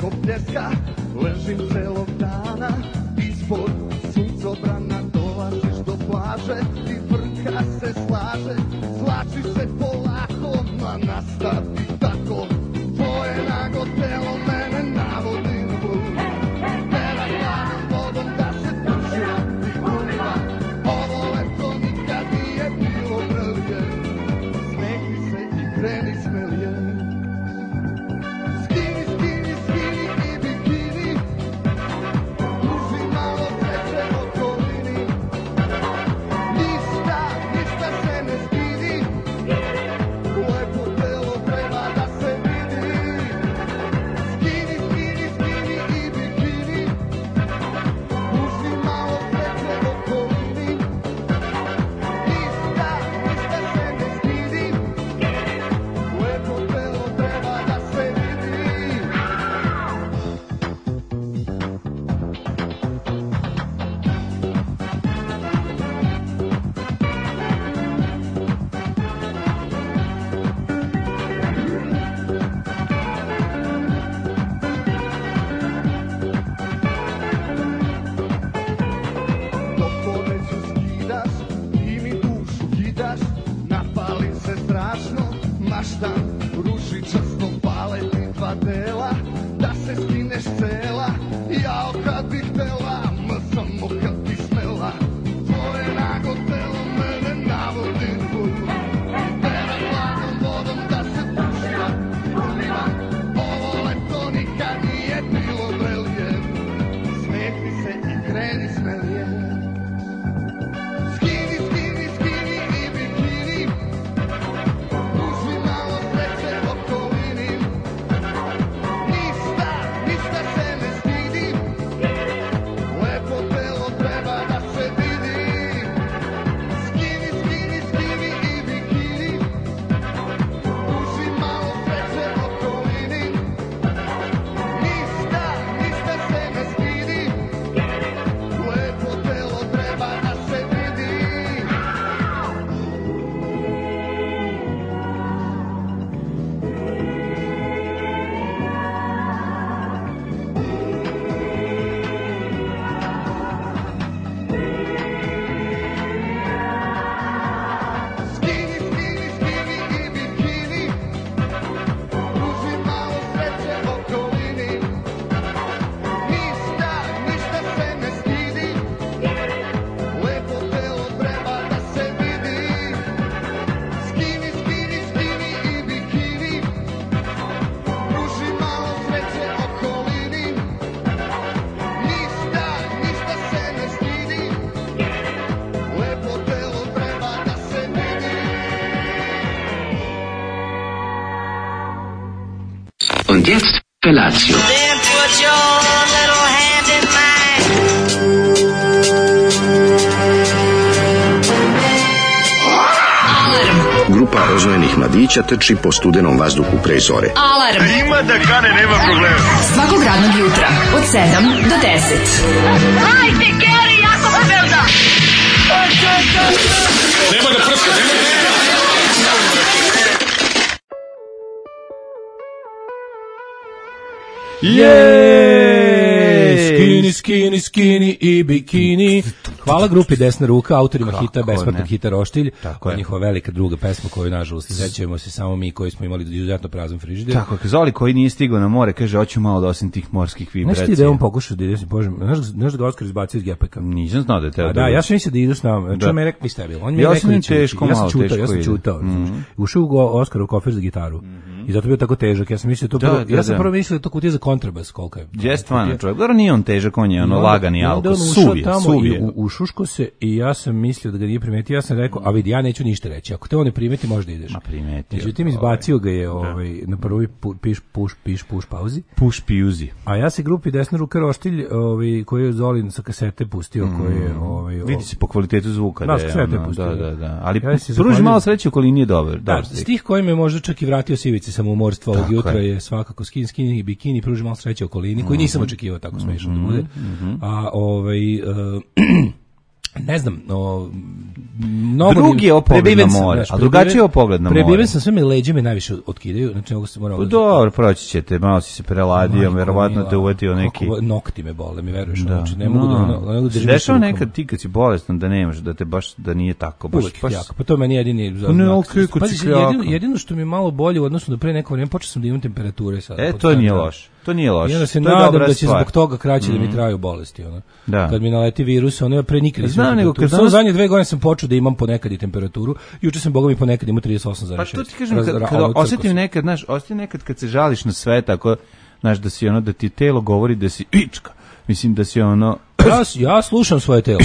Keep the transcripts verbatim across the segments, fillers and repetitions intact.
preko pljeska, ležim celog dana, ispod suncobrana dolaziš do plaže i vrka se slaže, zlači se polako, ma nastavi tako, tvoje nago telo mene navodi na blud, tera hladnom vodom da se tušira i umiva, ovo leto nikad nije bilo brlje, smekni se i kreni smelje. Ružičasto pale ti dva dela, da se skineš cela, jao kad bih htela, ma samo kad bi smela, tvoje nago telo mene navodi na blud, tera hladnom vodom da se tušira i umiva, ovo leto nikad nije bilo vrelje, smekni se i kreni smelje. Und jetzt Felatio. Then put your little hand in mine. Alarm. Grupa rozvojenih mladića trči po studenom vazduhu pre zore. Alarm. Ima da kane, nema problema. Svakog radnog jutra od sedam do deset. Hajde, Geri, jako se velda. Nema da prska, nema da prska. Jej! Skini, skini, skini i bikini. Hvala grupi Desna ruka, autorima kako hita, besplatnog hita Roštilj. Tako je. Njihova velika druga pesma koju, nažalost, sećamo se samo mi koji smo imali izuzetno prazan frižider. Tako je, Zoli koji nije stigao na more, kaže, hoću malo da osim tih morskih vibracija. Znaš ti da je on pokušao da ide, Bože, znaš da ga Oskar izbacio iz gepeka? Nisam znao da je teo. Da, da, ja sam mislio da idu s nama. Čuo me rekao, vi ste bili. On mi je ja rekao, sam teško, ja malo sam čutao, teško ja sam čutao. Mm-hmm. Ušao go Oskar u kofer za gitaru. Mm-hmm. I zato bio tako težak. Ja sam mislio to da, prvo, da, ja sam da. prvo mislio da to kutija za kontrabas koliko je. Je stvarno čovjek. Dobro, nije on težak, on je ono lagani alko, suvi, suvi je. U, u šuško se i ja sam mislio da ga nije primetio, ja sam rekao, a vidi, ja neću ništa reći, ako te on ne primeti, možda ideš. Ma primetio. Međutim, izbacio ga je ovaj, na prvoj pu, piš, puš, piš, puš pauzi. Puš pijuzi. A ja se grupi Desna ruka Roštilj, ovaj, koji je Zolin sa kasete pustio, mm. koji je... Ovaj, vidi se po kvalitetu zvuka. Da, da je, ono, pustio. Da, da, da. Ali ja pruži malo sreće okolini je dobar. Da, dobar stih koji me možda čak i vratio sivici samoumorstva ovog jutra je svakako skin, skin i bikini, pruži malo sreće okolini, koji nisam očekivao tako smešno mm-hmm, da bude. Mm-hmm. A ovaj... Uh, ne znam, no, mnogo drugi je pogled na more, znaš, a drugačiji je pogled na more. Prebiven sam, sve me leđe me najviše otkidaju, znači mogu se moramo. Dobro, proći ćete, malo si se preladio, verovatno te uvetio neki nokti me bole, mi veruješ, da. znači ne mogu no. da, ne mogu da držim. Dešava nekad ti kad si bolestan da nemaš, da te baš da nije tako, baš uvijek baš. jako. Pa to meni jedini za. Ne, okej, kod si jedino, jedino što mi je malo bolje u odnosu na pre neko vrijeme, počeo sam da imam temperature sad. E, to nije loše. To nije loše. I onda se to nadam da će zbog toga kraće mm. da mi traju bolesti, ona. Da. Kad mi naleti virus, ono ja pre nikad nisam. Znam, nego kad samo zadnje dve godine sam počeo da imam ponekad i temperaturu. Juče sam bogami ponekad imao trideset osam zarez šest. Pa to ti kažem, kad, kad osjetim nekad, znaš, osjetim nekad kad se žališ na sve, tako, znaš, da si ono, da ti telo govori da si ička. Mislim da si ono... Ja, ja slušam svoje telo.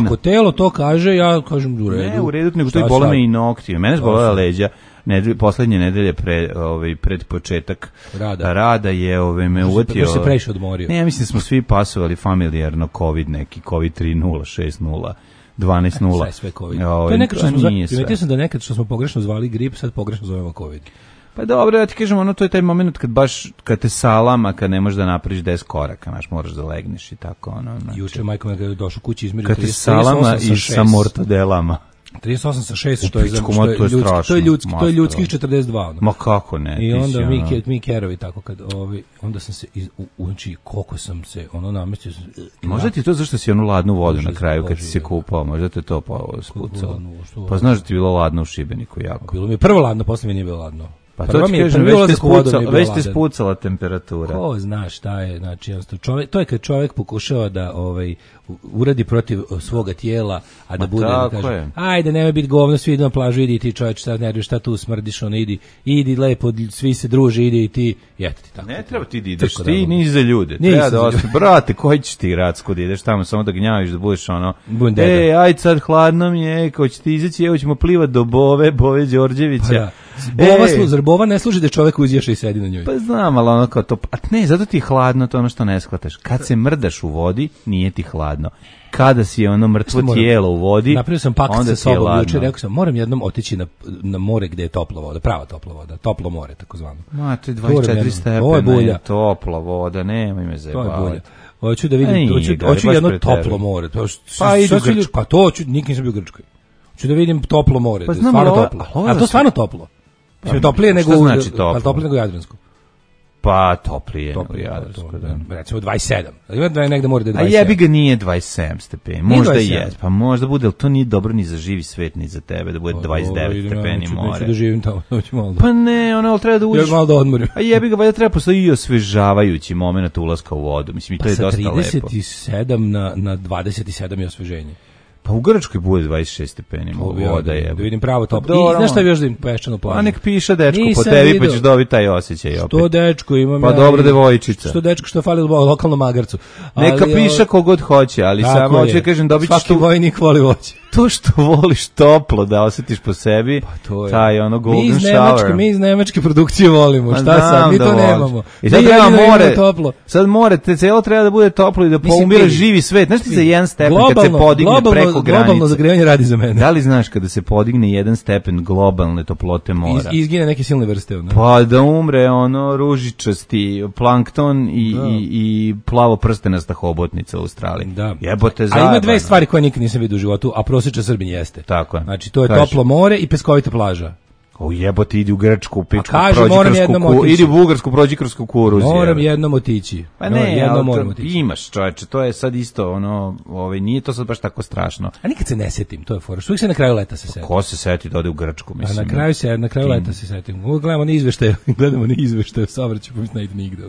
Ako telo to kaže, ja kažem u redu. Ne, u redu, nego to i bole me i nokti. Mene zbolela leđa. Nedelje, poslednje nedelje pre, ovaj, pred početak rada, rada je ovaj, me uvatio... se previše odmorio. Ne, ja mislim da smo svi pasovali familijarno COVID neki, COVID tri nula, šest nula, dvanaest nula. Sve, sve COVID. To je nekad što smo zvali, primetio sam da nekad što smo pogrešno zvali grip, sad pogrešno zovemo COVID. Pa dobro, ja ti kažem, ono, to je taj moment kad baš, kad te salama, kad ne možeš da napraviš deset koraka, znaš, moraš da legneš i tako, ono. Znači, juče majko me došao kući između kad te salama i sa mortadelama. trideset osam sa šest, što je, što je, ljudski, to je ljudski, to je ljudskih četrdeset dva. Ono. Ma kako ne? I onda mi, ono... mi kerovi tako, kad, ovi, onda sam se, iz, u, znači, koliko sam se, ono, namestio sam... Možda ti to zašto si onu ladnu vodu na kraju kad si se kupao, možda te to pa spucalo. Pa znaš da ti bilo ladno u Šibeniku jako. Bilo mi je prvo ladno, posle mi nije bilo ladno. Pa to ti kažem, već te, spucala, već te spucala temperatura. Ko zna šta je, znači, čovjek, to je kad čovjek pokušava da ovaj, uradi protiv svoga tijela, a da Ma bude, da kaže, je. ajde, nemoj biti govno, svi idu na plažu, idi ti čovječ, šta nerviš, šta tu smrdiš, ono, idi, idi lepo, svi se druže, idi i ti, jete ti tako. Ne treba ti da ideš, ti nisi za ljude, treba da ostaje, brate, koji ćeš ti Racko da ideš tamo, samo da gnjaviš, da budeš ono, ej, ajde sad, hladno mi je, ko će ti izaći, evo ćemo plivat do Bove, Bove Đorđevića. Bova, slu, zar bova ne služi da čovjek uzješa i sedi na njoj? Pa znam, ali ono kao to, a ne, zato ti je hladno, to ono što ne shvataš. Kad se mrdaš u vodi, nije ti hladno. Kada si ono mrtvo moram, tijelo u vodi, napravio sam pakt sa sobom juče, rekao sam, moram jednom otići na, na more gde je topla voda, prava topla voda, toplo more, takozvano. Ma, to je dvadeset četiri stepena, je topla voda, nemoj me zajebavati. Hoću da vidim, hoću, hoću jedno toplo more. To, pa idu u Grčku. Pa to hoću, nikad nisam bio u Grčkoj. Hoću da vidim toplo more, pa znam, stvarno toplo. A to stvarno toplo? Pa, toplije nego, znači toplo? Pa toplije nego Jadransko. Pa toplije nego Jadransko, da. Recimo dvadeset sedam. Ima da je negde mora da je dvadeset sedam. A jebi ga nije dvadeset sedam stepeni. Možda je, pa možda bude, ali to nije dobro ni za živi svet, ni za tebe, da bude dvadeset devet stepeni more. Neću da živim tamo. Pa ne, ono, treba da uđeš. Ja malo da odmorim. A jebi ga, valjda treba postoji i osvežavajući moment ulaska u vodu. Mislim, i to je dosta lepo. Pa sa trideset sedam na, na dvadeset sedam je osveženje. Pa u Grčkoj bude dvadeset šest stepeni, voda je. Da vidim pravo toplo. I znaš šta još da im peščanu plažu? A nek piše dečko po tebi, pa ćeš dobiti taj osjećaj opet. Što dečko imam pa ja. Pa dobro devojčica. Što dečko što fali lokalnom magarcu. Neka ali, piše kogod hoće, ali samo hoće kažem dobit ćeš svaki tu... vojnik voli voće. To što voliš toplo da osjetiš po sebi, pa to je. Taj ono golden mi iz Nemačke, shower. Mi iz nemačke produkcije volimo, šta pa sad, mi to da nemamo. I sad treba more, sad more, te celo treba da bude toplo i da poumira živi svet. Znaš ti za jedan stepen kad se podigne preko granice. Globalno zagrevanje radi za mene. Da li znaš kada se podigne jedan stepen globalne toplote mora? Iz, izgine neke silne vrste. Ne? Pa da umre ono ružičasti plankton i, da. i, i plavo prstenasta hobotnica u Australiji. Da. Jebote zajebano. A ima dve stvari koje nikad nisam vidio u životu, a prosječan Srbin jeste. Tako je. Znači to je Kaži. Toplo more i peskovita plaža. O jebote, idi u Grčku, pičku, kaže, prođi kroz kuku, idi u Bugarsku, prođi kroz kukuruz. Moram jednom otići. Pa ne, jednom moram otići. Imaš, čoveče, to je sad isto, ono, ovaj, nije to sad baš tako strašno. A nikad se ne setim, to je fora. Uvijek se na kraju leta se setim. Ko se seti da ode u Grčku, mislim. A na kraju se, na kraju leta se setim. Uvijek gledamo na izveštaje, gledamo na izveštaje, savrću, pa mi ne ide nigde.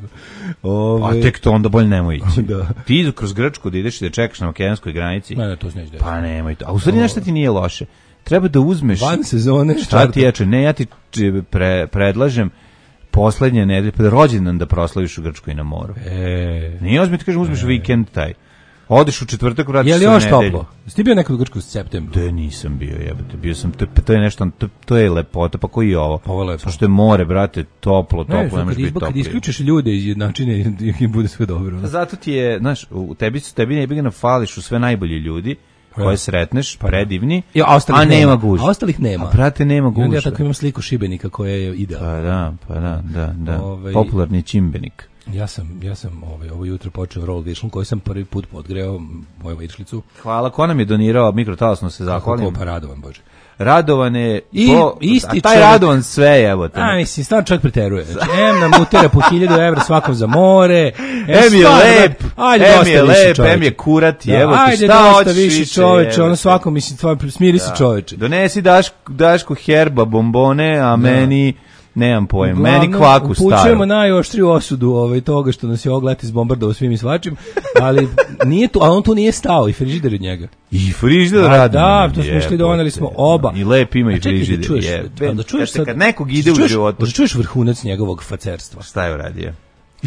Ove... A tek to onda bolje nemoj ići. Da. Ti idu kroz Grčku da ideš i da čekaš na makedonskoj granici. Ne, ne, to se neće. Pa nemoj to. A u stvari nešto ti nije loše. Treba da uzmeš van sezone šta ti jače, ne ja ti pre, predlažem poslednje nedelje pa da rođendan da proslaviš u Grčkoj na moru. E, nije ozbiljno ti kažem uzmeš e. vikend taj. Odeš u četvrtak, vratiš se u nedelju. Je li još toplo? Jesi bio nekad u Grčkoj u septembru? Da, nisam bio, jebote. Bio sam, to, to je nešto, to, to je lepota, pa koji je ovo? Ovo je lepo. Što je more, brate, toplo, toplo, ne, nemaš biti toplo. Kad isključiš ljude iz jednačine, im bude sve dobro. Ne? Zato ti je, znaš, u tebi, tebi ne bi ga nafališ u sve najbolji ljudi, koje sretneš, predivni, ja, a, a nema gužve. A ostalih nema. A brate, nema gužve. Ja tako imam sliku Šibenika koja je idealna. Pa da, pa da, da, da. Ove... Popularni čimbenik. Ja sam, ja sam ovaj, ovo jutro počeo roll višlom koji sam prvi put podgreo moju višlicu. Hvala, ko nam je donirao mikrotalasno se zahvalim. Kako pa Radovan, Bože. Radovan je, I, po, isti a taj čovjek, Radovan sve, evo te. A, mislim, stvarno čovjek preteruje. Znači, em nam utera po hiljadu evra svakom za more. Em je lep, ajde, em je lep, em je kurat, da, evo te, šta hoćeš više? Ajde, dosta više čoveče, ono svakom, mislim, stvarno, smiri da. se čoveče. Donesi Daško, Daško herba, bombone, a da. meni... Nemam pojem, uglavnom, meni kvaku staru. Upućujemo najoštriju osudu ovaj, toga što nas je oglet izbombardovao svim i svačim, ali nije tu, a on tu nije stao i frižider od njega. I frižider radi. Da, to smo išli, doneli smo oba. I lep ima i frižider. Čuješ, je. da čuješ sad, kad nekog ide u životu. Da čuješ vrhunac njegovog facerstva. Šta je uradio?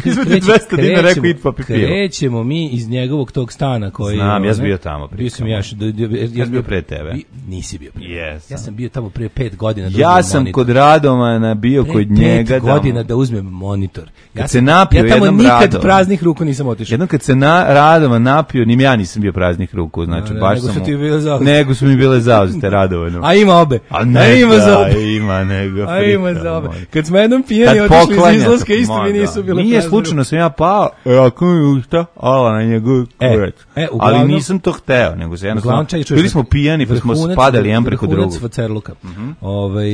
Izvedi dvesta dinara rekao id pa pipivo. Krećemo mi iz njegovog tog stana koji... Znam, ja sam bio tamo. Bio sam ja, ja sam bio pre tebe. Nisi bio pre. Yes. Ja sam bio tamo pre pet godina. Da ja sam monitor. Kod Radomana bio pre kod njega. Pet godina da uzmem monitor. Ja kad se napio ja tamo jednom nikad Radovan. Praznih ruku nisam otišao. Jednom kad se na Radovan napio, nim ja nisam bio praznih ruku. Znači, no, baš nego sam... Su ti bile zauzete. Nego su mi bile zauzete Radovanu. A ima obe. A ne, A ima za obe. Ima nego. A ima za obe. Kad smo jednom pijeni otišli iz izlaska, isto mi nisu bile. Nije slučajno sam ja pao, e, ako mi usta, ala na njegov kurac. E, ali nisam to hteo, nego se jednostavno, bili smo pijani pa smo spadali jedan preko drugog. Vrhunac facerluka. Ovaj,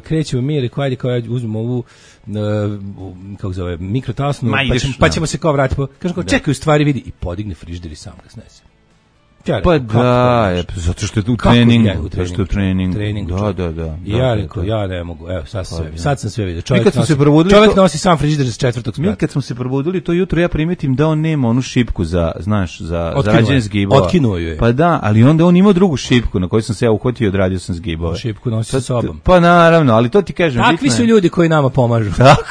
krećemo mi, rekao, ajde, kao ja uzmem ovu, kako zove, mikrotasnu, pa ćemo se kao vratiti. Kažem kao, čekaj, u stvari vidi, i podigne frižider i sam ga snese. Ja pa da, je, zato što je tu trening, ja, u trening, u trening. trening da, da, da. I ja rekao, ja ne mogu, evo, sad, sve, pa, sad sam sve vidio. Čovjek, nosi, se čovjek to, nosi sam frižider sa četvrtog sprata. Mi kad smo se probudili to jutro, ja primetim da on nema onu šipku za, znaš, za, za rađenje zgibova. Otkinuo ju je. Pa da, ali onda on ima drugu šipku na kojoj sam se ja uhvatio i odradio sam zgibove. Šipku nosi sa sobom. Pa naravno, ali to ti kažem. Takvi su ljudi koji nama pomažu. Tako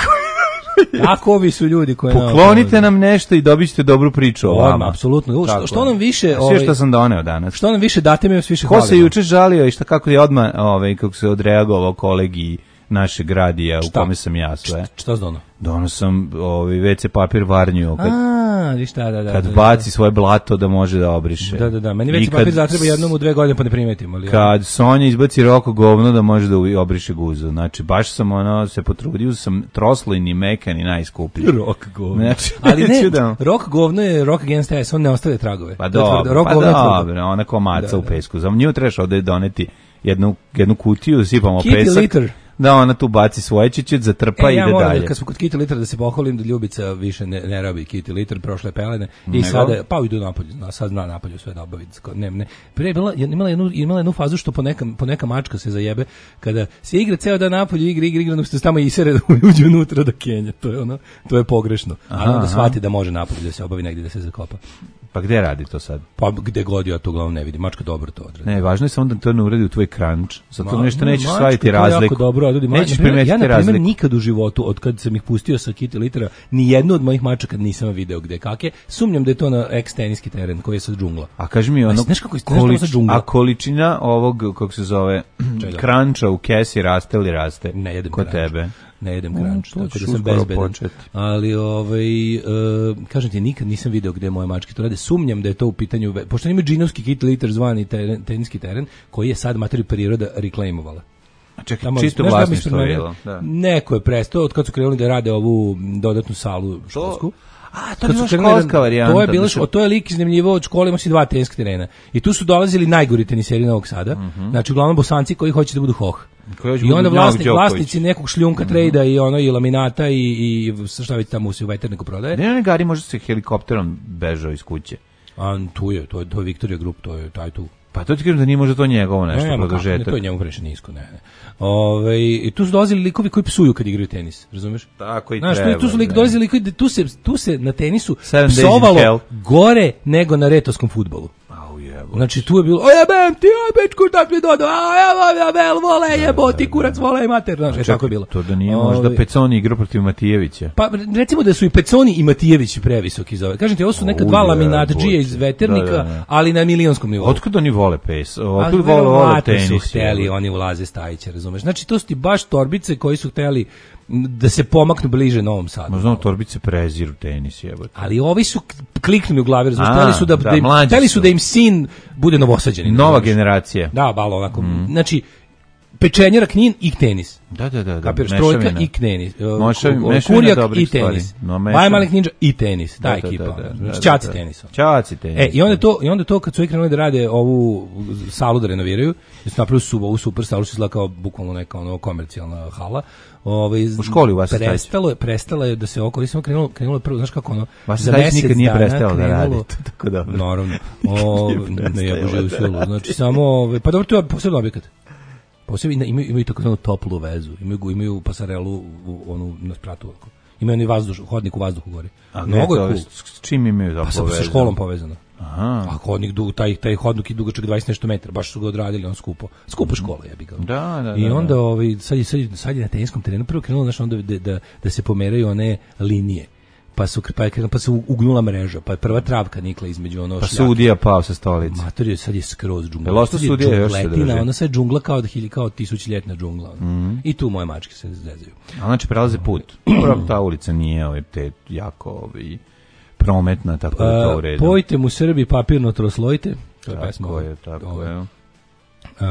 Tako ovi su ljudi koji poklonite nam nešto i dobićete dobru priču o vama. Apsolutno. Što, što nam više, ovaj, sve što sam doneo danas. Što nam više date mi više hvalimo. Ko se juče žalio i šta kako je odmah, ovaj kako se odreagovao kolegi našeg radija u kome sam ja sve. Šta dono? Dono sam ovaj ve ce papir varnju kad A, viš šta, da, da. Kad da, baci svoje blato da može da obriše. Da, da, da. Meni ve ce papir zatreba jednom u dve godine pa ne primetim, ali. Kad Sonja izbaci roko govno da može da obriše guzu. Znači baš sam ono se potrudio sam troslojni mekan i najskuplji. Rok govno. Znači, ali ne, da... rok govno je Rock Against Us, on ne ostavlja tragove. Pa dobro, rok pa dobro, ona komaca da, u pesku. Za nju trebaš ovde doneti jednu jednu kutiju, sipamo Kitty pesak. Litter. Da, ona tu baci svoje čičet, zatrpa e, i ja ide dalje. Da, kad smo kod Kitty Litter da se pohvalim da Ljubica više ne, ne rabi Kitty Litter, prošle pelene i Nego? sada, pa idu napolju, sad zna napolju sve da obavi. Ne, ne. Pre je bila, imala, jednu, imala jednu fazu što po neka, po neka mačka se zajebe, kada se igra ceo dan napolju, igra, igra, igra, igra, tamo isere da uđe unutra da kenja, to je, ono, to je pogrešno. Aha, a onda shvati da može napolju da se obavi negdje da se zakopa. Pa gde radi to sad? Pa gde god ja to uglavnom ne vidim. Mačka dobro to odradi. Ne, važno je samo da to ne uradi u tvoj crunch. Zato Ma, nešto nećeš shvatiti razliku. Dobro, odradi. Nećeš primetiti ja, na razliku. Ja, na nikad u životu, od kad sam ih pustio sa Kitty Littera, ni jednu od mojih mačaka nisam video gde kake. Sumnjam da je to na ex-teniski teren koji je sa džungla. A kaži mi ono, znaš kako je, količ, a količina ovog, kako se zove, cruncha u kesi raste ili raste? Ne jedem kod tebe. Ne jedem crunch, mm, tako da sam bezbedan. Ali, ovaj, uh, kažem ti, nikad nisam video gde moje mačke to rade. Sumnjam da je to u pitanju, pošto ima džinovski Kitty Litter zvani teren, teniski teren, koji je sad materiju priroda reklamovala. A čekaj, tamo, čisto vlasništvo je bilo. Neko je prestao, od kad su krenuli da rade ovu dodatnu salu školsku. A, to je bila školska varijanta. To je bilo, što... to je lik iznajmljivao od škole, ima si dva teniska terena. I tu su dolazili najgori teniseri Novog Sada. Mm -hmm. Znači, uglavnom Bosanci koji hoće da budu hoh. I onda vlasnik, vlasnici nekog šljunka mm -hmm. trejda i ono i laminata i, i šta već tamo se u veterniku prodaje. Ne, ne, Gari može se helikopterom bežao iz kuće. A tu je, to je, to je Victoria Group, to je taj tu. Pa to ti kažem da nije možda to njegovo nešto ne, produžetak. Ne, to je njemu previše nisko, ne, ne. Ove, i tu su dolazili likovi koji psuju kad igraju tenis, razumeš? Tako i Znaš, treba. Tu, tu su lik, dolazili likovi, tu se, tu se na tenisu psovalo gore nego na retoskom fudbalu. Znači tu je bilo, o jebem ti, o bečku, tak mi dodo, a evo, jebel, vole, jebo ti, kurac, vole i mater, znaš, je tako je bilo. To da nije možda Peconi igrao protiv Matijevića. Pa recimo da su i Peconi i Matijević previsoki za ove. Kažem ti, ovo su neka dva laminatđije iz veternika, da, da, da. ali na milionskom nivou. Otkud oni vole pes? Otkud vole, vole tenis? Su hteli, oni ulaze Stajića, razumeš? Znači to su ti baš torbice koji su hteli da se pomaknu bliže Novom Sadu. Možda torbice preziru tenis, jebote. Ali ovi su kliknuli u glavi, razumiješ, hteli su da, da, da, im, hteli su da im sin bude novosađanin. Nova generacija. Da, balo onako. Mm. Znači, pečenjara, Knin i tenis. Da, da, da. Kapiraš, trojka i tenis. Kurijak i tenis. No, Baj Malik Ninja i tenis. Ta ekipa. Čaci tenis. Čaci tenis. E, i onda to, i onda to kad su krenuli da rade ovu salu da renoviraju, da su napravili su ovu super salu, što izgleda kao bukvalno neka ono komercijalna hala. Ovaj u školi u vas prestalo je, prestalo je da se oko, samo krenulo, krenulo prvo, znaš kako ono, za mesec nikad nije prestalo da radi. Tako da. Naravno. O, ne je bože u silu. Znači samo, pa dobro, to je posebno objekat. Posebno imaju, imaju takozvanu toplu vezu, imaju, imaju pasarelu u, onu na spratu. Imaju oni vazduš, hodnik u vazduhu gore. A mnogo je cool. S čim imaju toplu vezu? Pa sa školom povezano. Aha. A hodnik, taj, taj hodnik je dugačak dvadeset nešto metara, baš su ga odradili, on skupo. Skupo škola, ja bih ga. Da, da, I onda, da. ovaj, sad, je, sad, je, sad je na teniskom terenu prvo krenulo, znaš, onda da, da, da se pomeraju one linije. Pa su pa, pa se ugnula mreža, pa je prva travka nikla između ono pa šljake. Pa sudija pao sa stolice. Mator je sad je skroz džungla. Jel ostao sudija još se drži? Ona sad džungla kao da hilj kao tisućljetna džungla. Mm -hmm. I tu moje mačke se zezaju. A znači prelaze put. Prvo ta ulica nije ovaj te jako ovaj prometna, tako da to u redu. Pojte mu Srbi papirno troslojte. To je pesma. Tako je, tako ovaj. je. Uh,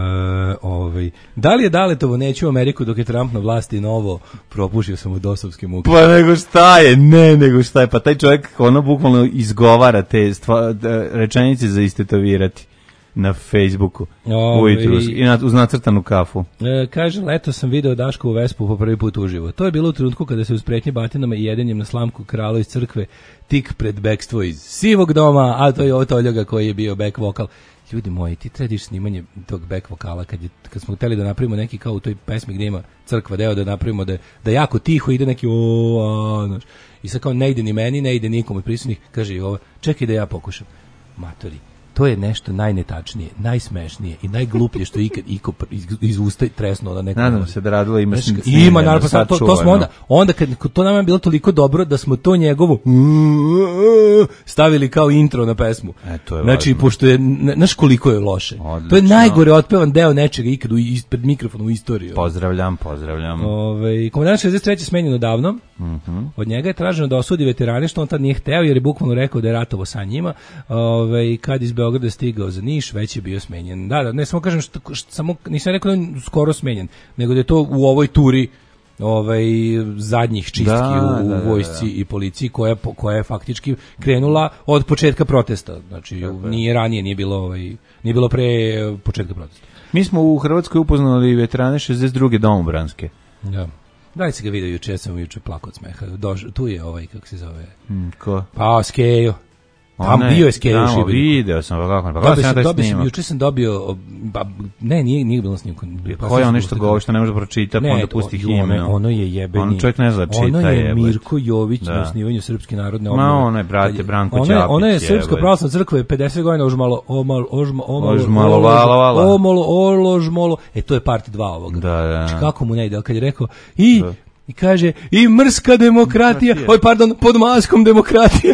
ovaj. Da li je Daletovo neću u Ameriku dok je Trump na vlasti novo propušio sam u dosovske muke? Pa nego šta je, ne nego šta je, pa taj čovjek ono bukvalno izgovara te stva, rečenice za istetovirati na Facebooku Ove, ujutru i na, uz nacrtanu kafu. E, kaže, leto sam video Daškovu Vespu po prvi put uživo. To je bilo u trenutku kada se uz pretnje batinama i jedenjem na slamku kralo iz crkve tik pred bekstvo iz sivog doma, a to je ovo Toljoga koji je bio back vokal. Ljudi moji, ti trediš snimanje tog back vokala kad, je, kad smo hteli da napravimo neki kao u toj pesmi gdje ima crkva deo da napravimo da, da jako tiho ide neki o, a, i sad kao ne ide ni meni, ne ide nikom od prisutnih, kaže i ovo, čekaj da ja pokušam. Matori, to je nešto najnetačnije, najsmešnije i najgluplje što ikad iko iz, iz usta tresnuo da neko. Nadam se da radilo ima Znaš, ima naravno to, to, to smo onda onda kad to nam je bilo toliko dobro da smo to njegovo stavili kao intro na pesmu. E, to je znači važno. Pošto je znaš koliko je loše. Odlično. To je najgore otpevan deo nečega ikad ispred mikrofona u istoriji. Pozdravljam, pozdravljam. Ovaj komandant šezdeset treće smenjen odavno. Mhm. Mm Od njega je traženo da osudi veterane što on tad nije hteo jer je bukvalno rekao da je ratovo sa njima. Ovaj kad iz Beograda stigao za Niš, već je bio smenjen. Da, da, ne samo kažem što, što samo nisam rekao da je skoro smenjen, nego da je to u ovoj turi ovaj zadnjih čistki da, u, u da, da, vojsci da. i policiji koja koja je faktički krenula od početka protesta. Znači Tako nije je. ranije nije bilo ovaj nije bilo pre početka protesta. Mi smo u Hrvatskoj upoznali veterane šezdeset druge domobranske. Da. Da li si ga vidio juče, sam juče plakao od smeha. Doš, tu je ovaj, kako se zove? Mm, ko? Pa, Skejo. Tam bio je Skejo u Šibeniku. Video sam, kako, pa kako sam dobio, sam, juče sam dobio, ba, ne, nije, nije bilo snimko. Pa ko je ono što govori, što ne može pročitati, pa onda pusti himnu. Ono, ono je jebeni. On čovjek ne zna čita, ono je jebet. Mirko Jović da. Na osnivanju Srpske narodne obnove. Ma, ono je, brate, Branko Ćapić. Ono, ono je Srpska pravoslavna crkva je pedeset godina ožmalo, omalo, ožma, omalo, ožmalo, vala, vala. Omalo, oložmalo. E, to je part dva ovoga. Da, da. Znači, kako mu ne ide, kad je rekao, i... Da. I kaže, i mrska demokratija, oj pardon, pod maskom demokratije.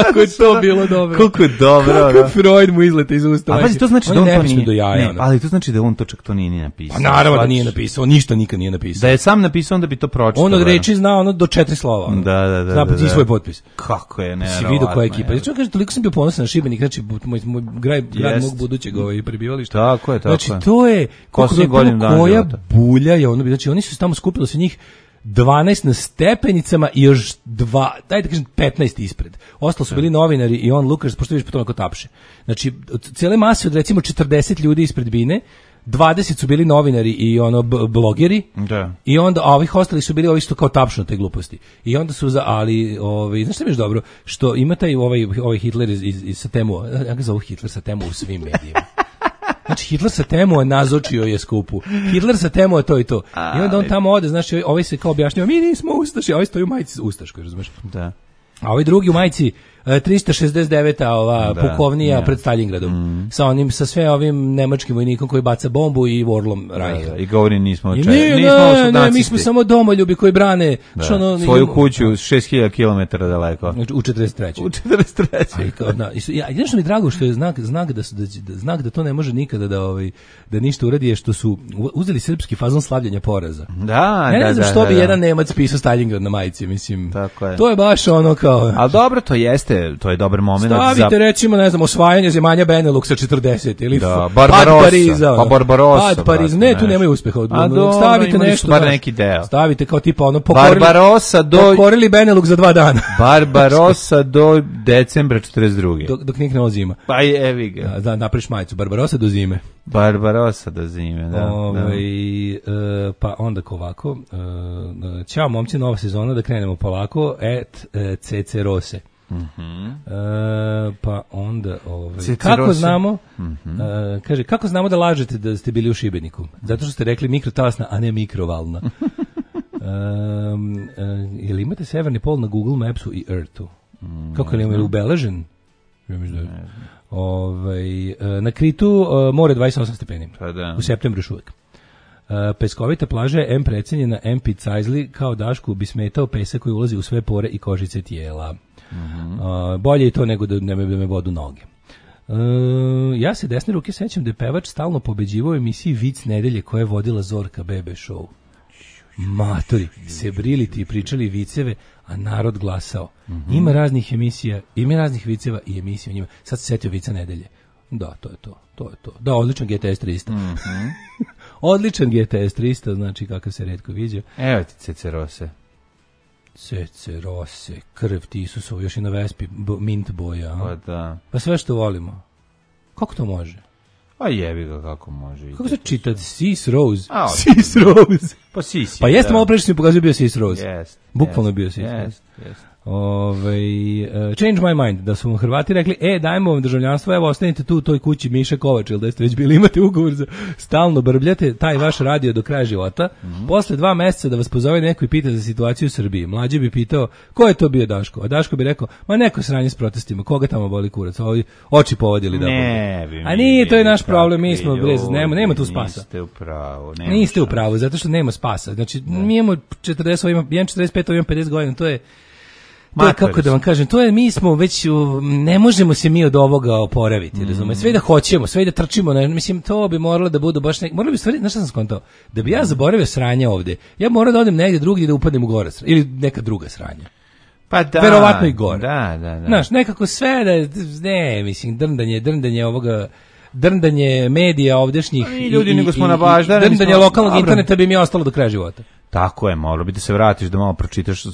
Kako je to bilo dobro. Koliko je dobro. Kako Freud mu izlete iz usta. A pazi, to znači da on to nije. Do jaja, ne, ali to znači da on to čak to nije ni napisao. Pa naravno da nije napisao, ništa nikad nije napisao. Da je sam napisao, onda bi to pročitao. On od reči zna ono do četiri slova. Da, da, da. Zna da, da, svoj potpis. Kako je, ne. Si vidio koja ekipa. Ja kaže, toliko sam bio ponosan na Šibenik, znači moj, moj grad, grad mog budućeg ovaj prebivališta. Tako je, tako je. Znači to je koja bulja je ono, znači oni su tamo skupili se njih dvanaest na stepenicama i još dva, dajte kažem petnaest ispred. Ostalo su bili novinari i on Lukas, pošto vidiš po tome ko tapše. Znači, od cijele mase od recimo četrdeset ljudi ispred bine, dvadeset su bili novinari i ono b- blogeri. Da. I onda a ovih ostali su bili ovi što kao tapšu te gluposti. I onda su za ali ovaj znaš šta mi je dobro što ima taj ovaj ovaj Hitler iz iz, iz Satemu, ja ga zovu Hitler Satemu u svim medijima. Znači Hitler sa Temu nazočio je skupu. Hitler sa Temu je to i to. I onda on tamo ode, znači ovaj se kao objašnjava, mi nismo ustaši, a ovaj stoji u majici ustaškoj, razumeš? Da. A ovaj drugi u majici tristo šezdeset deveta ova da, pukovnija ja. Pred Stalingradom mm. sa onim sa sve ovim nemačkim vojnikom koji baca bombu i Vorlom Reicha. Da, da, i govori nismo očaj. Nismo ne, mi smo samo domoljubi koji brane da. Što ono, svoju kuću šest hiljada kilometara daleko. U četrdeset trećoj U četrdeset trećoj Ja, jedno mi drago što je znak znak da su da, da znak da to ne može nikada da ovaj da ništa uradi je što su uzeli srpski fazon slavljenja poraza. Da, ja ne da, znam da, što da, bi da. jedan Nemac pisao Stalingrad na majici, mislim. Tako je. To je baš ono kao. Al dobro to jeste jeste, to je dobar moment. Stavite za... recimo, ne znam, osvajanje zemalja Beneluxa četrdeset ili da, Barbarossa, Pariza, pa Barbarossa. Pad Pariza, ne, tu nemaju uspeha. A do, stavite nešto, bar neki deo. Stavite kao tipa ono pokorili, Barbarossa do pokorili Benelux za dva dana. Barbarossa do decembra četrdeset druge. Dok, dok nikne ovo zima. Pa i evi ga. Da, da, napriš majicu, Barbarossa do zime. Barbarossa do zime, da. Ove, da. E, pa onda ovako, e, ćao momci, nova sezona, da krenemo polako, et e, cece rose. Mhm. E, pa onda ovaj kako znamo mm-hmm. e, kaže kako znamo da lažete da ste bili u Šibeniku zato što ste rekli mikrotalasna a ne mikrovalna. e, e, jel imate severni pol na Google Mapsu i Earthu mm, kako je li ubeležen? Ja mislim da ovaj e, na Kritu e, more dvadeset osam stepeni pa da. U septembru još uvek. Uh, peskovita plaža je em precenjena, em picajzli, kao Dašku bi smetao pesak koji ulazi u sve pore i kožice tijela. Mm-hmm. Uh, bolje je to nego da ne me vodu noge. Uh, ja se desne ruke sećam da je pevač stalno pobeđivao u emisiji Vic nedelje koja je vodila Zorka Bebe Show. Matori, se briliti i pričali viceve, a narod glasao. Mm-hmm. Ima raznih emisija, ima raznih viceva i emisija o njima. Sad se setio Vica nedelje. Da, to je to, to je to. Da, odličan G T S tristo. Mm-hmm. Odličan G T S tristo, znači kakav se retko viđa. Evo ti cece rose. Cece rose, krv ti Isusov, još i na Vespi, bo, mint boja. Pa da. Pa sve što volimo. Kako to može? A jebi ga kako može. Kako se čita? Sis Rose. A, Sis Rose. Pa Sis. Pa jeste, malo prečo si mi pokazuje bio Sis Rose. Jest. Bukvalno je bio Sis Rose. Jest, jest. Ove, uh, change my mind, da su vam Hrvati rekli, e, dajmo vam državljanstvo, evo, ostanite tu u toj kući Miša Kovač, ili da ste već bili, imate ugovor za stalno brbljate taj vaš radio do kraja života. Mm-hmm. Posle dva meseca da vas pozove neko i pita za situaciju u Srbiji. Mlađi bi pitao, ko je to bio Daško? A Daško bi rekao, ma neko sranje s protestima, koga tamo boli kurac? Ovi oči povodili da ne, bi a nije, to je naš problem, mi smo brez, nema, nema tu spasa. Niste u pravu. Niste u pravu, zato što nema spasa. Znači, ne. Mi imamo četrdeset, imam četrdeset pet, imam pedeset godina, to je To je, kako da vam kažem, to je, mi smo već, ne možemo se mi od ovoga oporaviti, mm. razumijete, sve da hoćemo, sve da trčimo, ne, mislim, to bi moralo da budu baš nek, moralo bi stvari, znaš šta sam skontao, da bi ja zaboravio sranje ovde, ja moram da odem negdje drugdje da upadnem u gore, ili neka druga sranja. Pa da. Verovatno i gore. Da, da, da. Znaš, nekako sve da, ne, mislim, drndanje, drndanje ovoga, drndanje medija ovdešnjih i ljudi nego smo na baždane, drndanje lokalnog dobro. Interneta bi mi ostalo do kraja života. Tako je, moralo bi da se vratiš da malo pročitaš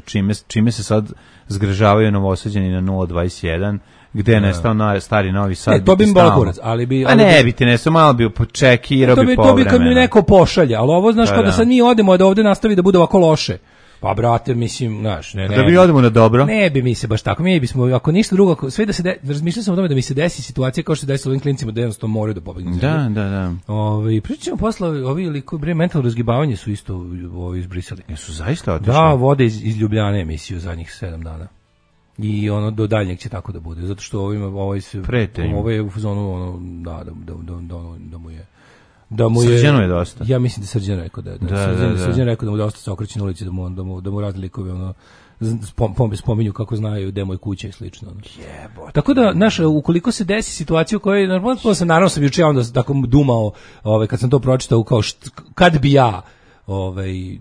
čime, čime se sad zgražavaju Novosađani na nula dvadeset jedan, gde je nestao na stari Novi Sad. Ne, to bi im bolo kurac, ali bi... A ne, bi ti nestao, malo bi počekirao bi povremeno. To bi kad mi neko pošalja, ali ovo, znaš, kao da sad mi odemo da ovde nastavi da bude ovako loše. Pa brate, mislim, znaš, ne, ne. Da mi odemo na dobro. Ne bi mi se baš tako, mi bismo, ako ništa drugo, sve da se, de, razmišljao sam o tome da mi se desi situacija kao što se desi ovim klincima da jednostavno moraju da pobegnu. Da, da, da. Ove, pričamo posle, ovi liko, bre, mentalno razgibavanje su isto ovi izbrisali. Jesu zaista otišli? Da, vode iz, iz Ljubljane emisiju zadnjih sedam dana. I ono, do daljnjeg će tako da bude, zato što ovim, ovaj se, ovo je u zonu, ono, da, da, da, da, da, da mu je, da mu je, Srđano je dosta. Ja mislim da Srđan rekao da, da, da, Srđan, da, da. Srđan rekao da mu dosta se okreće na ulici, da mu, da mu, da mu razni likovi ono, spom, spominju kako znaju gde mu je kuća i slično. Ono. Jebote. Tako da, znaš, ukoliko se desi situacija u kojoj, normalno sam, naravno sam juče onda tako dumao, ovaj, kad sam to pročitao, kao št, kad bi ja ovaj, i,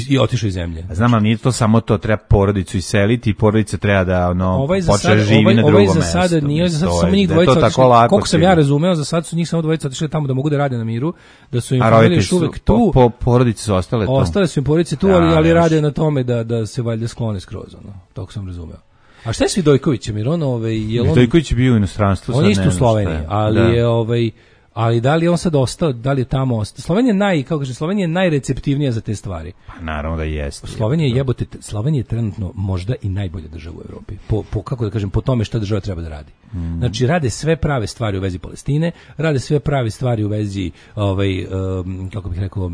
i otišao iz zemlje. Znam, ali nije to samo to, treba porodicu iseliti i porodica treba da ono, ovaj počne živi ovaj, na drugom mestu. Ovaj za sada nije, za sada samo njih dvojica otišli, koliko sam ja razumeo, za sad su njih samo dvojica otišli tamo da mogu da rade na miru, da su im familije još uvek tu. Po, po porodice su ostale tu. Ostale su im porodice tu, da, ali, ali rade na tome da, da se valjda sklone skroz, ono, toko sam razumeo. A šta je s Vidojkovićem, jer on, ovaj, je on... Vidojković je bio u inostranstvu. On je isto u Sloveniji, ali da. je, ovaj... Ali da li je on sad ostao, da li je tamo ostao? Slovenija je naj, kako kaže, Slovenija je najreceptivnija za te stvari. Pa naravno da jeste. Slovenija je jebote, Slovenija je trenutno možda i najbolja država u Evropi. Po, po kako da kažem, po tome šta država treba da radi. Mm. Znači rade sve prave stvari u vezi Palestine, rade sve prave stvari u vezi ovaj um, kako bih rekao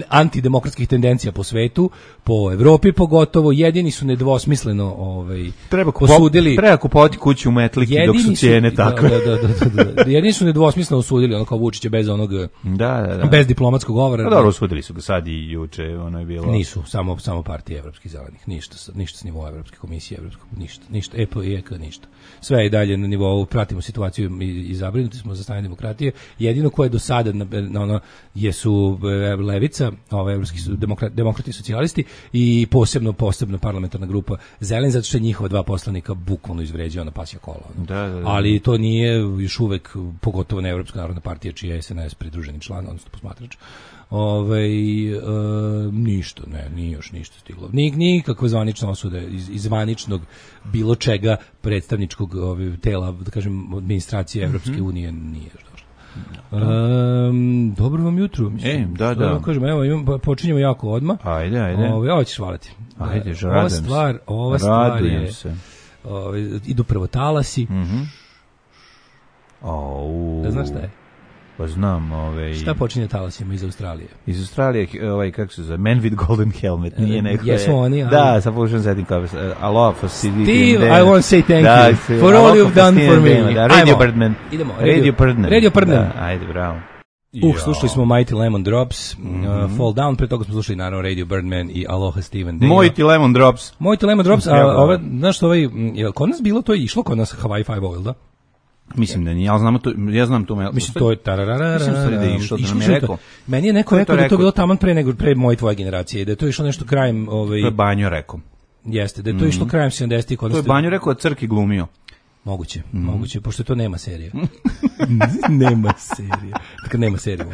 antidemokratskih tendencija po svetu, po Evropi pogotovo, jedini su nedvosmisleno ovaj treba posudili, treba kupovati kuću u Metliki dok su cijene takve. Da, da, da, da, da, jedini su nedvosmisleno nedvosmisleno osudili, ono kao Vučića bez onog, da, da, da. bez diplomatskog govora. Pa dobro, osudili su ga sad i juče, ono je bilo. Nisu, samo, samo partije evropskih zelenih, ništa, ništa s nivoa Evropske komisije, Evropskog, ništa, ništa, E P I E K, ništa. Sve je dalje na nivou, pratimo situaciju i, i zabrinuti smo za stanje demokratije. Jedino koje do sada na, na ono, jesu levica, ove evropski su demokrati, demokrati i socijalisti i posebno, posebno parlamentarna grupa Zeleni, zato što je njihova dva poslanika bukvalno izvređao na pasja kola. Da, da, da. Ali to nije još uvek, pogotovo na Evropska narodna partija, čiji je S N S pridruženi član, odnosno posmatrač. Ove, e, ništa, ne, nije još ništa stiglo. Nik, nikakve zvanične osude iz, iz zvaničnog bilo čega predstavničkog ove, tela, da kažem, administracije Evropske mm-hmm. unije nije još došlo. Um, dobro vam jutro. Mislim, e, da, da. Kažem, evo, imam, počinjemo jako odmah. Ajde, ajde. Ove, ovo ćeš hvaliti. Ajde, da, ova stvar, ova stvar je, se. Ove, idu prvo talasi. Mhm. Au. Da znaš šta je? Pa znam, ovaj. Šta počinje talasima iz Australije? Iz Australije, ovaj kako se zove, Man with Golden Helmet, nije neko. Jesu oni, ali... Da, sa pokušam setim kao aloha for Steve, I want to say thank da, you for all you've done for me. Da, Radio Birdman. Idemo. Radio Birdman. Radio Birdman. Da, ajde, bravo. Uh, slušali smo Mighty Lemon Drops, mm-hmm. uh, Fall Down, pre toga smo slušali naravno Radio Birdman i Aloha Steven Dale. Mighty Lemon Drops. Mighty Lemon Drops, a ove, znaš što ovaj, je kod nas bilo, to je išlo kod nas Hawaii Five-O, da? Mislim da nije, ja znam to, ja znam to. Mislim to je tararara. Mislim da je išlo, da nam je rekao. Meni je neko rekao da je to bilo taman pre nego pre moje tvoje generacije, da je to išlo nešto krajem, ovaj. To je Banjo rekao. Jeste, da je to išlo krajem sedamdesetih kod nas. To je Banjo rekao, da Crki glumio. Moguće, mm. moguće, pošto to nema serija. nema serije. Dakle, nema serije.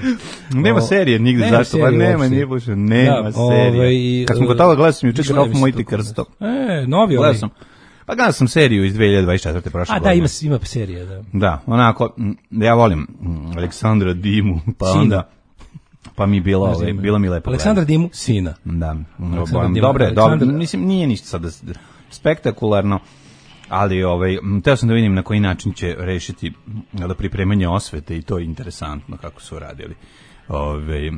Nema o, serije nigde, nema zašto? Pa nema, nije bože, nema da, serije. Ovaj, kad sam kod toga gledao sam juče Graf Mojti Krsto. E, novi ovaj. Sam, pa gledao sam seriju iz dve hiljade dvadeset četvrte prošle A godine. da, ima, ima serija, da. Da, onako, ja volim Aleksandra Dimu, pa Sina. Onda... Pa mi bila, ove, bila mi lepo. Aleksandra Dimu, sina. Da, dobre, dobro, mislim, nije ništa sada spektakularno. Ali ovaj teo sam da vidim na koji način će rešiti da pripremanje osvete i to je interesantno kako su radili. Ovaj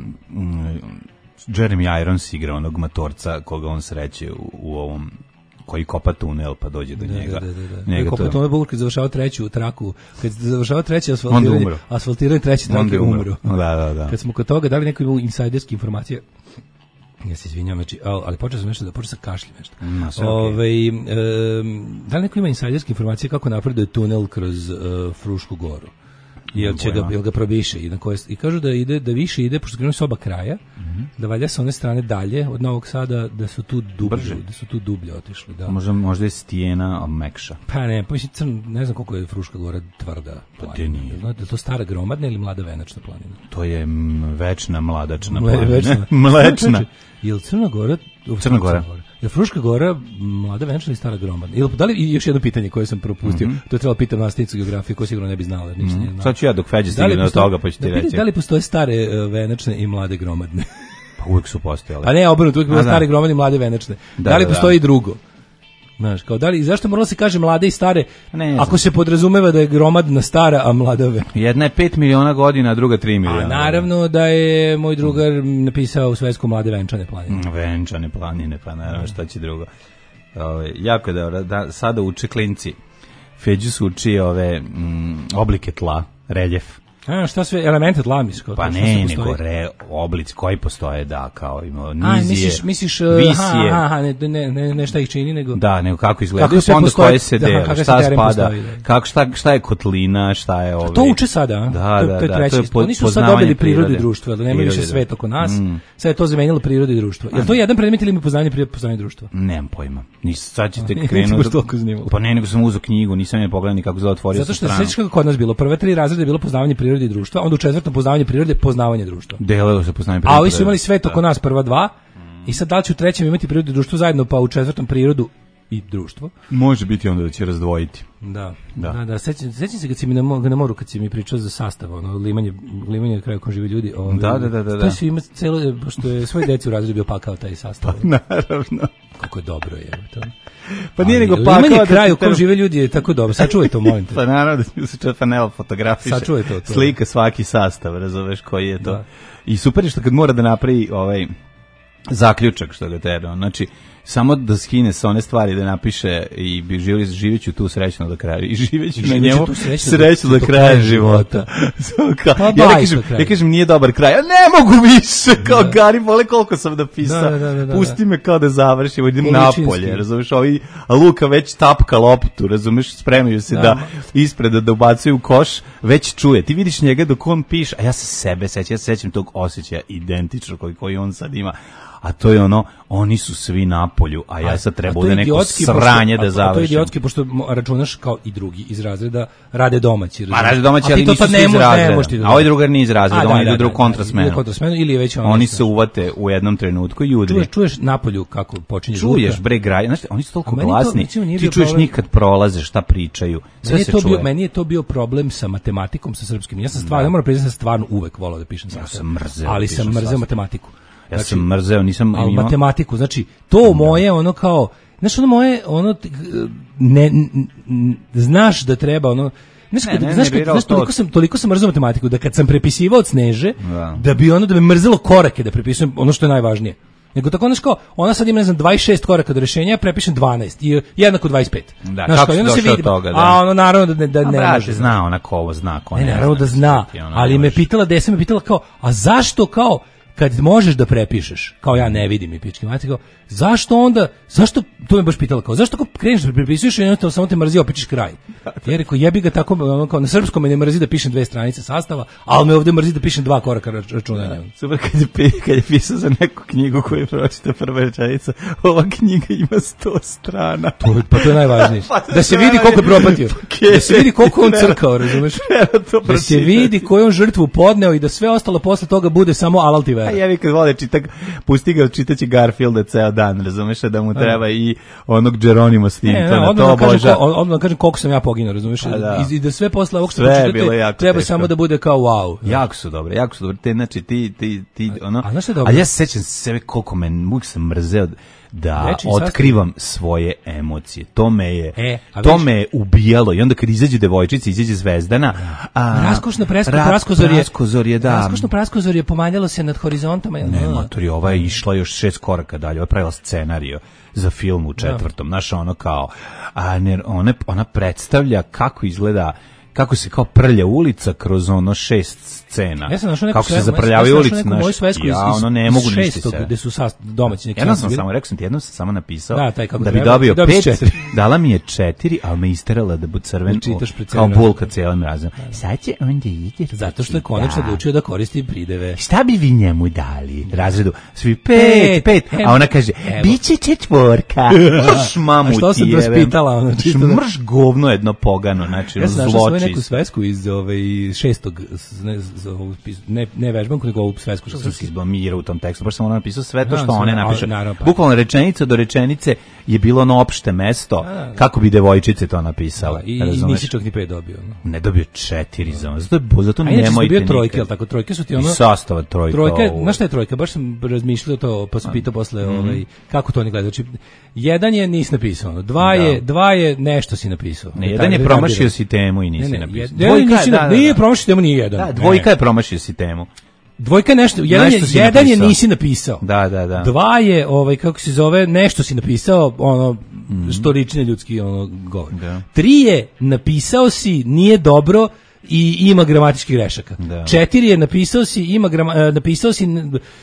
Jeremy Irons igra onog matorca koga on sreće u, u ovom koji kopa tunel pa dođe do da, njega. Da, da, da. Njega kopa tunel buk kad završava treću traku, kad završava treći asfaltiranje, asfaltiranje treći trake umro. Da, da, da. Kad smo kod toga dali neko insajderske informacije. Ja se izvinjam, znači, ali počeo sam nešto da počeo sa kašljem nešto. No, okay. Ove, e, da li neko ima insajderske informacije kako napreduje tunel kroz uh, Frušku goru? Jel će ga, jel ga probiše i, na koje, i kažu da ide da više ide pošto krenuli s oba kraja, mm-hmm. da valja sa one strane dalje od Novog Sada da su tu dublje, da su tu dublje otišli, da. Možda možda je stijena mekša. Pa ne, pa mislim ne znam koliko je Fruška gora tvrda. Pa te nije. Znate, to stara gromadna ili mlada venačna planina? To je večna mladačna Mle, planina. Večna. Mlečna. Jel Crna Gora? Crna Gora. Je Fruška Gora mlada venčana ili stara gromadna? Ili da li još jedno pitanje koje sam propustio? Mm-hmm. To je trebalo pitati nastavnicu geografije, ko sigurno ne bi znala, ništa mm-hmm. ne znam. Sad ću ja dok Feđe stigne do toga pa ću ti da reći. Da li postoje stare uh, venečne i mlade gromadne? Pa uvijek su postojale. A ne, obrnuto, uvijek bilo stare gromadne i mlade venečne. Da, da li postoji da. i drugo? Znaš, kao da li, zašto moralo se kaže mlade i stare, ne, ako se podrazumeva da je gromadna stara, a mladave? Jedna je pet miliona godina, a druga tri miliona. A naravno da je moj drugar napisao u svetsku mlade venčane planine. Venčane planine, pa naravno šta će drugo. Ove, jako je dobro, da sada uče klinci. Feđu su uči ove m, oblike tla, reljef. A, šta sve elemente tla misliš? Pa ne, nego re, oblici koji postoje, da, kao ima nizije, A, misliš, misliš, visije. Aha, aha, ne, ne, ne, ne šta ih čini, nego... Da, nego kako izgledaju, pa onda koje se dele, šta spada, postoji, kako, šta, šta je kotlina, šta je ove... To uče sada, a? Da, to, da, to je treći. da, to je Oni su sad dobili prirodu i društvo, da nema više svet oko nas, mm. sad je to zamenilo prirodu i društvo. Je li to jedan predmet ili ima poznanje prirode, poznanje društva? Nemam pojma. Nis, sad ćete krenuti... Pa ne, nego sam uzeo knjigu, nisam je pogledao ni kako se otvorio sa stranu. Zato što se kako kod nas bilo, prve tri razrede je bilo poznavanje prirode i društva, onda u četvrtom poznavanje prirode, poznavanje društva. Delilo se poznavanje prirode. A ovi su imali svet oko nas prva dva. I sad da li će u trećem imati prirodu i društvo zajedno, pa u četvrtom prirodu i društvo? Može biti onda da će razdvojiti. Da, da, da. da. Sećam, sećam se kad si mi na, na moru, kad si mi pričao za sastav, ono, limanje, limanje na kraju kom žive ljudi. Ono, da, da, da, da. To su ima celo, pošto je svoj deci u razredu bio pakao taj sastav. Pa, naravno. Kako je dobro je to. Pa nije nego pakao. Limanje kraju kom žive ljudi je tako dobro. Sačuvaj to, molim te. Pa naravno da se čet panel fotografiše. Sačuvaj to, to. Slika svaki sastav, razumeš koji je to. Da. I super je što kad mora da napravi ovaj zaključak što ga treba. Znači, samo da skine sa one stvari da napiše i bi živjeli živeću tu srećno do kraja i živeću na njemu srećno do, do kraja života. Pa, ja, ja, kažem, ja kažem nije dobar kraj, ja ne mogu više kao da. Gari, vole koliko sam napisao, da, da, da, da, pusti me kao da završim, idem napolje, razumeš, ovi, a Luka već tapka loptu, razumeš, spremaju se da, da ispred da ubacuju u koš, već čuje, ti vidiš njega dok on piše, a ja se sebe sećam, ja se sećam tog osjećaja identično koji, koji on sad ima, a to je ono, oni su svi na polju, a ja sad treba da neko sranje da završim. A to je idiotski, pošto računaš kao i drugi iz razreda, rade domaći. Ma rade domaći, ali nisu svi iz razreda. A ovaj drugar nije iz razreda, on ide u drugu kontrasmenu. Ili je već oni se uvate u jednom trenutku i udri. Čuješ, čuješ na polju kako počinje zvuka. Čuješ, bre, graj, znaš, oni su toliko glasni, ti čuješ njih kad prolaze, šta pričaju, sve se čuje. Meni je to bio problem sa matematikom, sa srpskim. Ja sam stvarno, moram priznati, stvarno uvek volao da pišem sastav. Ali sam mrzeo matematiku. Ja znači, sam mrzeo, nisam ali imao... matematiku, znači to moje ono kao, znaš ono moje ono ne, ne znaš da treba ono Znaš, ne, ne, znaš, ne, znaš toliko sam toliko sam mrzeo matematiku da kad sam prepisivao od Sneže da, da bi ono da me mrzelo korake da prepisujem ono što je najvažnije. Nego tako znaš kao, ona sad ima ne znam dvadeset šest koraka do rešenja, ja prepišem dvanaest i jednako dvadeset pet. Da, znaš, kako kao, se vidi, toga, da. A ono naravno da, da ne brate, može. Zna ona ko ovo zna, ko ne, ne naravno da zna, ali me pitala, desa me pitala kao, a zašto kao, kad možeš da prepišeš, kao ja ne vidim i pički mati, kao, zašto onda, zašto, to me baš pitala, kao, zašto ako kreneš da prepisuješ i jednostavno samo te mrzi, opičeš kraj. Ja rekao, jebi ga tako, kao, na srpskom me ne mrzi da pišem dve stranice sastava, ali me ovde mrzi da pišem dva koraka računanja. Ja, super, kad je, kad je pisao za neku knjigu koju je pročita prva rečenica, ova knjiga ima sto strana. To, pa to je najvažnije. Pa da se vidi koliko je propatio. Da se vidi koliko on crkao, razumeš? Da se vidi koju on žrtvu podneo i da sve ostalo posle toga bude samo alal ti vera. A jevi kad vole čitak, pusti ga čitaći Garfielda ceo dan, razumeš, da mu treba i onog Geronimo Stintona, to oboža. Odmah kažem koliko sam ja poginuo, razumeš, da. I, i da sve posle ovog što pročitate treba teško. Samo da bude kao wow. Jako su dobre, jako su dobre, te, znači ti, ti, ti, ono, a, a, a ja se sećam sebe koliko me, uvijek sam mrzeo da Reči, otkrivam sastav. Svoje emocije. To me je, e, to me je ubijalo. I onda kad izađe devojčica, izađe Zvezdana, a raskošno presko, praskozorje, praskozorje, da. Raskošno praskozorje pomanjalo se nad horizontama. Ne, matori, ova je išla još šest koraka dalje. Ova je pravila scenario za film u četvrtom. Znaš, ono kao, a ne, ona, ona predstavlja kako izgleda, kako se kao prlja ulica kroz ono šest scena. Ja sam našao neku kako se zaprljavaju ulice, naš. Ja ono ne mogu ništa se. Gde su sast domaći neki. Jednom sam samo rekao sam ti, jednom sam samo napisao da, taj kako da bi treba, dobio pet, dala mi je četiri, al me isterala da bude crven kao bulka cijelim razom. Sad će onda ide zato što je konačno odlučio da koristi prideve. Šta bi vi njemu dali? Razredu svi pet, pet, a ona kaže biće četvorka. Baš mamu što se raspitala ona čisto. Mrš govno jedno pogano, znači zločin. Neku svesku iz ove šestog ne ne, ne vežbanku nego ovu svesku što se izblamira u tom tekstu, baš sam ono napisao sve to što no, one napiše. Bukvalno rečenica do rečenice je bilo ono opšte mesto a, kako bi devojčice to napisale. Da, i, i nisi čak ni pet dobio. No. Ne dobio četiri za ono. Zato, zato nemojte dobio trojke, al tako trojke su ti ono. I sastava trojka. Trojka, znaš šta je trojka? Baš sam razmišljao to, pa sam pitao posle mm-hmm. ovaj kako to oni gledaju. Znači jedan je nisi napisao, dva da. je dva je nešto si napisao. Ne, jedan je promašio si temu i nisi ne, ne, napisao. Dvojka je, da, da, nije promašio temu, nije jedan. Da, dvojka je promašio si temu. Dvojka je nešto, jedan, nešto je, jedan je nisi napisao. Da, da, da. Dva je, ovaj, kako se zove, nešto si napisao, ono, mm. storični ljudski ono, govor. Da. Tri je, napisao si, nije dobro i ima gramatičkih grešaka. Da. Četiri je, napisao si, ima grama, napisao si,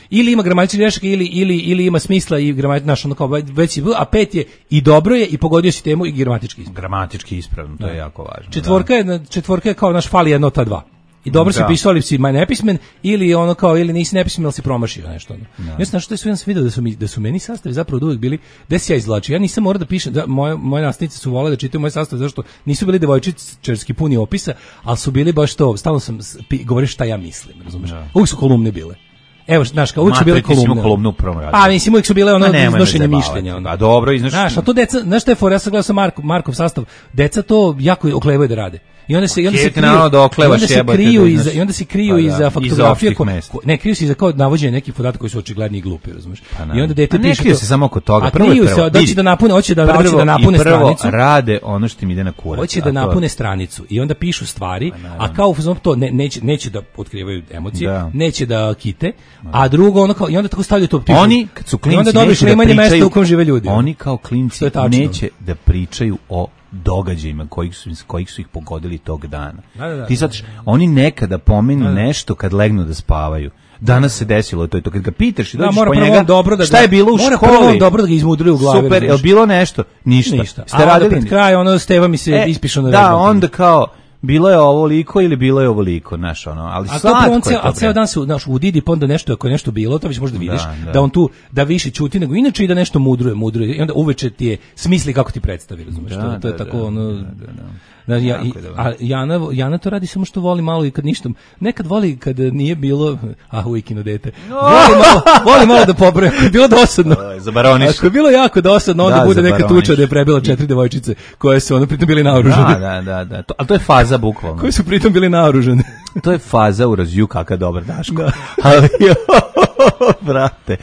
ili ima gramatičkih grešaka, ili, ili, ili ima smisla i gramatički, znaš, ono kao, već si, a pet je, i dobro je, i pogodio si temu i gramatički ispravno. Gramatički ispravno, to da. Je jako važno. Četvorka, da. je, četvorka je kao naš fali jedno ta dva. I dobro da. Si pisao, ali si nepismen, ili ono kao, ili nisi nepismen, ali si promašio nešto. Da. Ja sam što je sve sam vidio da su, mi, da su meni sastavi zapravo uvijek bili, gde se ja izvlačio. Ja nisam morao da pišem, da, moje, moje nastavnice su vole da čitaju moje sastave, zašto nisu bili devojčičarski puni opisa, ali su bili baš to, stalno sam govorio šta ja mislim, razumeš? Da. Uvijek su kolumne bile. Evo, znaš, kao uvijek su bile kolumne. kolumnu u prvom radu. A, mislim, uvijek su bile ono iznošenje mišljenja. Ono. A dobro, iznošenje. Znaš, a to deca, znaš šta je for, ja sam gledao sa Markov, Markov sastav, deca to jako oklevaju da rade. I onda se, i onda se kriju, da oklevaš, i onda se kriju iza, i onda se kriju pa, da, iza faktografije, ko, ko, ne, kriju se iza kao navođenje nekih podataka koji su očigledni i glupi, razumiješ? Pa, I onda dete piše to. Se samo oko toga. A kriju se, hoće da napune, hoće da, hoće da napune stranicu. Rade ono što im ide na kurac. Hoće da napune stranicu i onda pišu stvari, a kao to ne, neće, neće da otkrivaju emocije, da. Neće da kite, A drugo, ono kao, i onda tako stavljaju to optiku. Oni, kad su klinci, i onda dobiš neće da pričaju, mesta u kom žive ljudi. Oni kao klinci neće da pričaju o događajima kojih su, kojih su ih pogodili tog dana. Da, da, da, Ti sad, oni nekada pomenu da, da. nešto kad legnu da spavaju. Danas se desilo to i to, kad ga pitaš i dođeš da, po njega, dobro da šta je bilo u mora školi? Mora dobro da ga izmudri u glavi. Super, je li bilo nešto? Ništa. Ništa. Ste radili pred kraj, ono Steva mi se e, ispišao na da, rezultat. Onda kao, bilo je ovoliko ili bilo je ovoliko, znaš, ono, ali a slatko je to. A ceo dan se, znaš, u Didi pa onda nešto, ako je nešto bilo, to već možda vidiš, da, da. da on tu, da više ćuti nego inače i da nešto mudruje, mudruje, i onda uveče ti je smisli kako ti predstavi, razumiješ, da, to, to je da, tako, da, ono... Da, da, da. Da, ja, i, a Jana, Jana to radi samo što voli malo i kad ništa, nekad voli kad nije bilo, a ujkino dete, voli malo, voli malo da pobroja, ako je bilo dosadno, ako je bilo jako dosadno, onda da, bude neka tuča da je prebila četiri devojčice koje su ono pritom bili naoružane. Da, da, da, da. To, ali to je faza bukvalno. Koje su pritom bili naoružane. To je faza u razju kakav dobar Daško. Da. Ali, brate,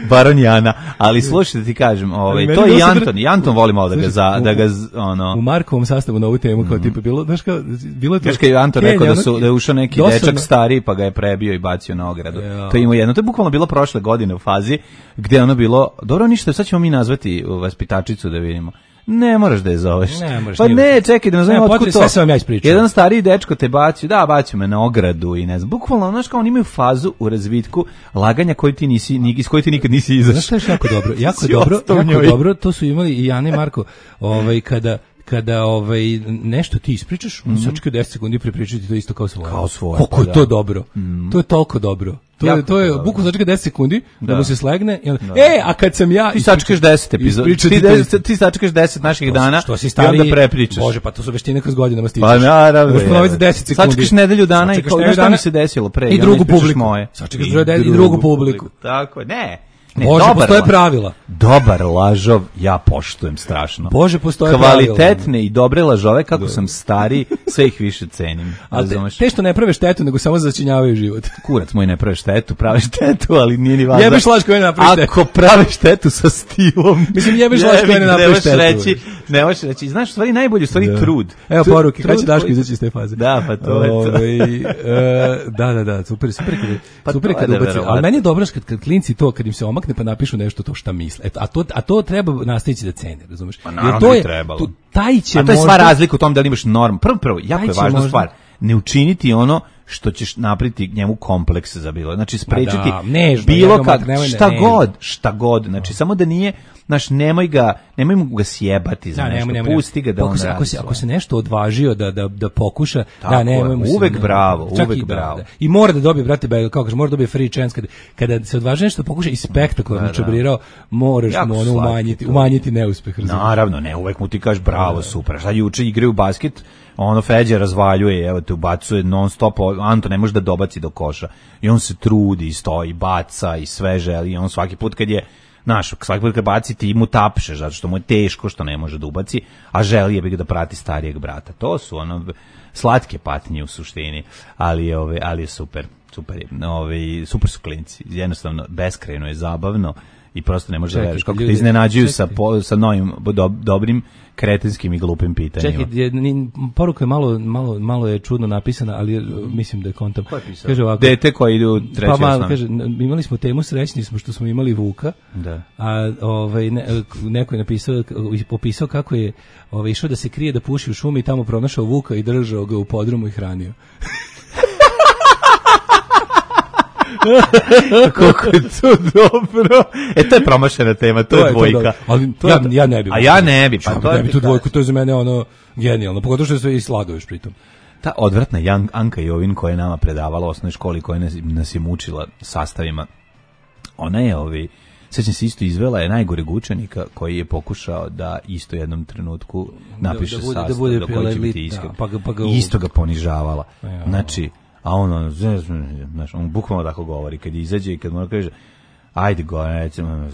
baron Jana, ali slušaj da ti kažem, ovaj, to je i Anton, i Anton voli malo da ga, za, da ga ono... U Markovom sastavu na ovu temu, kao tipa, bilo, znaš kao, bilo je to... Znaš kao je Anton rekao da, su, da je ušao neki dosadno. Dečak stariji, pa ga je prebio i bacio na ogradu. Ja. To je imao jedno, to je bukvalno bilo prošle godine u fazi, gde ono bilo, dobro ništa, sad ćemo mi nazvati vaspitačicu da vidimo. Ne moraš da je zoveš. Ne, pa ne, čekaj da ne znam otkud to. Sve sam vam ja ispričao. Jedan stariji dečko te bacio, da, bacio me na ogradu i ne znam. Bukvalno, znaš kao, oni imaju fazu u razvitku laganja koji ti nisi, iz koje ti nikad nisi izašao. Znaš što je jako dobro? Jako dobro, jako dobro, to su imali i Jana i Marko, ovaj, kada kada ovaj nešto ti ispričaš, mm-hmm. sačekaj deset sekundi prepričati to isto kao svoje. Kao svoje. Kako pa je to da. dobro. Mm. To je toliko dobro. To jako je to je bukvalno sačekaj deset sekundi da, da mu se slegne i onda, da. E, a kad sam ja ti sačekaš deset epizoda. Ti deset, ti sačekaš deset naših dana što si stari, i onda prepričaš. Bože, pa to su veštine kroz godinama stižeš. Pa naravno. Možeš ponoviti za deset sekundi. Sačekaš nedelju dana i kao šta mi se desilo pre. I drugu publiku. Sačekaš i drugu publiku. Tako je. Ne. Ne, Bože, postoje pravila. Dobar lažov ja poštujem strašno. Bože, postoje kvalitetne pravila. I dobre lažove, kako sam stari, sve ih više cenim. A te, te što ne prave štetu, nego samo začinjavaju život. Kurac moj ne prave štetu, prave štetu, ali nije ni važno. Jebeš laž koja ne napravi štetu. Ako prave štetu sa stilom. Mislim, jebeš laž koja ne napravi štetu. Reći, ne možeš reći. Znaš, u stvari najbolje, u stvari da. trud. Evo poruke, kada će Daško izaći iz te faze. Da, pa to je to. Da, da, da, super, super kada, super kada ubaci. Ali meni je dobro kad klinci to, kad im se omakne pa napišu nešto to šta misle. Eto, a to a to treba nastaviti da cene, razumeš? Pa naravno, to je trebalo. To, taj će a to je sva razlika u tom da li imaš norm. Prvo prvo, jako je važna možda stvar. Ne učiniti ono što ćeš napraviti njemu kompleks za bilo. Znači sprečiti da, nežno, bilo kad šta nežno. god, šta god. Znači samo da nije, znaš, nemoj ga, nemoj mu ga sjebati za da, nešto. Nemoj, pusti ga da on radi. Ako se ako se nešto odvažio da da da pokuša, tako da nemoj mu uvek se, bravo, uvek i, bravo. Da, da. I mora da dobije, brate, kako kaže, mora da dobije free chance kada kada se odvaži nešto pokuša i spektakularno da, čabrirao, moraš jako mu ono umanjiti, to. umanjiti neuspeh. Razumiješ? Naravno, ne, uvek mu ti kažeš bravo, da, super. Šta juče igraju basket, ono Feđa razvaljuje, evo te ubacuje non stop, Anto ne može da dobaci do koša. I on se trudi, stoji, baca i sve želi. I on svaki put kad je, znaš, svaki put kad baci ti mu tapšeš, zato što mu je teško što ne može da ubaci, a želi je bi ga da prati starijeg brata. To su ono slatke patnje u suštini, ali ove, ali je super, super je. Ove, super su klinci. Jednostavno beskrajno je zabavno. I prosto ne možeš da veriš kako te iznenađuju sa, po, sa novim do, dobrim kretinskim i glupim pitanjima. Čekaj, je, poruka je malo, malo, malo je čudno napisana, ali mislim da je kontam. Ko je pisao? Kaže ovako, dete koji ide u treći pa malo, kaže, imali smo temu, srećni smo što smo imali Vuka, da. a ovaj, ne, neko je napisao, popisao kako je ovaj, išao da se krije da puši u šumi i tamo pronašao Vuka i držao ga u podrumu i hranio. Koliko je to dobro. E, to je promašena tema, to, to je dvojka. To ali to ja, ja ne bi. A ja ne bi. Pa to ne bi tu dvojku, to je za mene ono genijalno. Pogotovo što je sve i sladuješ pritom. Ta odvratna Jan, Anka Jovin koja je nama predavala u osnovnoj školi, koja nas, nas je mučila sastavima, ona je ovi, sećam se isto izvela je najgoreg učenika koji je pokušao da isto jednom trenutku napiše da, da bude, sastav, da bude do koji će biti iskren. Pa ga, pa ga isto ga ponižavala. Ja. Znači, a on, on, znaš, on bukvalno tako govori, kad izađe i kad mora kaže, ajde go, recimo,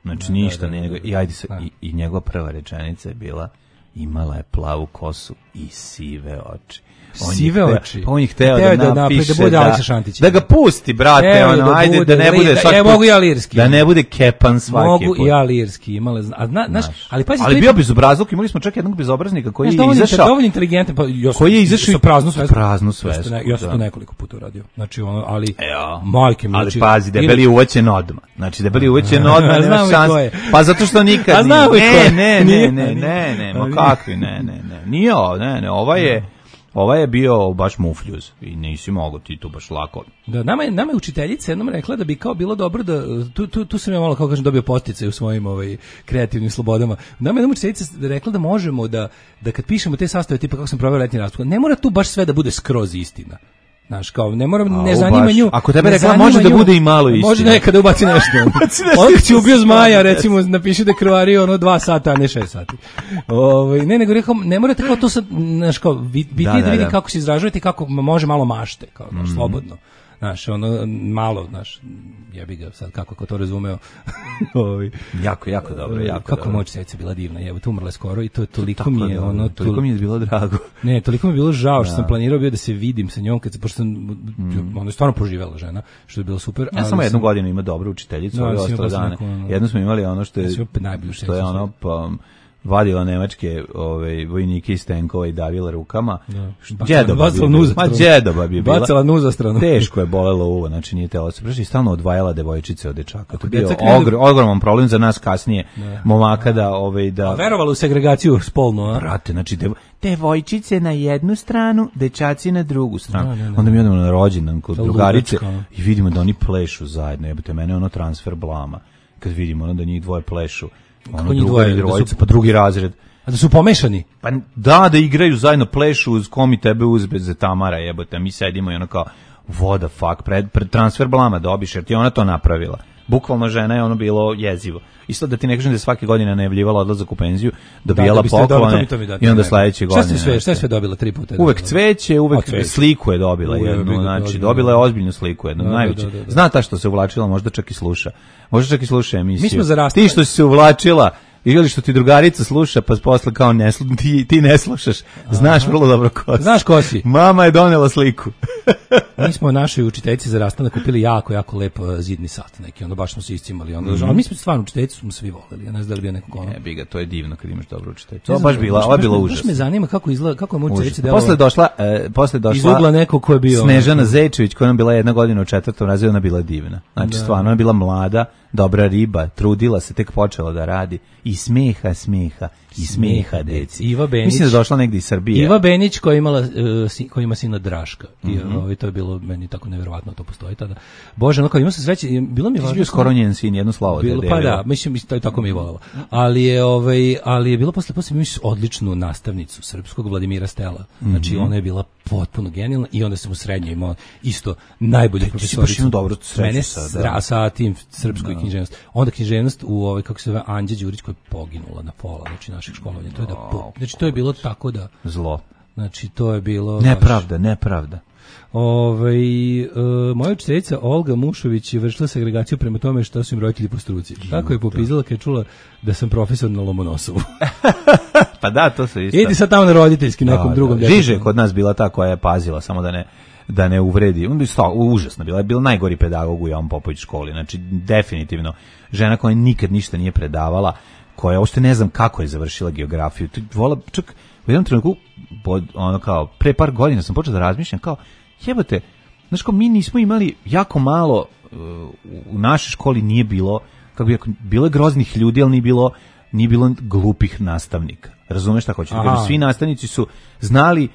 znači ništa, ne, i ajde se, i, i njegova prva rečenica je bila, imala je plavu kosu i sive oči. On sive hteo, oči. On je hteo da, da napiše da, da, da ga pusti, brate, Evo, ono, da ajde, bude, da ne bude svaki ja, put, mogu ja lirski. Da ne bude kepan svaki mogu put. Mogu ja lirski, imala, a zna, znaš, ali pazi, ali bio bezobrazluk, imali smo čak jednog bezobraznika koji znaš, je izašao. Dovoljno inteligentan, pa ja koji je izašao sa praznu svesku. Praznu svesku. Ja, ja sam to nekoliko puta uradio. Znači ono, ali Ejo, majke mi, ali znači, pazi, debeli je uvećen odmah. Znači debeli je uvećen odmah, nema šanse. Pa zato što nikad ne, ne, ne, ne, ne, ne, ma kakvi, ne, ne, ne. Nije, ne, ne, ova je Ova je bio baš mufljuz i nisi mogao ti tu baš lako. Da, nama je, nama je učiteljica jednom rekla da bi kao bilo dobro da, tu, tu, tu sam ja malo, kao kažem, dobio posticaj u svojim ovaj, kreativnim slobodama. Nama je jedna učiteljica rekla da možemo da, da kad pišemo te sastave, tipa kako sam proveo letnji raspust, ne mora tu baš sve da bude skroz istina. Znaš, kao, ne moram, ne zanima nju. Ako tebe rekla, može da bude i malo istina. Može nekada ubaci nešto. On kad si ubio zmaja, recimo, napiši da krvari ono dva sata, a ne šest sati. Ovaj ne, nego rekao, ne morate kao to sad, znaš, kao, bitnije da, da, da vidi kako se izražavate i kako može malo mašte, kao, znaš, mm. slobodno. Znaš, ono, malo, znaš, jebi ga sad, kako ko to razumeo. jako, jako dobro, jako kako dobro. Moć seca bila divna, jevo, tu umrla skoro i to toliko tako mi je, ono, toliko mi je bilo drago. Ne, toliko mi je bilo žao što da. sam planirao bio da se vidim sa njom, kad se, pošto sam, mm. ona je stvarno poživela žena, što je bilo super. Ja samo jednu godinu ima dobru učiteljicu, ove ostale dane. Jednu smo imali ono što je, što je ono, pa, vadila nemačke ove vojnike iz tenkova i davila rukama. Đedoba bi bila. Ma đedoba bi bila. Bacala nu za stranu. Teško je bolelo uvo, znači nije telo se preši, stalno odvajala devojčice od dečaka. To je bio ogr, ogroman problem za nas kasnije, ne. momaka da ovaj da. A verovalo u segregaciju spolnu, a? Brate, znači devo, devojčice na jednu stranu, dečaci na drugu stranu. No, ne, ne. Onda mi odemo na rođendan kod drugarice i vidimo da oni plešu zajedno. Jebote, mene ono transfer blama. Kad vidimo ono da njih dvoje plešu. Ono drugi dvojica, pa drugi razred. A da su pomešani? Pa da, da igraju zajedno, plešu uz komi tebe uzbe za Tamara, jebote, mi sedimo i ono kao, what the fuck, pred, pred transfer blama dobiš, jer ti ona to napravila. Bukvalno žena je ono bilo jezivo. Isto da ti ne kažem da je svake godine najavljivala odlazak u penziju, dobijala da, da poklone to mi, to mi i onda sledeće godine. Šta je sve, šta je sve dobila tri puta? Uvek cveće, uvek cveće. Sliku je dobila Uje, jednu, da znači dobila je ozbiljnu sliku jednu, da, najveće. Da, da, da. Zna ta što se uvlačila, možda čak i sluša. Možda čak i sluša emisiju. Mi smo zarastali. Ti što si se uvlačila, ili što ti drugarica sluša, pa posle kao ne slu, ti, ti ne slušaš, znaš Aha. vrlo dobro ko si. Znaš ko si. Mama je donela sliku. Mi smo našoj učiteljici za rastanak kupili jako, jako lep zidni sat neki, onda baš smo se iscimali. Onda, mm-hmm. Ali mi smo stvarno učiteljicu smo svi voleli, ja ne znam da li bio nekog ono. Ne, biga, to je divno kad imaš dobru učiteljicu. To baš bila, ovo je bilo užasno. Baš me zanima kako izgleda, kako je moja učiteljica delovala. Posle došla, e, posle došla izugla neko ko je bio Snežana Zečević, koja nam bila jedna godina u četvrtom razredu, ona bila divna. Znači da. Stvarno, ona bila mlada, dobra riba, trudila se, tek počela da radi i smeha, smeha i smeha deci. Iva Benić. Mislim da došla negdje iz Srbije. Iva Benić koja imala uh, si, koja ima sina Draška. Mm-hmm. I ovaj to je bilo meni tako neverovatno, to postoji tada. Bože, no kao ima se sreće, bilo mi je važno. Bio skoro njen sin, jedno slavo bilo, te pa da, mislim to je tako mi je volelo. Ali je ovaj ali je bilo posle posle mi odličnu nastavnicu srpskog Vladimira Stela. Znači mm-hmm. ona je bila potpuno genijalna i onda sam u srednjoj imao isto najbolju profesoricu. Dobro mene sa, sa tim srpskoj književnost. Onda književnost u ovaj kako se zove Anđa Đurić koja je poginula na pola, znači našeg školovanja. To je da po, znači to je bilo tako da zlo. Znači to je bilo nepravda, nepravda. Ovaj e, moja učiteljica Olga Mušović je vršila segregaciju prema tome šta su im roditelji po struci. Kako je popizala kad je čula da sam profesor na Lomonosovu. Pa da, to se isto. Idi sad tamo na roditeljski nekom da, drugom. Da. Žiže kod nas bila ta koja je pazila samo da ne da ne uvredi. On bi stao užasno bila, je bila najgori pedagog u Jovan Popović školi. Znači definitivno žena koja nikad ništa nije predavala, koja uopšte ne znam kako je završila geografiju. Vola čak u jednom trenutku pod ono kao pre par godina sam počeo da razmišljam kao jebote, znaš kao mi nismo imali jako malo uh, u našoj školi nije bilo kako bi bilo je groznih ljudi, ali nije bilo nije bilo glupih nastavnika. Razumeš šta hoću da kažem? Svi nastavnici su znali,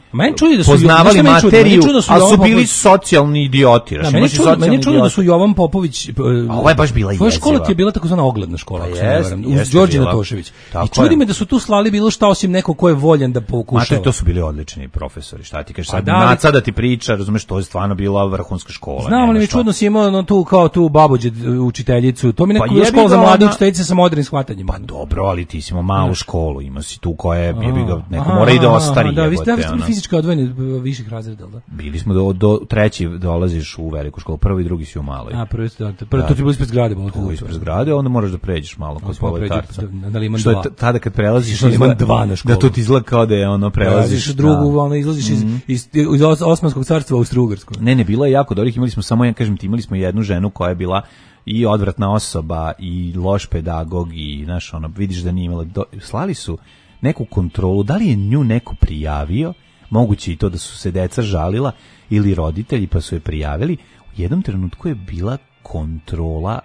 da su poznavali materiju, ali su bili Popović socijalni idioti. Da, meni čudo, meni čudo da su Jovan Popović... A ovo je baš bila jeziva. Tvoja škola ti je bila takozvana ogledna škola, ako se ne varam, uz Đorđe Tošević. I čudi me da su tu slali bilo šta osim neko ko je voljan da pokušava. Mater, to su bili odlični profesori, šta ti kažeš? Sad Naca da ti priča, razumeš, to je stvarno bila vrhunska škola. Znam li mi čudno si imao tu kao tu babuđe učiteljicu, to mi neko škola za mlade učiteljice sa modernim shvatanjima. Pa dobro, ali ti si imao malu školu, imao si tu koja je bio ga neko mora i da ostari. Da, vi ste da, fizički odvojeni viših razreda, da? Bili smo do, do treći dolaziš u veliku školu, prvi i drugi si u maloj. A, prvi ste, da, prvi, to ti bilo ispred zgrade. To ispred zgrade, onda moraš da pređeš malo kod Proletarca. Na Liman dva. Što je tada kad prelaziš Liman dva na školu. Da to ti izgleda kao da je ono prelaziš. Da, drugu, ono, izlaziš iz, iz, iz Osmanskog carstva u Austro-Ugarsku. Ne, ne, bilo je jako dobrih, imali smo samo, ja kažem ti, imali smo jednu ženu koja je bila i odvratna osoba i loš pedagog i, znaš, ono, vidiš da nije imala, do, slali su neku kontrolu, da li je nju neko prijavio, moguće i to da su se deca žalila ili roditelji pa su je prijavili, u jednom trenutku je bila kontrola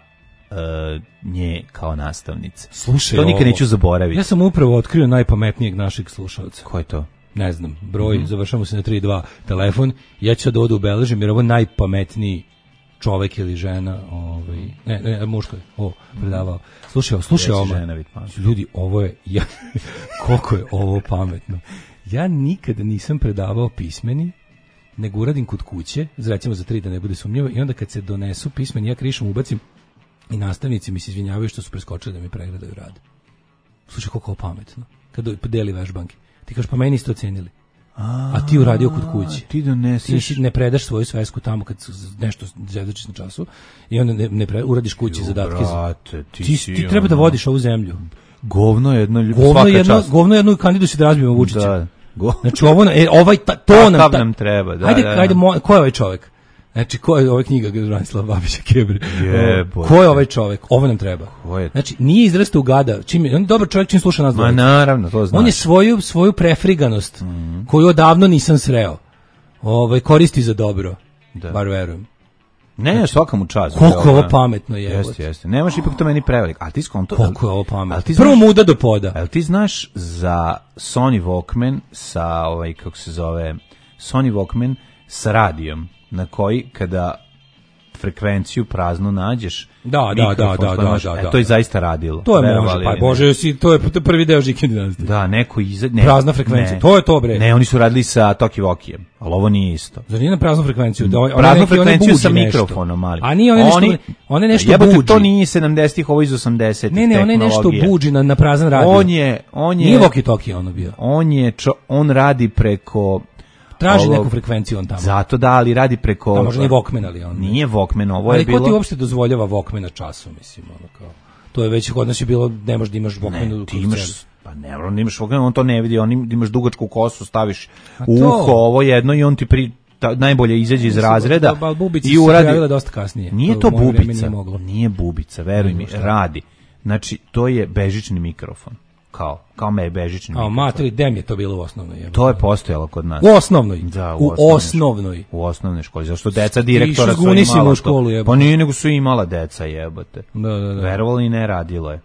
uh, nje kao nastavnice. Slušaj, to nikad neću zaboraviti. Ja sam upravo otkrio najpametnijeg našeg slušalca. Ko je to? Ne znam, broj, mm-hmm. završamo se na tri dva telefon, ja ću da odu ubeležim jer ovo najpametniji čovek ili žena, ovaj, ne, ne, muško je, o, predavao. Slušaj, slušaj ovo, ljudi, ovo je, ja, koliko je ovo pametno. Ja nikada nisam predavao pismeni, nego uradim kod kuće, recimo za tri da ne bude sumnjivo, i onda kad se donesu pismeni, ja krišom ubacim i nastavnici mi se izvinjavaju što su preskočili da mi pregledaju rad. Slušaj, koliko je ovo pametno. Kad deli vežbanke. Ti kažeš, pa meni ste ocenili. A, a ti uradio kod kući. Ti doneseš. Ti ne predaš svoju svesku tamo kad nešto zadačiš na času i onda ne, ne pre, uradiš kući jo, zadatke. Brate, ti, ti, si ti treba da vodiš ovu zemlju. Govno jedno, govno svaka jedno, čast. Govno jedno kandidu si da razbijemo Vučića. Da. Go. Znači ovo, e, ovaj, ta, to nam, ta, nam treba. Da, ajde, da, da. ajde, mo, ko je ovaj čovjek? Znači, ko je ova knjiga Branislava Babića Kebri? Jebote. Ko je ovaj čovjek? Ovo nam treba. Znači, nije izrastao u gada. Čim, on je dobar čovjek čim sluša nas. Ma naravno, to znači. On je svoju, svoju prefriganost, mm-hmm. koju odavno nisam sreo, ovaj, koristi za dobro. Da. Bar verujem. Ne, znači, svaka mu čast. Koliko ovo pametno je. Jeste, jeste. Nemaš ipak to meni prevelik. Ali ti skonto... Koliko je ovo pametno. Prvo muda do poda. Ali ti znaš za Sony Walkman sa, ovaj, kako se zove, Sony Walkman sa radijom, na koji kada frekvenciju praznu nađeš, da, da, da, da, da, da, da, to je zaista radilo. To je može, pa bože, si, to je prvi deo Žike dinastije. Da, neko iza, ne, prazna frekvencija, ne, to je to bre. Ne, oni su radili sa Toki Vokijem, ali ovo nije isto. Zar nije na praznu frekvenciju? Da, praznu neki, frekvenciju sa mikrofonom, ali. A nije one nešto, oni, one nešto jebate, buđi. To nije sedamdesetih, ovo iz osamdesetih. Ne, ne, one nešto buđi na, na prazan radio. On je, on je. Nije Voki Toki ono bio. On je, čo, on radi preko traži ovo, neku frekvenciju on tamo. Zato da, ali radi preko... Da, možda nije Walkman, ali on... Nije Walkman, ovo je bilo... Ali ko ti uopšte dozvoljava Walkman na času, mislim, ono kao... To je već kod nas je bilo, ne možda imaš Walkman... Ne, ti imaš... Pa ne, on imaš Walkman, on to ne vidi, on imaš dugačku kosu, staviš u uho, ovo jedno i on ti pri... Ta, najbolje izađe iz razreda i uradi... dosta kasnije. Nije to bubica, nije bubica, veruj mi, radi. Znači, to je bežični mikrofon. Kao, kao me je bežični mikrofon. A materi, dem je to bilo u osnovnoj? Jeba. To je postojalo kod nas. U osnovnoj? Da, u, u osnovnoj. osnovnoj. U osnovnoj školi, zašto deca direktora su imala u školu, to. Pa nije, nego su imala deca, jebote. Da, da, da. Verovali i ne radilo je.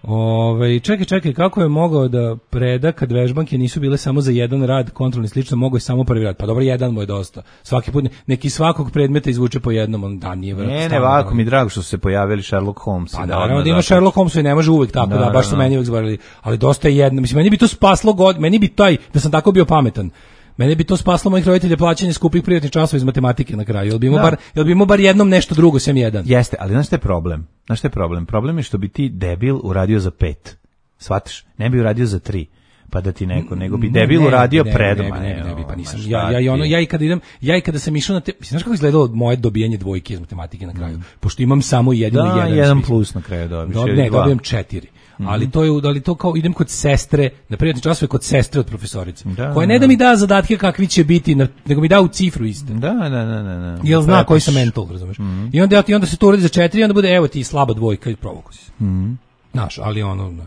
Ove, čekaj, čekaj, kako je mogao da preda kad vežbanke nisu bile samo za jedan rad, kontrolni slično, mogo je samo prvi rad. Pa dobro, jedan mu je dosta. Svaki put, neki svakog predmeta izvuče po jednom, on da nije vrlo. Ne, ne, ovako mi drago što su se pojavili Sherlock Holmes. Pa naravno da ima Sherlock Holmes i ne može uvek tako, da, baš su meni uvek zvarili. Ali dosta je jedno, mislim, meni bi to spaslo god, meni bi taj, da sam tako bio pametan. Mene bi to spaslo mojih roditelja plaćanje skupih privatnih časova iz matematike na kraju. Jel bi imao bar, jel bi imao bar jednom nešto drugo sem jedan? Jeste, ali znaš šta je problem? Znaš šta je problem? Problem je što bi ti debil uradio za pet. Shvataš? Ne bi uradio za tri. Pa da ti neko, nego bi debil ne, uradio ne, predoma. Ne, ne, ne, ne, pa nisam. Ja, ja, i ono, ja i kada idem, ja i kada sam išao na te, znaš kako izgledalo moje dobijanje dvojke iz matematike na kraju? Pošto imam samo jedan da, i jedan. jedan plus na kraju dobiš. Do, ne, dobijem četiri. Mm-hmm. Ali to je, ali to kao idem kod sestre, na privatni časove kod sestre od profesorice. Da, koja ne da mi da zadatke kakvi će biti, nego mi da u cifru iste. Da, da, da, da, da. Jel zna koji sam mental, razumeš? Mm-hmm. I onda, i onda se to uradi za četiri i onda bude, evo ti slaba dvojka i provoku si. Mhm. Znaš, ali ono, ali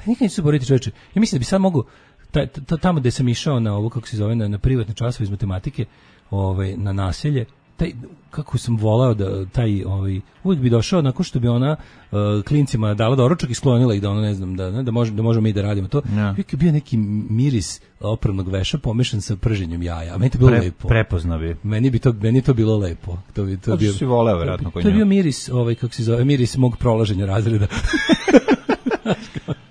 nikad neću se boriti čoveče. Ja mislim da bi sad mogu, ta, ta, tamo gde sam išao na ovo, kako se zove, na, na privatne časove iz matematike, ovaj, na naselje, taj, kako sam volao da taj, ovaj, uvijek bi došao nakon što bi ona uh, klincima dala doručak i sklonila ih da ono, ne znam, da, ne, da, možemo, da možemo mi da radimo to. Ja. Uvijek je bio neki miris opravnog veša pomešan sa prženjem jaja. A meni to bilo Pre, lepo. Prepoznao bi. Meni bi to, meni to bilo lepo. To bi, to to bio, si voleo, vjerojatno, to, to je bio miris, ovaj, kako se zove, miris mog prolaženja razreda.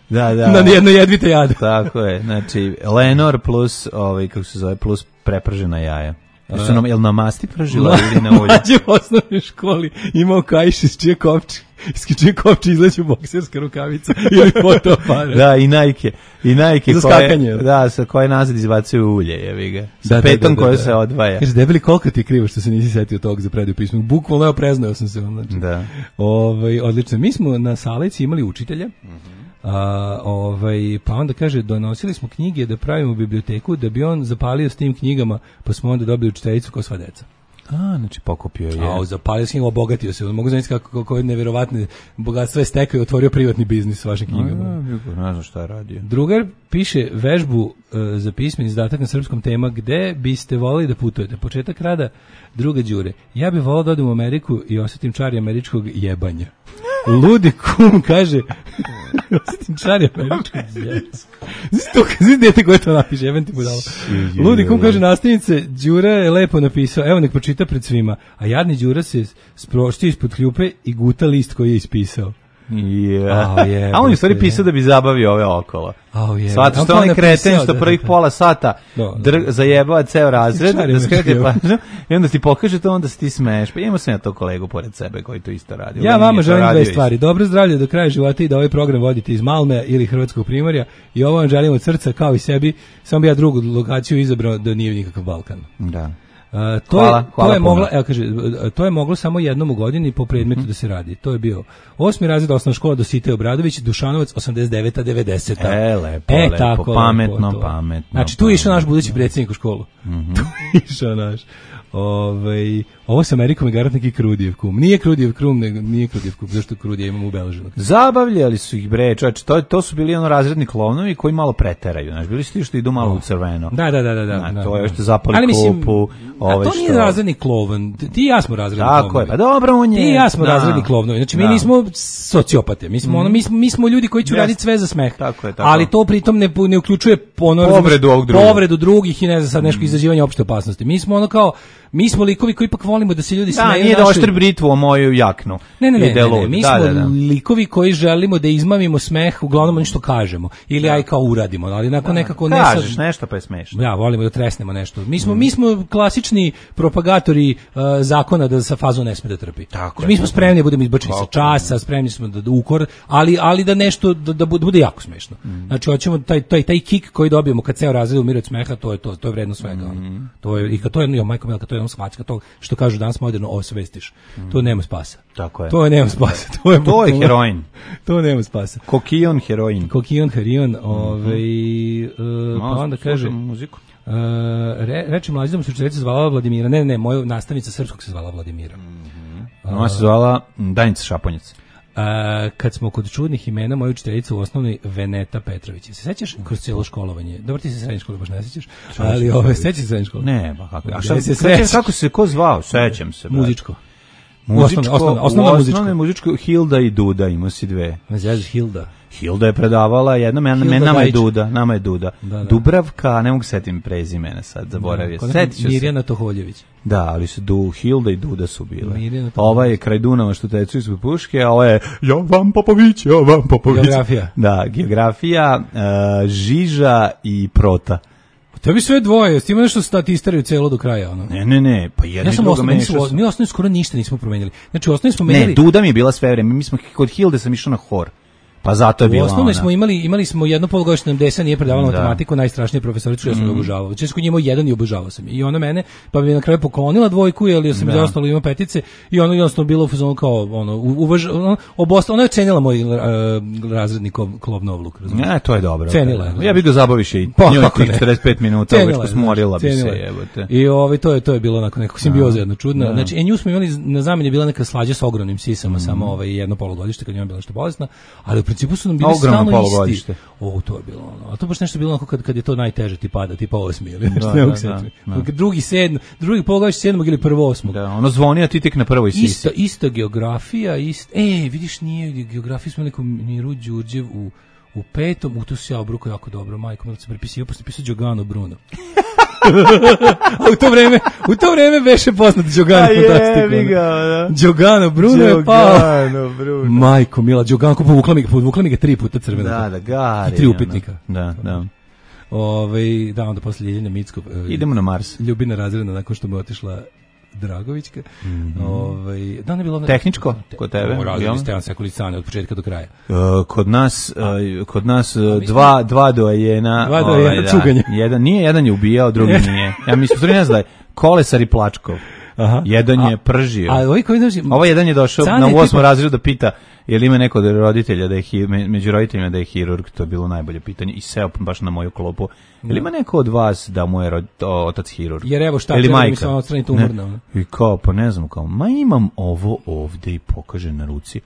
Da, da. Na jedno jedvite jade. Tako je. Znači Lenor plus ovaj kako se zove plus prepržena jaja. Jel nam jel na masti pržila ili na olju? Mlađe u osnovnoj školi imao kaiš iz čije kopče Isključuje kopče, izleću bokserska rukavica ili fotoaparat. Da, i Nike. I Nike za skakanje. Da, sa koje nazad izbacuju ulje, jevi ga. Sa da, petom da, da, koja da, da. se odvaja. Kaže, debeli, koliko ti je krivo što se nisi setio tog za predaju pisma. Bukvalno ja preznao sam se. Znači. Da. Ovaj, odlično. Mi smo na Saleci imali učitelja. Mm-hmm. A, ovaj, pa onda kaže, donosili smo knjige da pravimo biblioteku, da bi on zapalio s tim knjigama, pa smo onda dobili učiteljicu kao sva deca. A, znači pokupio je. A, zapalio s njim, obogatio se. Mogu znači kako, kako je nevjerovatne bogatstvo je stekao i otvorio privatni biznis s vašim knjigama. A, ne znam šta je radio. Drugar piše vežbu uh, za pismeni izdatak na srpskom tema gde biste volili da putujete. Početak rada, druga Đure. Ja bih volao da odem u Ameriku i osjetim čari američkog jebanja. Ludi kum kaže osjetim čari američkog jebanja. Znaš dete koje to napiše, jebem ti budalo. Ludi kum kaže nastavnice, Đura je lepo napisao, evo nek pročita pred svima, a jadni Đura se sproštio ispod kljupe i guta list koji je ispisao. Yeah. Oh, yeah, a on je stvari pisao da bi zabavio ove okolo. Oh, yeah. Svato što on je kreten što prvih da, pola sata do, dr, zajebava ceo razred, da skrete pažnju i onda ti pokaže to, onda se ti smeješ. Pa imamo sam ja to kolegu pored sebe koji to isto radi. Ja vama želim dve stvari. Dobro zdravlje do kraja života i da ovaj program vodite iz Malme ili Hrvatskog Primorja i ovo vam želim od srca kao i sebi, samo bi ja drugu lokaciju izabrao da nije nikakav Balkan. Da. Uh, to, hvala, je, hvala to je moglo, evo kaže, to je moglo samo jednom u godini po predmetu mm-hmm. da se radi. To je bio osmi razred osnovna škola Dositej Obradović, Dušanovac osamdeset deveta devedeseta. E, lepo, e, lepo, tako, pametno, lepo, pametno. Znači, tu je išao naš budući predsjednik u školu. Mm-hmm. Tu je išao naš. Ove, ovo sa Amerikom je garant neki Krudijev kum. Nije Krudijev kum, nego nije Krudijev kum. Zašto Krudija imamo ubeleženo? Zabavljali su ih bre, čovječ, to, to su bili ono razredni klovnovi koji malo preteraju. Znaš, bili su ti što idu malo oh. u crveno. Da, da, da. da, da, da to je da. što zapali klupu. A to nije što... razredni klovan. Ti i ja smo razredni tako klovnovi. Tako je, pa dobro on je. Ti i ja smo da. razredni klovnovi. Znači mi da. nismo sociopate. Mi smo, mm. ono, mi, smo, mi smo ljudi koji će yes. raditi sve za smeh. Tako je, tako. Ali to pritom ne, ne uključuje ono, povredu, ovog drugog. povredu drugih i ne znam sad nešto mm. izazivanje opšte opasnosti. Mi smo ono kao mi smo likovi koji ipak volimo da se ljudi smeju. Da, nije da oštri britvu o moju jaknu. Ne, ne, ne, ne, ne. Mi da, smo da, da. likovi koji želimo da izmamimo smeh, uglavnom nešto kažemo. Ili aj kao uradimo, ali nakon da, nekako... Ne kažeš sad, nešto pa je smešno. Ja, volimo da tresnemo nešto. Mi smo, mm. mi smo klasični propagatori uh, zakona da sa fazu ne sme da trpi. Tako mi smo spremni da budemo izbačeni sa časa, spremni smo da, da ukor, ali, ali da nešto, da, da bude jako smešno. Mm. Znači, hoćemo taj, taj, taj kick koji dobijemo kad ceo razred umire od smeha, to je to, to je vredno svega. Mm. To je, i kad to je, jo, majko Milka, to je svačka, to što kažu danas moderno osvestiš. Mm. To nema spasa. Tako je. To je nema spasa. To je, to je heroin. To nema spasa. Kokion heroin. Kokion heroin, ovaj mm-hmm. uh, pa onda kaže muziku. Uh, re, reči mlađa da se učiteljica zvala Vladimira. Ne, ne, ne, moja nastavnica srpskog se zvala Vladimira. Mm-hmm. Uh, Ona se zvala Danica Šaponjac. Uh, kad smo kod čudnih imena, moja učiteljica u osnovnoj Veneta Petrović. Se sećaš kroz cijelo školovanje? Dobro, ti se srednje škole baš ne sećaš, ali ove sećaš se srednje škole? Ne, pa kako? A šta se sećaš? Kako se ko zvao? Sećam se. Muzičko. Muzičko, osnovno, osnovno muzičko. muzičko Hilda i Duda, ima si dve. Ne znaš Hilda. Hilda je predavala jedna, men, men, nama je Duda, nama je Duda. Da, da. Dubravka, ne mogu setim prezimena sad, zaboravio. Da, Setiću se. Mirjana Toholjević. Da, ali su du, Hilda i Duda su bile. Ova je kraj Dunava što tecu ispod puške, a ova je Jovan Popović, Jovan Popović. Geografija. Da, geografija, uh, Žiža i Prota. Tebi sve dvoje, s tim nešto stati istaraju celo do kraja, ono. Ne, ne, ne, pa jedno ja i drugo mešao. Mi osnovno skoro ništa nismo promenili. Znači, osnovno smo menjali... Ne, Duda mi je bila sve vreme, mi smo kod Hilde sam išao na hor. Pa zato je bila ona. U osnovnoj smo imali, imali smo jedno polugodišnje desa, nije predavala da. matematiku, najstrašnije profesoricu, ja sam mm. ga obožavao. Često kod njima jedan i obožavao sam. I ona mene, pa bi na kraju poklonila dvojku, jer ja sam da. ostalo ima petice, i ono jednostavno bilo u fazonu kao, ono, uvaž, ono, obosta, ona je cenila moj uh, razredni klov Novluk. Ne, to je dobro. Cenila je. Ja bih ga zabaviše i pa, njoj tih četrdeset pet minuta, već posmorila bi se, jebote. I ovaj, to je, to je bilo onako neko simbioza jedno čudno. Da. Znači, e, nju smo imali na zameni bila neka slađa sa ogromnim sisama, mm. samo ovaj, jedno polugodište, kad njoj bila nešto bolesna, ali u principu su nam bili polugodište. O, to je bilo ono. A to baš nešto bilo onako kad, kad je to najteže ti pada, tipa osmi ili nešto. Da, da, da, da. Drugi sedm, drugi polugodište sedmog ili prvo osmog. Da, ono zvoni, a ti tek na prvoj sisi. Isto, isto geografija, isto... E, vidiš, nije geografiju smo nekom Miru Đurđev u, u petom, u tu se ja obruko jako dobro, majko, malo se prepisio, posle pisao Đogano Bruno. A u to vreme, u to vreme beše poznat Đogano fantastiku. Da. Đogano Bruno je pao. Đogano Bruno. Majko mila, Đogano povukla mi ga, povukla mi ga tri puta crvena. Da, da, gari. I tri upitnika. Da, da. Ove, da, onda posle Ljiljana Micko. Idemo na Mars. Ljubina razredna nakon što mu je otišla Dragovićka. Mm -hmm. Ovaj da ne bilo na tehničko kod tebe. Radili Stevan Sekulicane od početka do kraja. Uh, kod nas uh, kod nas uh, dva dva dojena, dva dojena cuganja. Jedan nije, jedan je ubijao, drugi nije. Ja mislim da ne znam, Kolesar i Plačkov. Aha. Jedan je pržio. A, a ovaj koji dođe, ovo jedan je došao na osmom tipa... razredu da pita je li ima neko od roditelja da je među roditeljima da je hirurg, to je bilo najbolje pitanje i seo baš na moju klopu. Je li ima neko od vas da mu je rod, o, otac hirurg? Jer evo šta treba mi samo odstraniti umorno. I kao, pa ne znam, kao, ma imam ovo ovde i pokaže na ruci,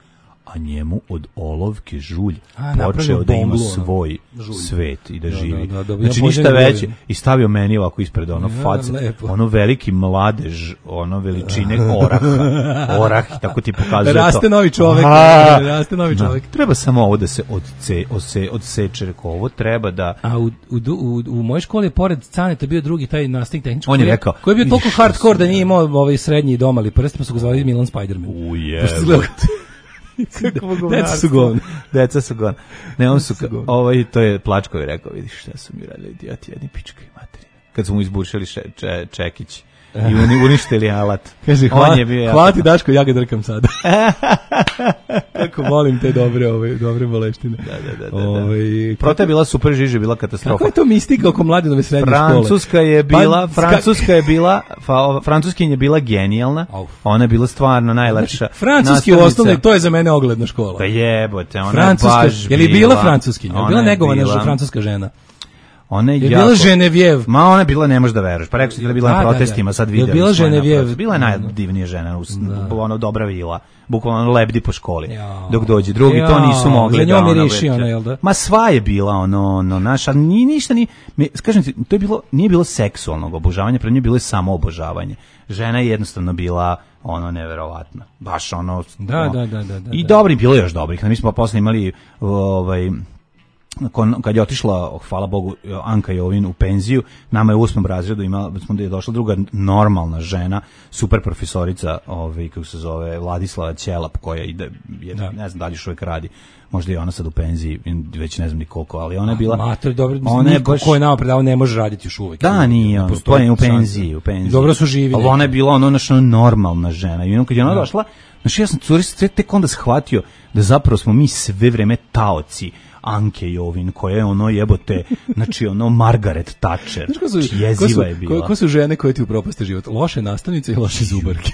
a njemu od olovke žulj a, počeo da ima svoj žulj. Svet i da, da živi. Da, da, da, znači ja ništa veće i stavio meni ovako ispred ono ja, face, lepo. Ono veliki mladež, ono veličine oraha, orah i tako ti pokazuje da raste to. Novi čovek, da raste novi čovek. Da, treba samo ovo da se odce, odse, odseče, rekao, ovo treba da... A u, u, u, u mojoj školi je pored Caneta bio drugi taj nastavnik tehnički. On je rekao... Koji je bio toliko hardcore da nije imao ovaj srednji domali prst, pa su ga zvali Milan Spiderman. Ujebot. Deca su govna. Deca su govna. Ne, on su, ovaj, to je Plačkovi rekao, vidiš šta su mi radili idioti, jedni pička i materina. Kad su mu izbušili še, če, Čekić i uni, uništili alat. Kaže, hvala, hvala ti Daško, ja ga drkam sada. Kako volim te dobre, ove, dobre boleštine. Da, da, da. da, da. Prota je bila super žiža, bila katastrofa. Kako je to mistika oko mladenove srednje Francuska škole? Je bila, pa, Francuska je bila, fa, Francuskinja je bila genijalna, Auf. Ona je bila stvarno najlepša. Znači, francuski u osnovnoj, to je za mene ogledna škola. Pa jebote, ona Francuska, je baš bila. Je li bila francuskinja? Je bila negovana bila, francuska žena? Ona je, je jako, bila Ženevjev. Ma ona je bila, ne možeš da veruješ. Pa rekao si da je bila na protestima, sad vidio. Je bila Ženevjev. Bila je najdivnija žena, ono dobra vila. Bukvalno lebdi po školi. Ja. Dok dođe drugi, ja. To nisu mogli. Za njom je riši ona, jel da? Ma sva je bila ono, ono naša, ni ništa ni, kažem ti, to je bilo, nije bilo seksualnog obožavanja, pred njoj bilo je samo obožavanje. Žena je jednostavno bila ono neverovatna. Baš ono. Da, ono, da, da, da, da. I dobri, bilo je još dobrih. Mi smo posle imali ovaj kad je otišla, hvala Bogu, Anka Jovin u penziju, nama je u osmom razredu imala, smo da je došla druga normalna žena, super profesorica, ovaj, kako se zove, Vladislava Ćelap, koja ide, je, da. Ne znam da li još uvijek radi, možda je ona sad u penziji, već ne znam ni koliko, ali ona je bila... Mater, dobro, ona je baš... ko je nama predao ne može raditi još uvijek. Da, nije, on, to je u penziji, u penziji. Dobro su živi. Ali ona je bila ono naša normalna žena i ono kad je ona došla, znači ja sam curi tek onda shvatio da zapravo smo mi sve vreme taoci Anke Jovin, koja je ono jebote, znači ono Margaret Thatcher, jeziva je bila. Ko, ko su žene koje ti upropaste život? Loše nastavnice i loše zubarke.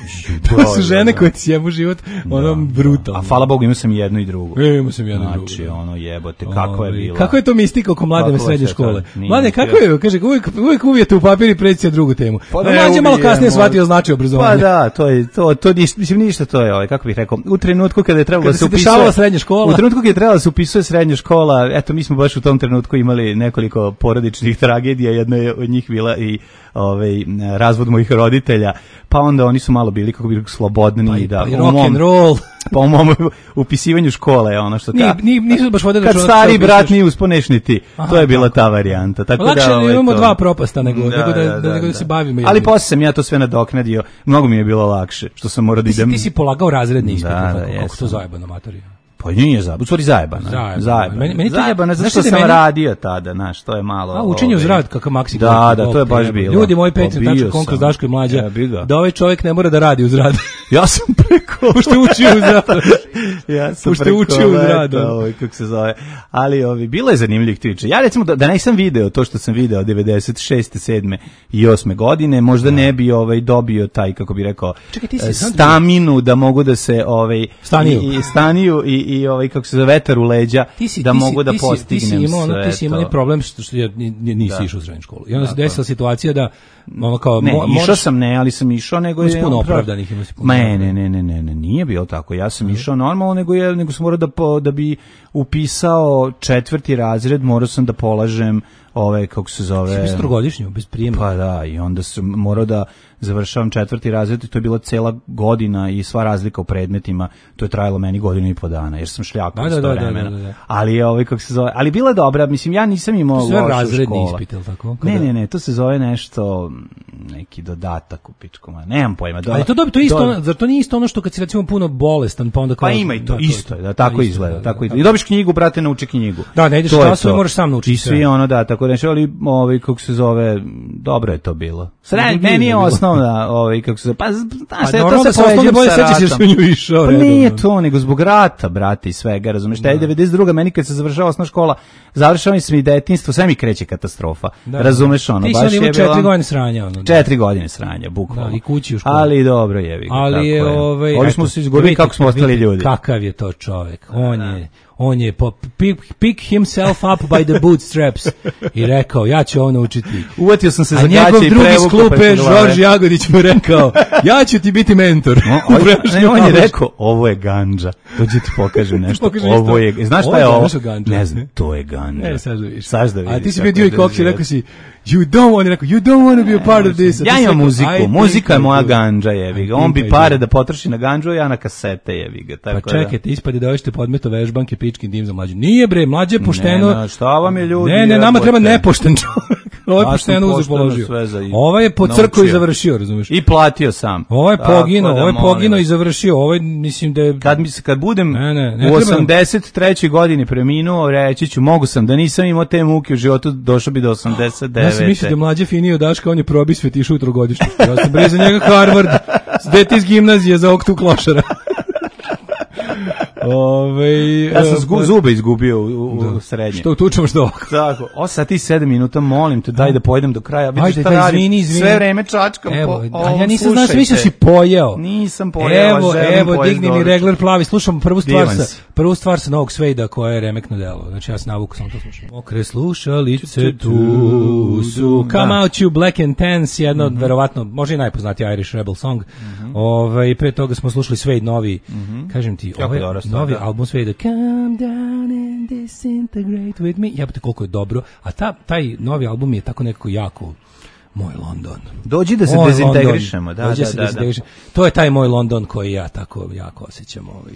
To su žene koje ti sjebu život, ono brutalno. A hvala Bogu, imao sam jedno i drugo. E, imao sam jedno i drugo. Znači, ono jebote, kako je bila. Kako je to mistika oko mladene srednje škole? Mlade, kako je, kaže, uvijek, uvijek uvijete u papir i preći drugu temu. Pa mlađe malo kasnije shvatio značaj obrazovanja. Pa da, to je, to, to, mislim, ništa to je, ovaj, kako bih rekao, u trenutku kada je trebalo da se upisuje srednja škola. U trenutku kada je trebalo da se upisuje srednja škola, eto, mi smo baš u tom trenutku imali nekoliko porodičnih tragedija, jedna je od njih bila i ovaj razvod mojih roditelja, pa onda oni su malo bili kako bi slobodni pa i da pa rock and roll. Pa u mom upisivanju škole je ono što ka, ni, nisu baš vodili kad stari brat nije usponeš ni ti. Aha, to je bila tako. Ta varijanta. Tako lakše da ovaj, imamo to... dva propasta nego da, nego da, da, da, nego da se bavimo. Ali posle sam ja to sve nadoknadio. Mnogo mi je bilo lakše što sam morao da idem. Ti si polagao razredni ispit, da, kako, kako to zajebano materija. Pa nije zajebano, u stvari zajebano. Zajebano, zajebano. Meni, meni zajebano zato što sam meni... radio tada, znaš, to je malo... A, učenje uz rad, kakav maksi. Da, da, to je baš bilo. Ljudi moji Patreon, tačno konkurs Daško i Mlađa, ja, da ovaj čovjek ne mora da radi uz rad. Ja sam preko... Pošto učio uz rad. Ja sam Pošto učio uz rad. Ovaj, kako se zove. Ali ovi, bilo je zanimljivih priča. Ja recimo, da, da nisam video to što sam video devedeset šeste, sedme i osme godine, možda da. Ne bi ovaj, dobio taj, kako bi rekao, čekaj, ti si staminu da mogu da se... Ovaj, staniju. I, staniju i, i ovaj, kako se zove, vetar u leđa si, da mogu si, da postignem ti si imao, sve. Ti si imao problem što, što ja nisi išao u srednju školu. I onda se desila situacija da ono kao ne, mo, išao sam ne, ali sam išao nego je puno opravdanih ima se puno. Ne, ne, ne, ne, ne, ne, nije bilo tako. Ja sam mm. išao normalno, nego je nego sam morao da po, da bi upisao četvrti razred, morao sam da polažem ove kako se zove. Si trogodišnju bez prijema. Pa da, i onda sam morao da završavam četvrti razred i to je bila cela godina i sva razlika u predmetima, to je trajalo meni godinu i po dana, jer sam šljakao da, sto da, vremena. Da, da, da. Ali je ovaj kako se zove, ali bila dobra, mislim ja nisam imao lošu školu. Sve razredni ispit, el tako? Ne, ne, ne, to se zove nešto neki dodatak u pičkoma. Nemam pojma. Do, ali to dobro, to je isto, do... zar to nije isto ono što kad si recimo puno bolestan, pa onda kao pa ima i to, da, isto je, da tako izgleda, da, tako izgleda. I dobiš knjigu, brate, nauči knjigu. Da, ne ideš u klasu, moraš sam naučiti. I svi ono da, tako tako nešto, ali ovaj, kako se zove, dobro je to bilo. Sred, meni je osnovna, ovaj, kako se zove, pa, znaš, pa, to se poveđem sa ratom. Išao, pa nije to, nego zbog rata, brate, i svega, razumiješ, taj devedeset druga meni kad se završava osnovna škola, završava mi i detinjstvo, sve mi kreće katastrofa, da, razumeš ono, ti baš je bilo... četiri godine sranja, ono. Četiri godine sranja, bukvalno. Da, i kući u školu. Ali dobro je, vi, ali tako je, je. Ovaj, Ovdje smo se izgubili kako smo ostali ljudi. Kakav je to čovjek, on je... On je po, pick, pick himself up by the bootstraps i rekao, ja ću ovo naučiti. Uvatio sam se za gaće i prevuku. A njegov drugi iz klupe, Žorž Jagodić mu rekao, ja ću ti biti mentor. No, on, on je rekao, ovo je gandža. Dođi ti pokažem nešto. Ovo je, znaš šta je ovo? Ne znam, to je gandža. Ne, sad da vidiš. Sad da vidiš. A ti si bio Dewey Cox i rekao si, you don't want, rekao, you don't want to be a part of this. Ja imam muziku, muzika je moja gandža, jevi ga. On bi pare da potroši na gandžu, ja na kasete, jevi ga. Pa čekajte, ispade da hoćete podmeto vežbanke, pičkin dim za mlađu. Nije bre, mlađe pošteno. Ne, šta vam je ljudi? Ne, ne, nama treba nepošten čovjek. Ovo je pošteno uzeo položio. Ovo je po crkvu i završio, razumiješ? I platio sam. Ovo je pogino, ovo je pogino i završio. Ovo je, mislim da je... Kad, kad budem ne, ne, ne u osamdeset trećoj godini preminuo, reći ću, mogu sam, da nisam imao te muke u životu, došao bi do osamdeset devete. Ja sam mislio da mlađe finio Daška, on je probi svetišu u trogodišnju. Ja sam bre za njega Harvard, dete iz gimnazije za oktu klošara. Ove, ja sam zgu, zube izgubio u, u, u srednje. Što tučemo što ovako. Tako, osam sati sedam minuta, molim te, daj da pojedem do kraja. Vidiš ajde, šta da, radim, izvini, izvini. sve vreme čačkam. Evo, po, a ja nisam znao, mislio si pojeo. Nisam pojeo, evo, evo, digni mi regler plavi, slušam prvu stvar Divan sa, si. prvu stvar sa Novog Svejda koja je remekno delo. Znači ja sam navuku, samo to slušam. Okre slušalice tu su. Come out you black and tense, jedno od, verovatno, možda i najpoznatiji Irish Rebel song. Ove, i pre toga smo slušali Svejd novi, kažem ti, ovaj novi album Svejda, Come down and disintegrate with me. Jebate koliko je dobro. A ta, taj novi album je tako nekako jako moj London. Dođi da se moj dezintegrišemo. London. Da, Dođi da, se da, da. To je taj moj London koji ja tako jako osjećam. Ovaj.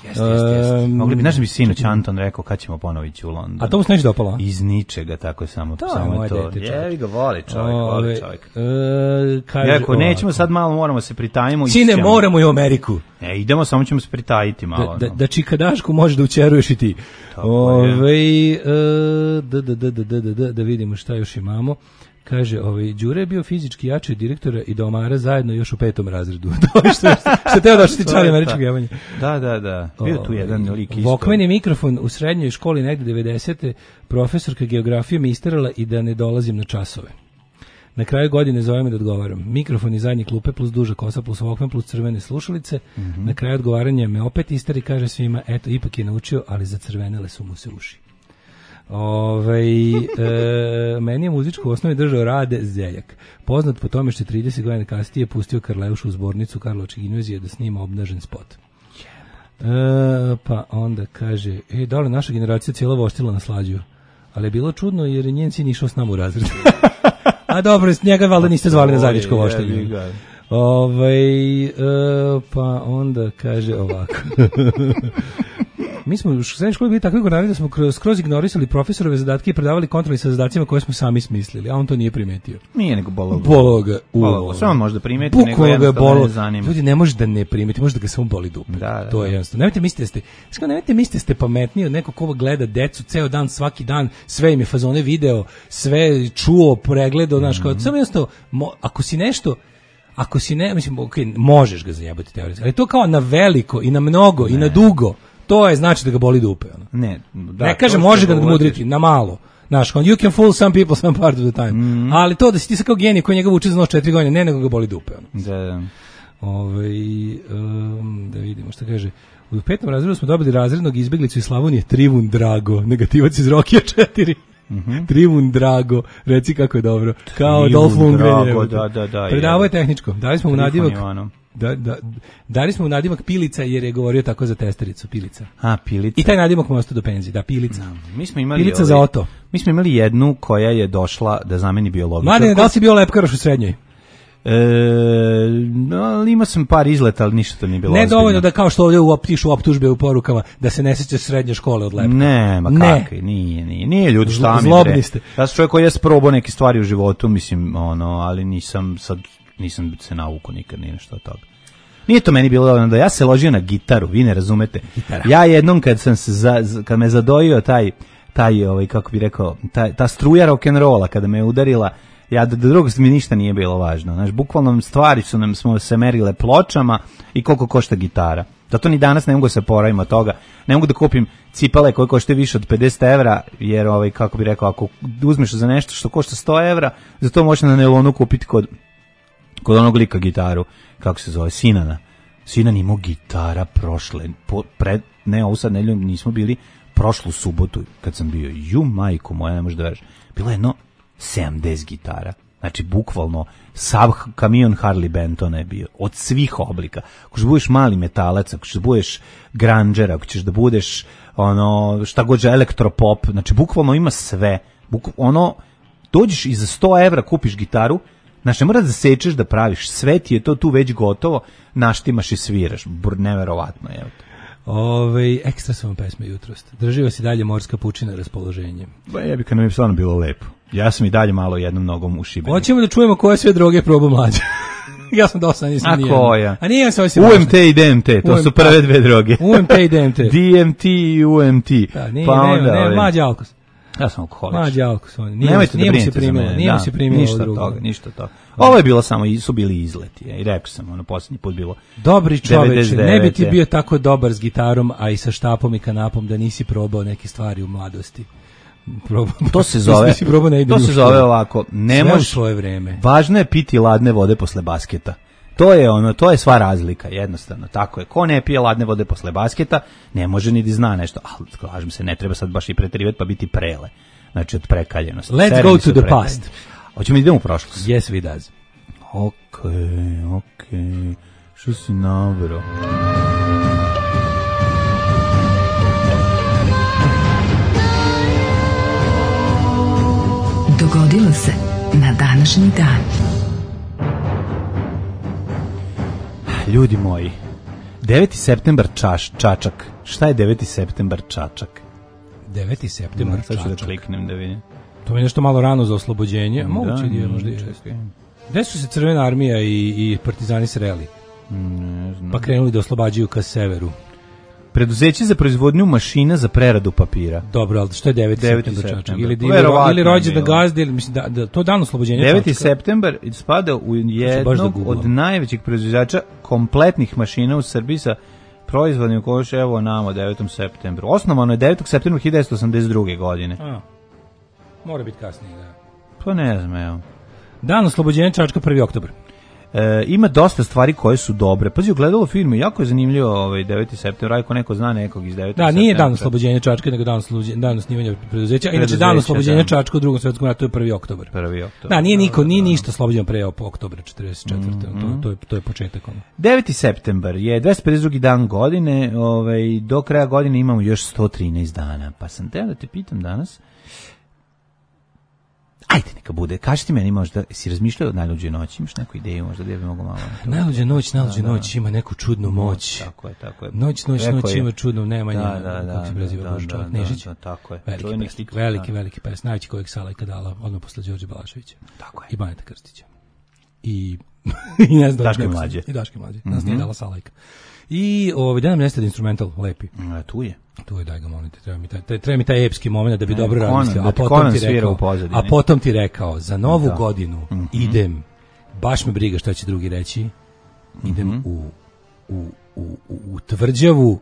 Jeste, jeste, jeste. Mogli bi, znaš bi sinoć Anton rekao kad ćemo ponovo ići u London. A to mu se neće dopalo? Iz ničega, tako je samo, to. samo je to. Jevi ga, voli čovjek, voli čovjek. E, kaže, Jako, nećemo sad malo, moramo se pritajimo. Sine, moramo i u Ameriku. Ne, idemo, samo ćemo se pritajiti malo. Da, da, da čikadašku možeš da učeruješ i ti. Ove, e, da, da, da, da, da, da, da vidimo šta još imamo. Kaže, ovaj, Đure je bio fizički jači od direktora i domara zajedno još u petom razredu. To je što, što teo da što ti čali američkog jevanja. Da, da, da. Bio tu jedan lik isto. Vokmeni mikrofon u srednjoj školi negde devedesete profesorka geografije me isterala i da ne dolazim na časove. Na kraju godine zove me da odgovaram. Mikrofon iz zadnje klupe plus duža kosa plus Walkman plus crvene slušalice. Mm-hmm. Na kraju odgovaranja me opet isteri, kaže svima, eto, ipak je naučio, ali zacrvenele su mu se uši. Ove, e, meni je muzičku u osnovi držao Rade Zeljak, poznat po tome što je trideset godina kasnije pustio Karleušu u zbornicu Karlovačke gimnazije da snima obnažen spot. E, pa onda kaže, e, da li naša generacija cijela voštila na Slađu? Ali je bilo čudno jer je njen sin išao s nama u razred. A dobro, njega valjda niste zvali na zajedničko voštenje. Ove, e, pa onda kaže ovako. Mi smo u srednjoj školi bili takvi gorari da smo skroz ignorisali profesorove zadatke i predavali kontroli sa zadacima koje smo sami smislili, a on to nije primetio. Nije nego bolalo. Bolalo ga. Bolalo. Sve on može da primeti, nego jednostavno ne zanima. Ljudi, ne može da ne primeti, može da ga samo boli dupe. Da, da, to je jednostavno. Nemojte mislite da ste, skoro nemojte mislite da ste pametniji od nekog ko gleda decu ceo dan, svaki dan, sve im je fazone video, sve čuo, pregledao, znaš, kao, samo jednostavno, mo, ako si nešto, ako si ne, mislim, okay, možeš ga zajebati teoretski, ali to kao na veliko i na mnogo ne. i na dugo. To je znači da ga boli dupe. Ono. Ne, da, ne kaže može ga nadmudriti, na malo. Znaš, you can fool some people some part of the time. Mm. Ali to da si ti sa kao genij koji njega uči za noć četiri godine, ne nego ga boli dupe. Ono. Da, da. Ove, um, da vidimo šta kaže. U petom razredu smo dobili razrednog izbeglicu iz Slavonije, Trivun Drago, negativac iz Rokija četiri. Mm-hmm. Trivun Drago, reci kako je dobro. Kao Trivun Dolph Lundgren. Drago, da, da, da. Predavo je tehničko. Dali smo mu nadimak. Da, da, dali smo mu nadimak Pilica jer je govorio tako za testericu, Pilica. A, Pilica. I taj nadimak mu ostao do penzije, da, Pilica. No, mi smo imali Pilica ovaj, za Oto. Mi smo imali jednu koja je došla da zameni biologičarku. Mladine, da li si bio lepkaroš u srednjoj? E, no, imao sam par izleta, ali ništa to nije bilo ne ozbiljno. Dovoljno da kao što ovdje pišu optužbe u porukama da se ne sećaš srednje škole od lepka. Ne, ma ne. kakvi, nije, nije, nije ljudi šta mi zlobni ste. Ja sam čovjek koji je sprobao neke stvari u životu, mislim, ono, ali nisam sad, nisam se navuko nikad, nije nešto od toga. Nije to meni bilo dovoljno da ja se ložio na gitaru, vi ne razumete. Gitara. Ja jednom kad sam se za, kad me zadojio taj taj, ovaj, kako bi rekao, ta, ta struja rock'n'rolla kada me je udarila, ja do drugog mi ništa nije bilo važno. Znaš, bukvalno stvari su nam, smo se merile pločama i koliko košta gitara. Zato ni danas ne mogu se poravim od toga. Ne mogu da kupim cipele koje košte više od pedeset evra, jer, ovaj, kako bi rekao, ako uzmeš za nešto što košta sto evra, za to možeš na nelonu kupiti kod, kod onog lika gitaru, kako se zove, Sinana. Sinan imao gitara prošle, po, pred, ne, ovo sad nedeljom nismo bili, prošlu subotu kad sam bio, ju majko moja, ne možeš da veriš, bilo je jedno sedamdeset gitara. Znači, bukvalno, sav kamion Harley Bentona je bio, od svih oblika. Ako ćeš da budeš mali metalac, ako ćeš da budeš grunđer, ako ćeš da budeš, ono, šta god je, elektropop, znači, bukvalno ima sve. Buk, ono, dođeš i za sto evra kupiš gitaru, znači, ne moraš da sečeš da praviš, sve ti je to tu već gotovo, naštimaš i sviraš, Br, neverovatno, je. Ove, ekstra sam vam pesme jutros. Držio si dalje morska pučina raspoloženje. Ba jebi, kad nam je stvarno bilo lepo. Ja sam i dalje malo jednom nogom u Šibeniku. Hoćemo da čujemo koje sve droge probao Mlađa. Ja sam dosta, nisam nijedan. A koja? A nije sam U M T i D M T, to U M T, su prve dve droge. U M T i D M T. D M T i U M T. Da, nije, pa onda, ne, ne, Mlađa alkos. Ja sam alkoholič. Mlađa alkos. Nije, Nemojte nije da brinete za mene. Nije da, se primilo ništa toga, ništa toga. Ovo je bilo samo, su bili izleti. I rekao sam, ono, posljednji put bilo. Dobri čoveče, ne bi ti bio tako dobar s gitarom, a i sa štapom i kanapom, da nisi probao neke stvari u mladosti. Probao, to se zove, to se zove ovako, ne možeš svoje vreme. Važno je piti ladne vode posle basketa. To je ono, to je sva razlika, jednostavno, tako je. Ko ne pije ladne vode posle basketa, ne može ni da zna nešto. Ah, kažem se, ne treba sad baš i preterivati pa biti prele. Znači od prekaljenosti. Let's Sereni go to the prekaljeni. Past. Hoćemo da idemo u prošlost. Yes, we does. Okej, okay, okej. Okay. Što si nabrao? Dogodilo se na današnji dan. Ljudi moji, deveti septembar čaš, čačak. Šta je deveti septembar čačak? deveti septembar čačak. Sad ću da kliknem da vidim. To je nešto malo rano za oslobođenje. Da, moguće da je možda i često. Gde su se Crvena armija i, i partizani sreli? Ne znam. Pa krenuli da oslobađaju ka severu. Preduzeće za proizvodnju mašina za preradu papira. Dobro, ali što je deveti septembar čačak? Ili, ili, ili rođendan gazde, ili mislim da, da to dan oslobođenja deveti septembar spada u jednog od najvećih proizvođača kompletnih mašina u Srbiji sa proizvodnim koš, evo nama devetom septembru. Osnovano je devetog septembra hiljadu devetsto osamdeset druge godine. A, mora biti kasnije, da. Pa ne znam, evo. Dan oslobođenja Čačka prvi oktobar. E, ima dosta stvari koje su dobre. Pazi, gledalo filmu, jako je zanimljivo ovaj deveti septembar, ako neko zna nekog iz devetog septembra. Da, nije dan oslobođenja Čačka, nego dan oslobođenja, dan osnivanja preduzeća. Inače dan oslobođenja Čačka u Drugom svetskom ratu je prvi oktobar. prvi oktobar. Da, nije niko, nije ništa oslobođeno pre oktobra četrdeset četvrte. Mm-hmm. To, to je to je početak ono. deveti septembar je dvesta pedeset drugi dan godine, ovaj do kraja godine imamo još sto trinaest dana. Pa sam te da te pitam danas. Ajde, neka bude. Kaži ti meni, možda si razmišljao o najluđoj noći, imaš neku ideju, možda da bi mogo malo. Najluđa noć, najluđa da, noć ima neku čudnu moć. Tako je, tako je. Noć, noć, Rekao noć je. ima čudnu Nemanja. Da, da, da. Kako se preziva Boži čovjek, Nežić. Da, tako je. Veliki, Čujnik, pesnik, veliki, veliki pesnik, najveći kojeg Salajka dala, odmah posle Đorđe Balaševića. Tako je. I Baneta Krstića. I, i ne znam. Daške mlađe. I Daške mlađe. Nas nije dala Salajka. I ovaj da nam nestade instrumental lepi. A, tu je. Tu je, daj ga molite, treba mi taj, treba mi taj epski moment da bi ne, dobro razmislio, da a potom ti rekao, a potom ti rekao, za novu da. godinu mm-hmm. idem, baš me briga šta će drugi reći, idem mm-hmm. u, u, u, u tvrđavu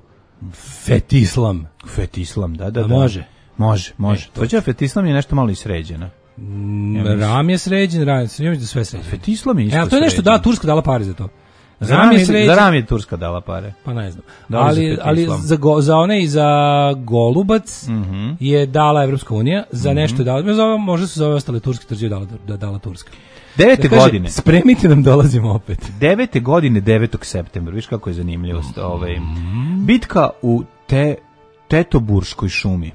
Fetislam. Fetislam, da, da, da. Može? Može, može. E, tvrđava Fetislam je nešto malo i sređena. Mm, ja ram je sređen, ram je sređen, sve sređeno. Fetislam je isto e, to je nešto, da, Turska dala pare za to. Za ram je, za ram je Turska dala pare. Pa ne znam. Da ali, ali za, go, za one i za Golubac mm-hmm. je dala Evropska unija, za mm-hmm. nešto je dala, zove, možda su za ove ostale turske tvrđave dala, da, dala Turska. Devete da kaže, godine. Spremite nam, dolazimo opet. Devete godine, devetog septembra, viš kako je zanimljivost. Ovaj, bitka u te, Tetoburškoj šumi.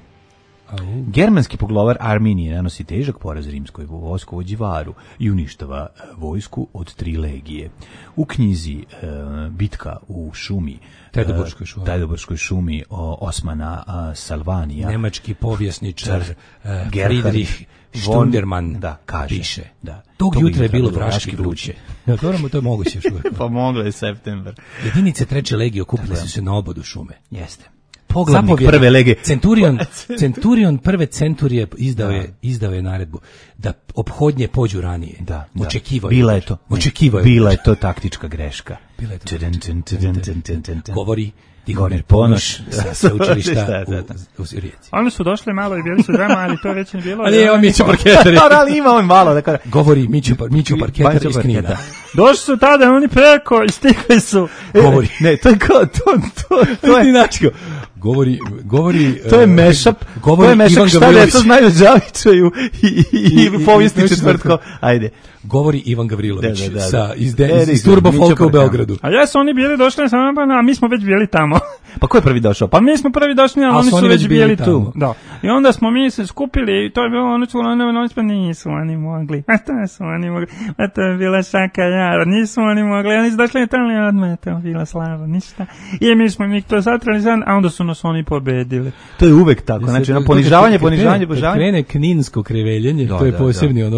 Au. Germanski poglavar Arminije nanosi težak poraz rimskoj vojskovođi Varu i uništava vojsku od tri legije. U knjizi e, Bitka u šumi, Tetoburškoj šumi, Tetoburškoj šumi o, Osmana a, Salvanija, nemački povjesničar e, Friedrich Stunderman da, kaže, piše. Da. Tog jutra je bilo vraški vruće. Ja, to, to je moguće još uvijek. Pomoglo je septembar. Jedinice treće legije okupile su se na obodu šume. Jeste. poglavnik prve lege. Centurion, Centurion prve centurije izdao je, da. izdao je naredbu da ophodnje pođu ranije. Da, očekivao da. Bila je to. Očekivao je. Bila je to taktička greška. Bila je to. Govori Tihomir Ponoš sa sveučilišta u Rijeci. Oni su došli malo i bili su drama, ali to već ne bilo. Ali je on Mićo Parketar. Ali ima on malo da kaže. Govori Mićo, Mićo Parketar iz Knina. Došli su tada, oni preko i stigli su. Govori. Ne, to je kao, to, to, to je inačko. Govori, govori... To je mešap, to je mešap šta deca znaju Đavićaju i, i, i povijesti četvrtko. Ajde. Govori Ivan Gavrilović da, da, da. sa iz, de, iz Turbo Folka u Beogradu. A ja su oni bili došli samo, a mi smo već bili tamo. Pa ko je prvi došao? Pa mi smo prvi došli, a oni su, oni već bili, bili tu. Da. I onda smo mi se skupili i to je bilo ono što oni, oni pa nisu oni mogli. A to su oni mogli. A to je bila šaka jara. Nisu oni mogli. Oni su došli tamo i odmah to bila slava. Ništa. I mi smo mi to zatrali zan, a onda su nas oni pobedili. To je uvek tako. Znači, na ponižavanje, ponižavanje, ponižavanje. Krene kninsko kreveljenje, to je posebni ono,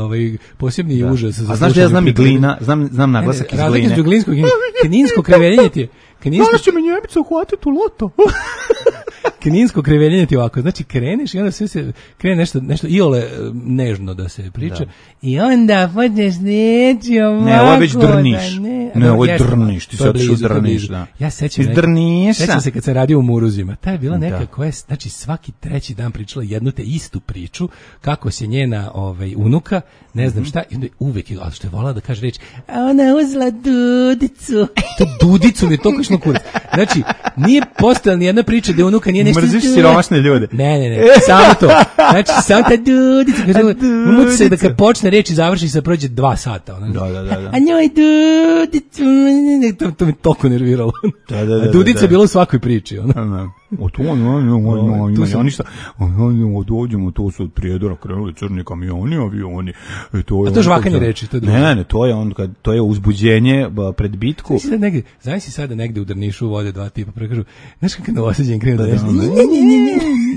ovaj posebni užas. A znaš da ja znam i glina, znam znam naglasak iz gline. Razlika glinskog i kninsko kreveljenje ti je. Kninsko će me Njemica uhvatiti u loto. Kninsko kreveljenje ti ovako, znači kreneš i onda sve se krene nešto, nešto iole nežno da se priča da. I onda počneš reći ovako. Ne, ovo je već drniš. Ne, ne ovo je drniš, ti sad što drniš. Da. Ja sećam, sećam se kad sam radio u Muruzima, ta je bila neka da. koja je, znači svaki treći dan pričala jednu te istu priču, kako se njena ovaj, unuka, ne znam šta, i uvek je, ali što je volala da kaže reći, a ona uzela dudicu. To dudicu mi je toliko šlo kurac. Znači, nije postojala ni jedna priča da unuka nije nešto... Mrziš siromašne ljude. Ne, ne, ne, samo to. Znači, samo ta dudica. Muti se da kad počne reći završi se prođe dva sata. Ona. Da, da, da. A njoj dudicu. To, to mi toliko nerviralo. Da, da, da. A dudica je bilo u svakoj priči. Ona. Da, o to, ima ništa. Dođemo, to su od Prijedora krenuli crni kamioni, avioni. A to žvakanje reči. Ne, ne, to je on, to je uzbuđenje pred bitku. Znaš si sada negde u Drnišu vode dva tipa, prekažu, znaš kako novosađen krenu da nešto? Ne,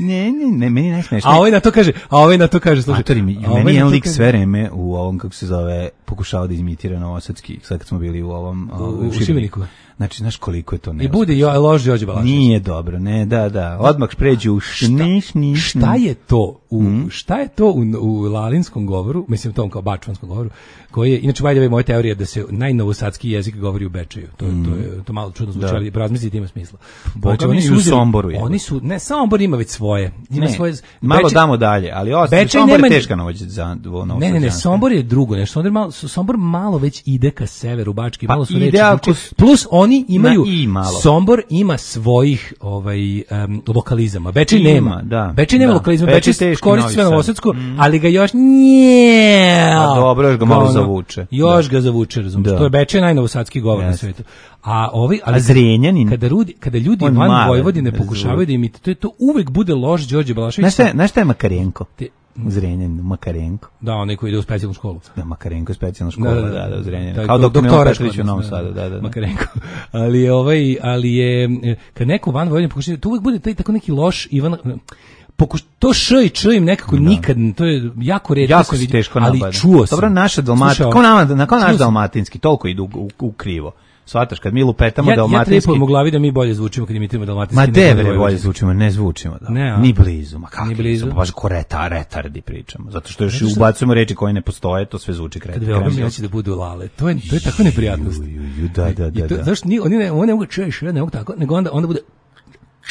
ne, ne, ne, meni najsmešnije. A ovaj na to kaže, a ovaj na to kaže, slušaj. Matori, meni jedan lik sve vreme u ovom, kako se zove, pokušao da imitira novosadski, sad kad smo bili u ovom, u Šibeniku. Znači, znaš koliko je to neuspješno. I bude jo, lož Đorđe Balašević. Nije dobro, ne, da, da. Odmah pređu u šniš, niš. Šta je to u, mm. šta je to u, u lalinskom govoru, mislim tom kao bačvanskom govoru, koji je, inače vajde moja teorija da se najnovosadski jezik govori u Bečeju. To, mm. to je to malo čudno zvuči, ali razmislite ima smisla. Znači, oni su u Somboru. Je. Oni su, ne, Sombor ima već svoje. Ima ne, svoje malo Beče, damo dalje, ali ostalo Sombor je teška noć za ono. Ne, ne, ne, Sombor je drugo, nešto. Sombor malo, Sombor malo već ide ka severu, Bački, pa malo su reči. Ako... Plus oni imaju Sombor ima svojih ovaj um, lokalizama. Bečej nema. Da, Bečej nema da. lokalizama. Bečej koristi sve novosadsko, mm. ali ga još nije. A dobro, još ga malo ono, zavuče. Još da. ga zavuče, razumiješ. To je Bečej najnovosadski govor yes. na svetu. A ovaj ali a Zrenjanin kada ljudi kada ljudi van male, Vojvodine pokušavaju da imitiraju, to je to uvek bude loš Đorđe Balašević. Znaš šta, znaš šta je Makarenko? Te, u Zrenjaninu, Makarenko. Da, onaj koji ide u specijalnu školu. Da, Makarenko je specijalna škola, da, da, da, da u Zrenjaninu. Kao doktor Petrović u Novom Sadu, da, da, da. Makarenko. Ali je ovaj, ali je kad neko van Vojvodine pokušava, to uvek bude taj tako neki loš Ivan Pokuš, to š i č im nekako da. nikad, to je jako retko jako se teško ali nabada. Čuo sam. Dobro, naša dalmatinski, kao nama, kao naš dalmatinski, toliko idu u, u, u krivo. Svataš, kad mi lupetamo ja, dalmatinski... Ja trepam u glavi da mi bolje zvučimo kad imitiramo dalmatinski. Ma devre bolje zvučimo, ne zvučimo. Da. Ne, ni blizu, ma kako? Ni blizu. Smo baš koreta, retardi pričamo. Zato što još i ubacujemo reči koje ne postoje, to sve zvuči kretan. Kad veoma hoće da budu lale. To je, to je tako neprijatnost. Ju, ju, ju, da, da, da. To, da. Zašto ni, oni ne, oni ne mogu češ, ne mogu tako, nego onda, onda bude...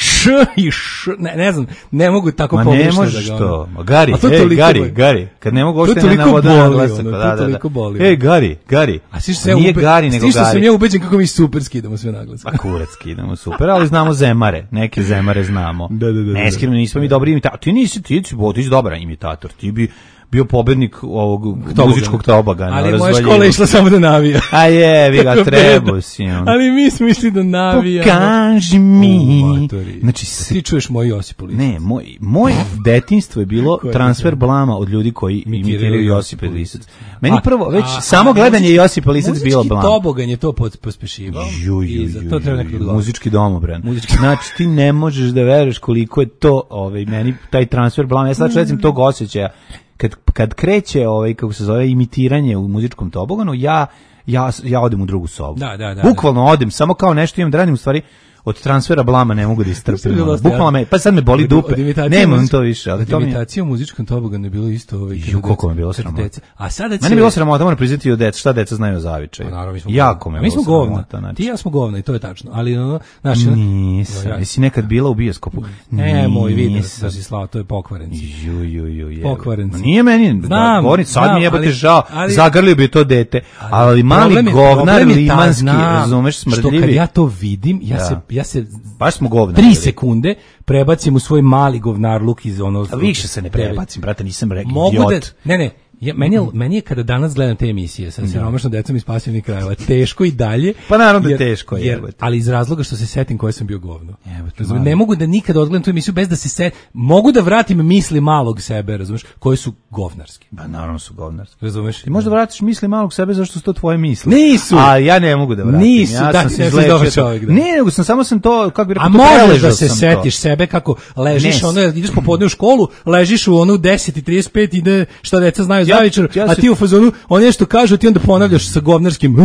Š i š, ne, ne znam, ne mogu tako pogrešno da ga... Ma ne možeš to, ma Gari, ej, Gari, boli. Gari, kad ne mogu ošte ne navoda na glasak, ono, da, da, da. Boli, ej, Gari, Gari, a svi što nije ube... Gari, nego Gari. Svi što sam ja ubeđen kako mi super skidamo sve na glasak. A kurac skidamo super, ali znamo zemare, neke zemare znamo. Da, da, da. Ne skidamo, nismo mi dobri imitatori, ti nisi, ti si, ti si dobar imitator, ti bi... bio pobednik ovog Tobogan. muzičkog tobogana. Ali moja škola išla samo da navija. A je, vi ga treba si. Ali mi smo išli da navija. Pokaži mi. Znači, ti čuješ moj Josip Lisac. Ne, moj, moj detinjstvo je bilo transfer blama od ljudi koji imitiraju Josipa Lisac. Meni a, prvo, već a, samo a, gledanje Josipa Lisac bilo blam. Muzički tobogan je to pospešivao. Ju, ju, ju, ju, ju, muzički domobran. Muzički. Znači, ti ne možeš da veruješ koliko je to, ovaj, meni, taj transfer blama. Ja sad recim tog osjećaja. Kad, kad kreće ovaj kako se zove imitiranje u muzičkom toboganu, ja ja ja odem u drugu sobu. Da, da, da. Bukvalno odem, samo kao nešto imam da radim, u stvari od transfera blama ne mogu da istrpim. Bukvalno me, pa sad me boli dupe. Nemam to više, ali to mi imitacija u muzičkom toboganu je bilo isto ovaj. Ju, koliko mi je bilo sramota. A sada će... Meni je bilo sramota, moram priznati od deca, šta deca znaju o zavičaju. Jako me mi smo govna. Ti ja smo govna i to je tačno. Ali ono, znači nisam. Jesi nekad bila u bioskopu? Ne, moj video da si slao, to je pokvarenci. Ju, ju, ju, je. Pokvarenci. Nije meni, govorim, sad mi jebote žao. Zagrlio bi to dete. Ali mali govnar limanski, razumeš, smrdljivi. Što kad ja to vidim, ja se ja se baš smo govna. tri sekunde prebacim u svoj mali govnarluk iz ono. A više se ne prebacim, brate, nisam rekao idiot. Ne, ne. Ja, meni, je, meni je kada danas gledam te emisije sa siromašnom decom iz pasivnih krajeva teško i dalje. Pa naravno da je teško. Jer, ali iz razloga što se setim koje sam bio govno. Razumeš, ne mogu da nikad odgledam tu emisiju bez da se set, mogu da vratim misli malog sebe, razumeš, koje su govnarske. Pa naravno su govnarske. Razumeš? Ti možda vratiš misli malog sebe zašto su to tvoje misli. Nisu. A ja ne mogu da vratim. Nisu, ja da, sam se izlečio čovjek. Da. Ne, nego sam samo sam to kako bi rekao. A možeš da se setiš to. Sebe kako ležiš, ono ideš popodne u školu, ležiš u onu deset i trideset pet ide šta deca znaju za večer, a ti u fazonu, on nešto kaže, ti onda ponavljaš sa govnarskim.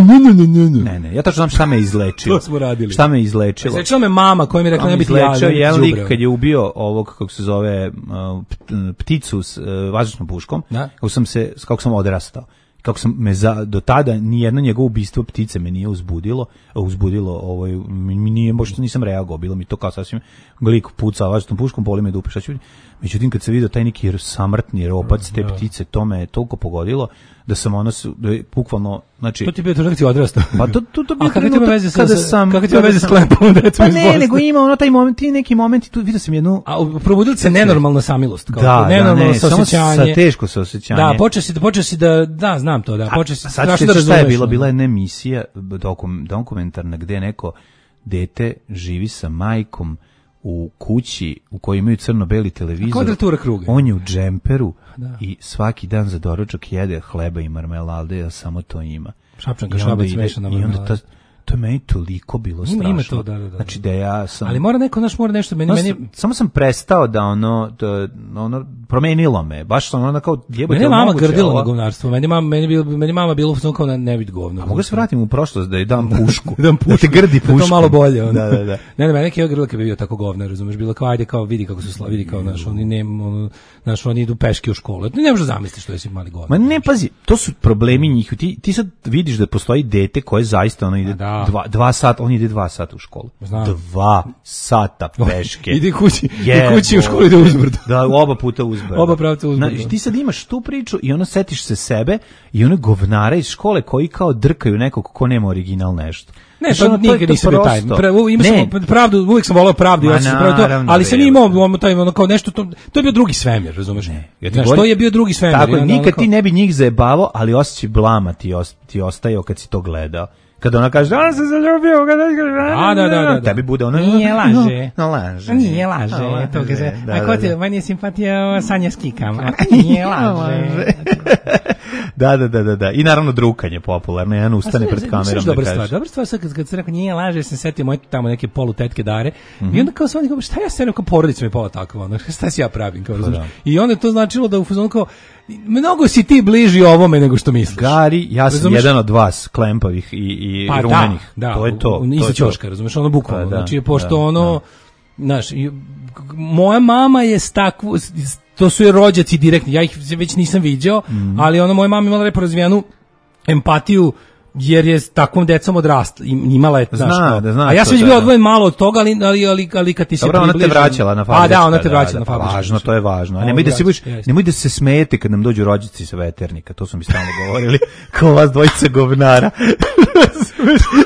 Ne, ne, ja tačno znam šta me izlečilo. To smo radili. Šta me izlečilo? Izlečila me mama koja mi je rekla ne biti ja. Jedan lik kad je ubio ovog, kako se zove, pticu s vazdušnom puškom, kako sam se, kako sam odrastao. Kako sam me za, do tada nijedno njegovo ubistvo ptice me nije uzbudilo, uzbudilo, ovaj, mi nije, možda nisam reagovao, bilo mi to kao sasvim lik puca vazdušnom puškom, boli me dupe, šta ću vidjeti. Međutim, kad se vidio taj neki samrtni ropac te ptice, to me je toliko pogodilo da sam ono, da je bukvalno, znači... To ti je bio trenutak si odrastao. Pa to, to, to bio trenutak kada sam... Kako ti ima veze s klepom, decom iz Bosne? Pa ne, nego ima ono taj moment, ti neki momenti, tu vidio sam jednu... A probudili se nenormalna samilost. Kao da, nenormalno da, ne, samo sa teško saosjećanje. Da, počeo si, počeo si da, da, znam to, da, počeo si... A sad se šta je bilo? Bila je jedna emisija dokum, dokumentarna gde neko dete živi sa majkom u kući u kojoj imaju crno-beli televizor. Kvadratura kruga. On je u džemperu da. I svaki dan za doručak jede hleba i marmelade, a samo to ima. Šapčanka, šabac, mešana marmelada. I onda ta, to je meni toliko bilo strašno. Ima to, da, da, da. Znači da ja sam... Ali mora neko, naš mora nešto, meni... No, meni... Samo sam prestao da ono, da, ono, promenilo me, baš sam ono kao... Meni je mama grdila na govnarstvo, meni mama, meni bil, meni mama bilo u kao na ne bit govno. A mogu se vratim u prošlost da je dam pušku, dam pušku. Da te grdi pušku. Da to malo bolje. Ono. Da, da, da. Ne, ne, meni je grdila kad bi bio tako govnar, razumeš, bilo kao, ajde, kao, vidi kako su slavi, vidi kao, naš, oni ne, ono, naš, oni idu peške u školu. Ti ne možeš zamisliti što jesi mali govnar. Ma ne, pazi, to su problemi njih. Ti, ti sad vidiš da postoji dete koje zaista ono ide dva, dva sata, on ide dva sata u školu. Znam. Dva sata peške. Ide kući, ide kući u školu ide uzbrdo. Da, oba puta uzbrdo. Oba pravca uzbrdo. Na, ti sad imaš tu priču i ono setiš se sebe i one govnara iz škole koji kao drkaju nekog ko nema original nešto. Ne, pa ono, nikad nisam bio taj. Ima sam pravdu, uvijek sam volao pravdu, ja sam pravdu, ali sam imao taj ono kao nešto, to, to je bio drugi svemir, razumeš? Ne, ja znaš, to je bio drugi svemir. Tako, ja, nikad ti ne bi njih zajebavao, ali osjećaj blama ti, ost, ti ostajao kad si to gledao. Kada ona kaže, on se zaljubio, kada a, da, da, da, da. Tebi bude ona... Nije laže. No, laže. Nije laže. laže. To kaže, da, a ko ti, da, meni je simpatija Sanja Skikam. Nije laže. Da, da, da, da, da. I naravno drukanje popularno, jedan ustane pred kamerom da kaže. Dobra stvar, sad kad, kad se rekao nije laže, sam setio moje tamo neke polutetke Dare, mm-hmm. I onda kao sam, šta ja se rekao, porodica mi je pola takva, ono, šta si ja pravim, kao razumiješ. I onda to značilo da u fazonu kao, mnogo si ti bliži ovome nego što misliš. Gari, ja sam razumeš? Jedan od vas, klempavih i, i pa rumenih. Da, da, to je to. Iza ćoška, razumeš, ono bukvalno. Pa, da, znači, pošto da, ono, znaš, moja mama je s takvu, to su je rođaci direktni, ja ih već nisam viđao, mm. ali ono, moja mama imala lepo razvijanu empatiju, jer je s takvom decom odrasla, imala je, znaš, zna, da, zna, a ja sam već da, bio da. odvojen malo od toga, ali, ali, ali, ali kad ti se dobro, približi... Dobro, ona te vraćala na fabrička. A da, ona te vraćala da, na fabrička. Važno, to je važno. A nemoj da, se buš, nemoj da se smijete kad nam dođu rođaci sa veternika, to su mi stalno govorili, kao vas dvojice govnara.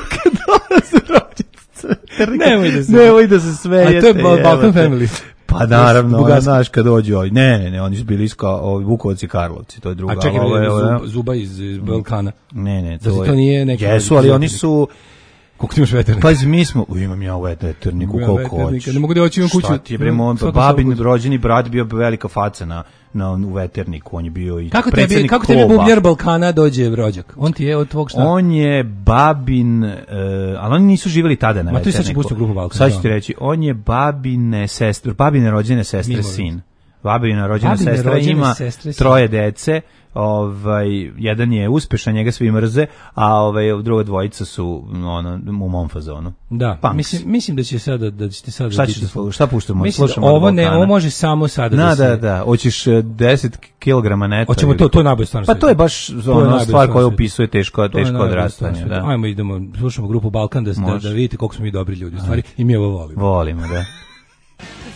Kad dolaze rođaci sa veternika, nemoj da se, nemoj da se smijete. A to je Balkan Family. Pa naravno, ona, znaš, kad dođu ovi, ne, ne, ne, oni su bili iska, ovi Vukovac i Karlovci, to je druga. A čekaj, ovo je, ovo, Zuba iz, iz Balkana. Ne, ne, to, to nije neki... Jesu, ali oni su... Koliko ti imaš veternika? Pa mi smo, u, imam ja veterniku, koliko hoćeš. Ne mogu da hoću imam kuću. Šta ti je, bremo, babin rođeni brat bio velika faca na, na, u veterniku, on je bio i kako predsjednik kako tebi bubljer Balkana dođe rođak? On ti je od tvog šta? On je babin, uh, ali oni nisu živjeli tada na ma veterniku. Ma tu sad će pustiti grupu Balkana. Sad ću ti reći, on je babine sestre, babine rođene sestre sin. babina rođena Babine sestra rođene ima sestre su- troje dece, ovaj, jedan je uspešan, njega svi mrze, a ovaj, druga dvojica su ono, u mom fazonu. Da, Punks. mislim, mislim da će sada da ćete sada Šta biti- ćeš da slušaš? Šta puštamo? Mislim da Slušamo od ovo ne, Balkana. ovo može samo sada Da, da se... da, da. Hoćeš eh, deset kilograma neta. Hoćemo ili- to, to je najbolje stvarno. Pa to je baš ono najbolje stvar koja stvar opisuje teško, To je teško najbolje odrastanje. stvar sveta. Da. Ajmo, idemo, slušamo grupu Balkan da, da, Može. da vidite koliko smo mi dobri ljudi u stvari i mi ovo volimo. Volimo, da.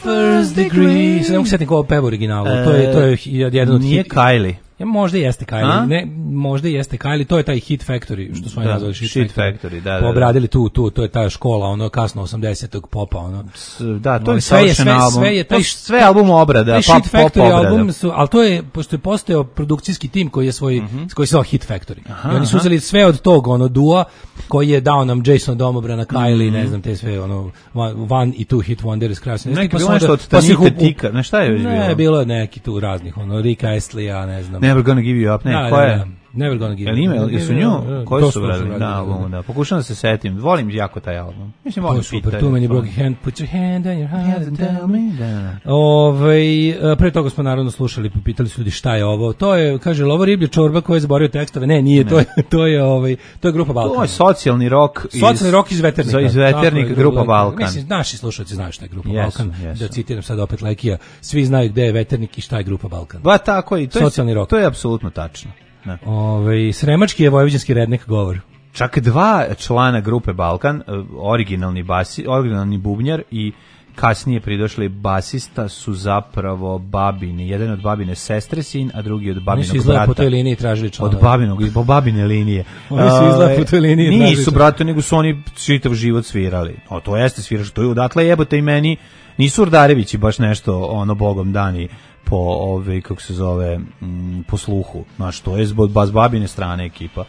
First degree. Sad ne mogu setiti ovo peva originalu. To je, to je jedan od Nije hit- Kylie. Ja, možda jeste A? Kylie, ne, možda jeste Kylie, to je taj Hit Factory, što smo je Da, nazvali Hit, Shit Factory. Factory, da, da, Pa da. obradili tu, tu, to je ta škola, ono kasno osamdesetog popa, ono. S- Da, to Ono, je sve je- savršen sve- album. sve je taj To š- sve album obrada, Taj pa Shit pop Factory obrada. album su, ali to je, pošto je postojao produkcijski tim koji je svoj, koji se zvao Hit Factory. I oni su uzeli sve od tog, ono, dua, koji je dao nam Jason Domobrana, Kylie, ne znam, te sve, ono, one, one i two hit wonders, krasne. Neki Pa bilo su nešto onda- od pa su ih Tanita u- Tika, ne, šta je već bilo? Ne, bilo je neki tu raznih, ono, Rika Astley-a, ne znam. Never Gonna Give You Up, ne, Da, koja da, je? da. Never Gonna Give Jel You ima, Up. jesu Da, nju? da, Koji to su smo radili? radili, Da, da, albumu, da. Pokušam da se setim. Volim jako taj album. Mislim, To volim je super, Peter. tu meni broke hand, put your hand on your heart and tell me. Da. Ove, e, pre toga smo naravno slušali, pitali su ljudi šta je ovo. To je, kaže, ovo riblje čorba koja je zaborio tekstove. Ne, nije, to je, to je, ovaj, to je grupa Balkan. To je socijalni rok. iz- Socijalni rok iz Veternika. Za- Iz Tako Veternika, je, grupa Balkan. Balkan. Mislim, naši slušalci znaju šta je grupa Jesu, Balkan. jesu. Da citiram sad opet Lekija. Svi znaju gde je Veternik i šta je grupa Balkan. Ba, tako i to je, Socijalni rok. to je apsolutno tačno. Da. Ove, sremački je vojvođanski rednek govor. Čak dva člana grupe Balkan, eh, originalni basi, originalni bubnjar i kasnije pridošli basista su zapravo babini. Jedan od babine sestre sin, a drugi od Oni su babinog izgleda po brata. toj liniji tražili članove. Od babinog, po babine linije. Oni su izgleda Ovaj, po toj liniji tražili Nisu, članove. brate, nego su oni čitav život svirali. O, to jeste sviraš, to je odatle jebote i meni. Nisu Urdarevići baš nešto, ono, bogom dani po, ove, kako se zove, m, po sluhu. Znaš, to je zbog bas babine strane ekipa.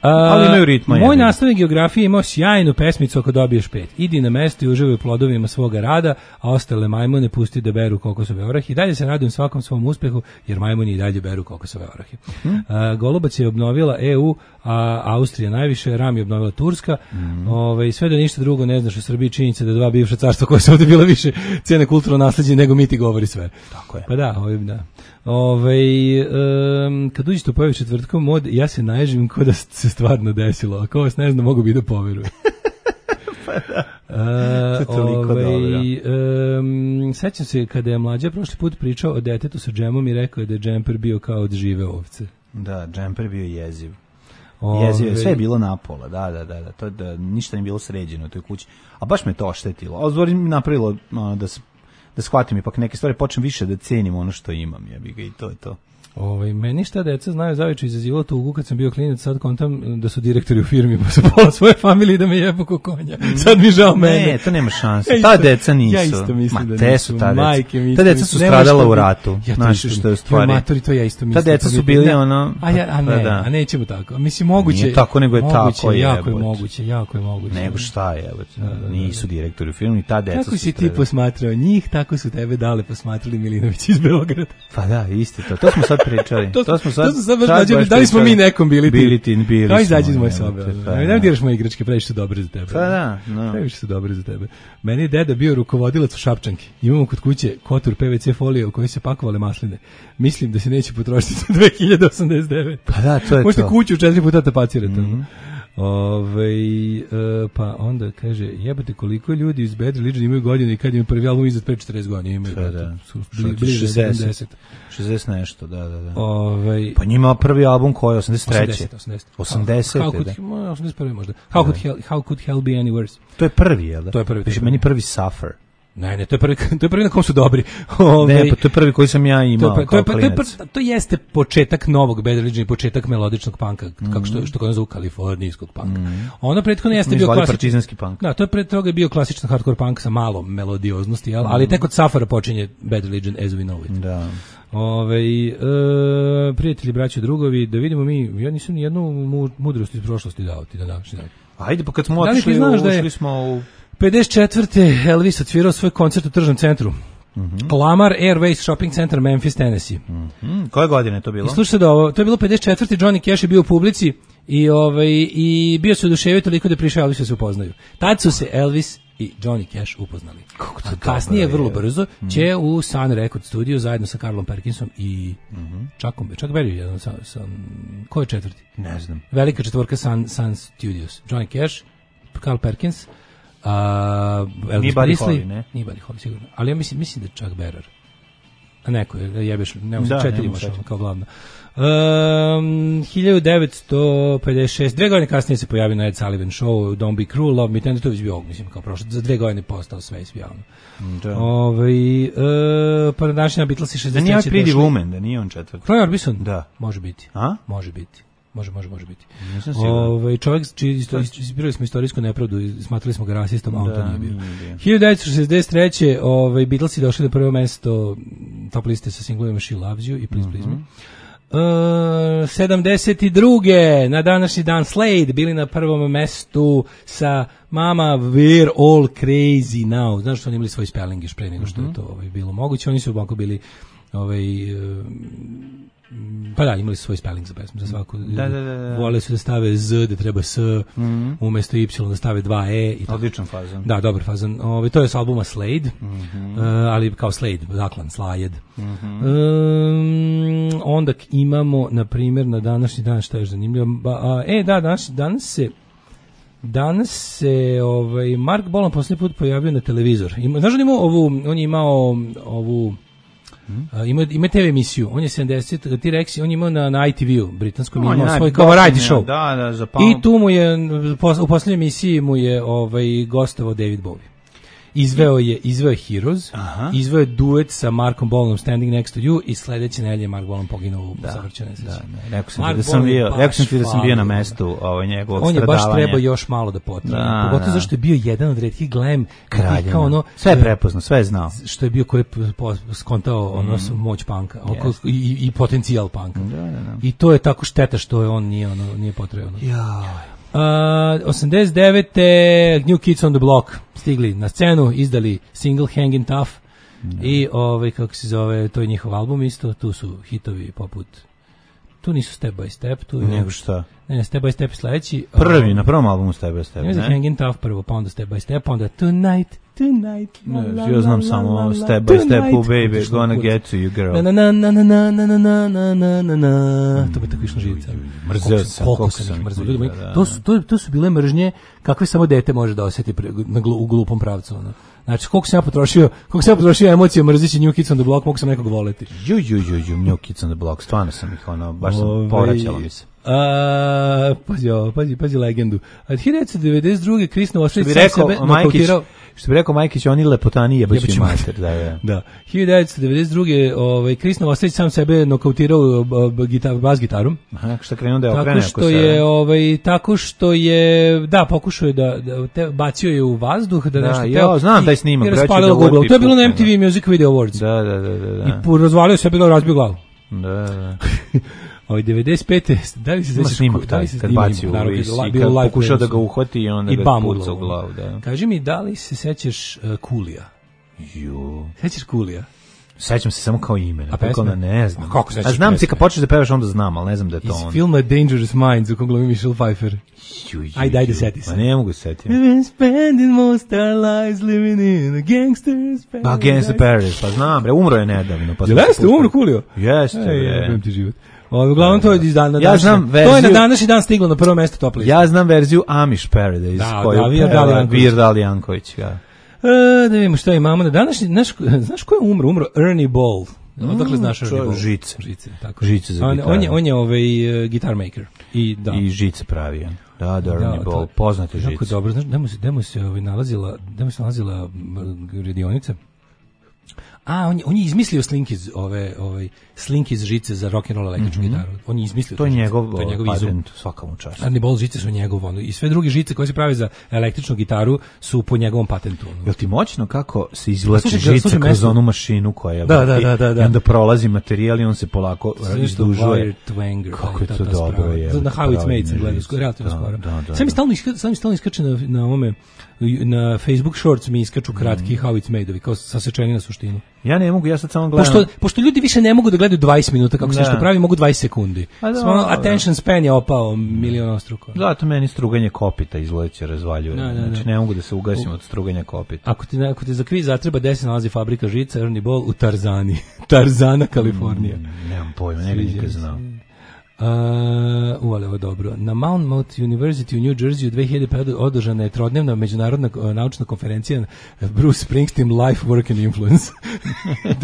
Ali imaju ritma, Moj jebi. nastavnik geografije imao sjajnu pesmicu ako dobiješ pet. Idi na mesto i uživaj u plodovima svoga rada, a ostale majmune pusti da beru kokosove orahe. I dalje se radujem svakom svom uspehu, jer majmuni i dalje beru kokosove orahe. A, Golubac je obnovila E U, a Austrija najviše, Ram je obnovila Turska. Ove, sve da ništa drugo ne znaš u Srbiji, činjenica da dva bivša carstva koja su ovdje bila više cene kulturno nasleđe nego mi ti govori sve. Tako je. Pa da, ovim da. Ove, um, kad uđete u pojavi četvrtkom mod, ja se naježim ko da se stvarno desilo. Ako vas ne znam, mogu bi da poverujem. pa da. Uh, To je toliko ovaj, dobro. um, sećam se kada je mlađa prošli put pričao o detetu sa džemom i rekao je da je džemper bio kao od žive ovce. Da, džemper bio jeziv. Ove, Jeziv je, sve je bilo napola, da, da, da, da, to je da ništa nije bilo sređeno u toj kući. A baš me to oštetilo. A zbog mi napravilo ono, da se da shvatim ipak neke stvari, počnem više da cenim ono što imam, jebi ga, i to je to. Ovaj, meni šta deca znaju zaviče izazivalo tugu kad sam bio klinac, sad kontam da su direktori u firmi pa su pola svoje familije da me jebu ko konja. Sad mi žao mene. Ne, to nema šanse. Ja Ta isto- deca nisu. ja isto mislim Ma, da te nisu. su ta deca. Majke mi Ta isto deca su mislim. Nema stradala što u bi- ratu. Ja to Znaš isto što je u mislim. stvari. Jo, matori, to ja isto mislim. Ta deca Pa su mi- bili da. ono- A, ja, a ne, da, da. a nećemo tako. Mislim, moguće. Nije tako, nego je moguće, tako, jako je jebote. moguće, jako je moguće. Nego šta je, evo, nisu direktori u filmu i ta deca Kako su si ti stradala. posmatrao njih, tako su tebe dale posmatrali Milinović iz Beograda. Pa da, isto to. To smo sad pričali. To, to smo sad. to smo sad baš sad mlađe, baš da li smo mi pričali. nekom bili ti? Bili ti, bili Kao smo, izađi iz moje jebote, sobe. pa Ne da. da diraš moje igračke, previše su dobre za tebe. Pa da, no. Previše su dobre za tebe. Meni je deda bio rukovodilac u Šapčanki. Imamo kod kuće kotur P V C folije u kojoj se pakovale masline. Mislim da se neće potrošiti za dve hiljade osamdeset devet. Pa da, to je Možete to. kuću četiri puta tapacirate. Mm-hmm. Ove, e, pa onda kaže, jebate koliko ljudi iz Bad Religion imaju godine i kad im prvi album iznad pre četrdeset godina imaju. Pa da. Su bili, bliže sedamdeset. šezdeset nešto, da, da, da. Ove, Pa njima prvi album koji je osamdeset treće. osamdeset, osamdeset. osamdeset, How could, da. mo- osamdeset prvi možda. How could, hell, how could hell be any worse? To je prvi, jel da? To je prvi, to je Piše, prvi. meni prvi Suffer. Ne, ne, to je prvi, to je prvi na kom su dobri. Ove, Ne, pa to je prvi koji sam ja to, imao je, to, kao je, to, je, klinac. to jeste početak novog Bad Religion i početak melodičnog panka, kako što, što kod zovu kalifornijskog panka. Ono prethodno jeste Mi bio zvali klasičan partizanski punk. Da, to je pre toga je bio klasičan hardcore punk sa malo melodioznosti, jel? Ali tek od Safara počinje Bad Religion as we know it. Da. Ove, e, prijatelji, braći, drugovi, da vidimo mi, ja nisam ni jednu mu, mudrost iz prošlosti dao ti da današnji dan. Ajde, pa kad smo Da li ti otišli, znaš da je- ušli smo u... pedeset četvrte Elvis odsvirao svoj koncert u tržnom centru. Mhm. Lamar Airways Shopping Center, Memphis, Tennessee. Hmm, koje godine je to bilo? I slušajte da ovo, to je bilo pedeset četvrte Johnny Cash je bio u publici i ovaj i bio se oduševio toliko da je prišao Elvis da se upoznaju. Tad su se Elvis i Johnny Cash upoznali. A kasnije, vrlo brzo, mm. će u Sun Record Studio zajedno sa Carlom Perkinsom i mm-hmm. Chuckom, Chuck Berry, jedan sa, sa, ko je četvrti? Ne znam. Velika četvorka Sun, Sun Studios. Johnny Cash, Carl Perkins, uh, Elvis Presley, ne? Nije Buddy Holly, sigurno. Ali ja mislim, mislim da je Chuck Berry. A neko je, jebeš, nemo se četiri imaš kao glavno. Um, hiljadu devetsto pedeset šest dve godine kasnije se pojavio na Ed Sullivan Show, Don't Be Cruel, Love Me Tender, to je već bio, mislim, kao prošlo, za dve godine postao sve javno. Da. Ove, uh, pa na današnja Beatlesi šezdeset treće Da nije Pretty Woman, da nije on četvrti. Roy Orbison? Da. Može biti. A? Može biti. Može, može, može biti. Nisam siguran. Ove, čovjek, čiji isto, izbirali smo istorijsku nepravdu i smatrali smo ga rasistom, a on to nije bio. hiljadu devetsto šezdeset treće Ove, Beatlesi došli na prvo mesto top liste sa singlovima She Loves You i Please Please Me. Uh, sedamdeset druge na današnji dan Slade bili na prvom mestu sa Mama We're All Crazy Now. Znaš što oni imali svoj spelling još pre nego što je to ovaj, bilo moguće. Oni su ovako bili ovaj, uh, pa da, imali su svoj spelling za pesmu, za svaku. Da, da, da, da. Vole su da stave Z, da treba S, mm-hmm. umesto Y da stave dva E. I odličan fazon. Da, dobar fazon. Ove, to je s albuma Slade, mm-hmm. uh, ali kao Slade, zaklan, Slajed. Mm-hmm. Um, onda imamo, na primjer, na današnji dan, šta je zanimljivo, ba, a, e, da, danas, danas se Danas se ovaj, Mark Bolan posljednji put pojavio na televizor. Ima, znaš on imao ovu, on je imao ovu Hmm? Uh, ima, ima te ve emisiju, on je sedamdeset, T-Rex, on je imao na, na I T V-u, britanskom, no, imao svoj kao variety show. Da, da, za I tu mu je, u posljednjoj emisiji mu je ovaj, gostovao David Bowie. Izveo je, izveo je Heroes, Aha. izveo je duet sa Markom Bolanom Standing Next to You i sledeće nedelje Mark Bolan poginuo u savršenoj nesreći. Da, da, rekao sam ti da sam bio, rekao sam ti da sam bio na mestu ovaj njegovog stradavanja. On je baš trebao još malo da potraje. Da, pogotovo da. Zašto je bio jedan od retkih glam kralja. Ono, sve je prepoznao, sve je znao. Što je bio ko je skontao ono mm. moć panka yes. i, i potencijal panka. Da, da, da. I to je tako šteta što je on nije ono nije potrebno. Ja. Uh, osamdeset devete New Kids on the Block stigli na scenu, izdali single Hangin' Tough mm. i ovaj, kako se zove, to je njihov album isto, tu su hitovi poput, tu nisu Step by Step, tu je nego šta? Ne, ne, Step by Step sledeći. Prvi, um, na prvom albumu Step by Step, ne? Ne, Hangin' Tough prvo, pa onda Step by Step, pa onda Tonight, Tonight. Ne, la, ja znam la, samo la, la, Step by Step, oh baby, gonna get to you girl. Na na na na na na na na na na na na. To bi tako išlo živica. Mrzeo sam, koliko sam ih mrzeo. Ljudi, to su to, to su bile mržnje kakve samo dete može da osjeti na glu, u glupom pravcu, ono. Znači, koliko sam ja potrošio, koliko sam ja potrošio emocije mrzeći New Kids on the Block, mogu sam nekog voleti. Ju, ju, ju, ju, New Kids on the Block, stvarno sam ih, ono, baš sam Ove, povraćala mi se. A, pazi, pazi, pazi legendu. Od hiljadu devetsto devedeset druge Chris Novoselic sam sebe nokautirao. Što bi rekao Majkić, oni lepotani jebaću mater. Da, da. Da. hiljadu devetsto devedeset druge ovaj, Chris Novoselic sam sebe nokautirao gitar, bas gitarom. Aha, što krenuo da je okrene. Tako što je, ovaj, tako što je, da, pokušao je da, da te, bacio je u vazduh, da, da nešto teo. Ja, znam taj snimak. I raspalilo Google. To je bilo na M T V Music Video Awards. Da, da, da, da. I razvalio se, bilo razbio glavu. Da, da. Ovaj devedeset pete da li se sećaš snimak taj kad baci u vis i kad pokušao da ga uhvati i onda ga puca u glavu, da. Kaži mi, da li se sećaš uh, Coolija? Jo. Sećaš Coolija? Sećam se samo kao ime, a pesma ne znam. A kako sećaš? A znam se kad počneš da pevaš onda znam, al ne znam da je to on. Iz filma Dangerous Minds u kom glumi Michelle Pfeiffer. Ajde, ajde, seti se. Ma ne mogu setiti. We've spending most our lives living in a gangster's paradise. A Gangster's Paradise, pa znam, bre, umro je nedavno. Pa jeste, umro Coolio? Jeste, je. Ti život. Ovo, uglavnom to je iz dana ja znam verziju, to je na današnji dan stiglo na prvo mesto top liste. Ja znam verziju Amish Paradise, da, koju da, Virdal Janković. Ja. E, da vidimo šta imamo na današnji, znaš, znaš ko je umro? Umro Ernie Ball. Mm, odakle znaš Ernie Ball? Žice. Žice, tako. Žice za on, gitaru. On je, on je ovaj uh, guitar maker. I, da. I žice pravi. Da, da, Ernie Ball, poznate žice. Jako dobro, znaš, demo se, demo se ovaj, nalazila, demo se nalazila radionica. A, on je, on je izmislio slink iz ove, ovaj, slink iz žice za rock and roll električnu mm-hmm. gitaru. On je izmislio to je njegov, to je njegov patent, svakamu času. Ernie Ball žice su njegov, ono, i sve druge žice koje se prave za električnu gitaru su po njegovom patentu. Ono. Jel ti moćno kako se izvlači žica kroz mesto. Onu mašinu koja je da, da, da, da, da. I onda prolazi materijal i on se polako izdužuje. Kako je to dobro. Je, na How It's Made sam gledao, relativno skoro. Sam mi stalno, sam mi stalno iskače na, na ovome, na Facebook Shorts mi iskaču kratki mm. How It's Made-ovi, kao sasečeni na suštinu. Ja ne mogu, ja sad samo gledam. Pošto, pošto ljudi više ne mogu da gledaju dvadeset minuta kako se nešto pravi, mogu dvadeset sekundi. Samo attention span je opao milionostruko. Zato meni struganje kopita izleće razvaljuje. Da, da, da. Znači ne mogu da se ugasim od struganja kopita. Ako ti, ako ti za kviz zatreba gde se nalazi fabrika žica, Ernie Ball u Tarzani. Tarzana, Kalifornija. Mm, nemam pojma, ne bih nikad znao. Uh, u, ali ovo dobro. Na Monmouth University u New Jersey u dve hiljade pete. održana je trodnevna međunarodna uh, naučna konferencija Bruce Springsteen Life, Work and Influence.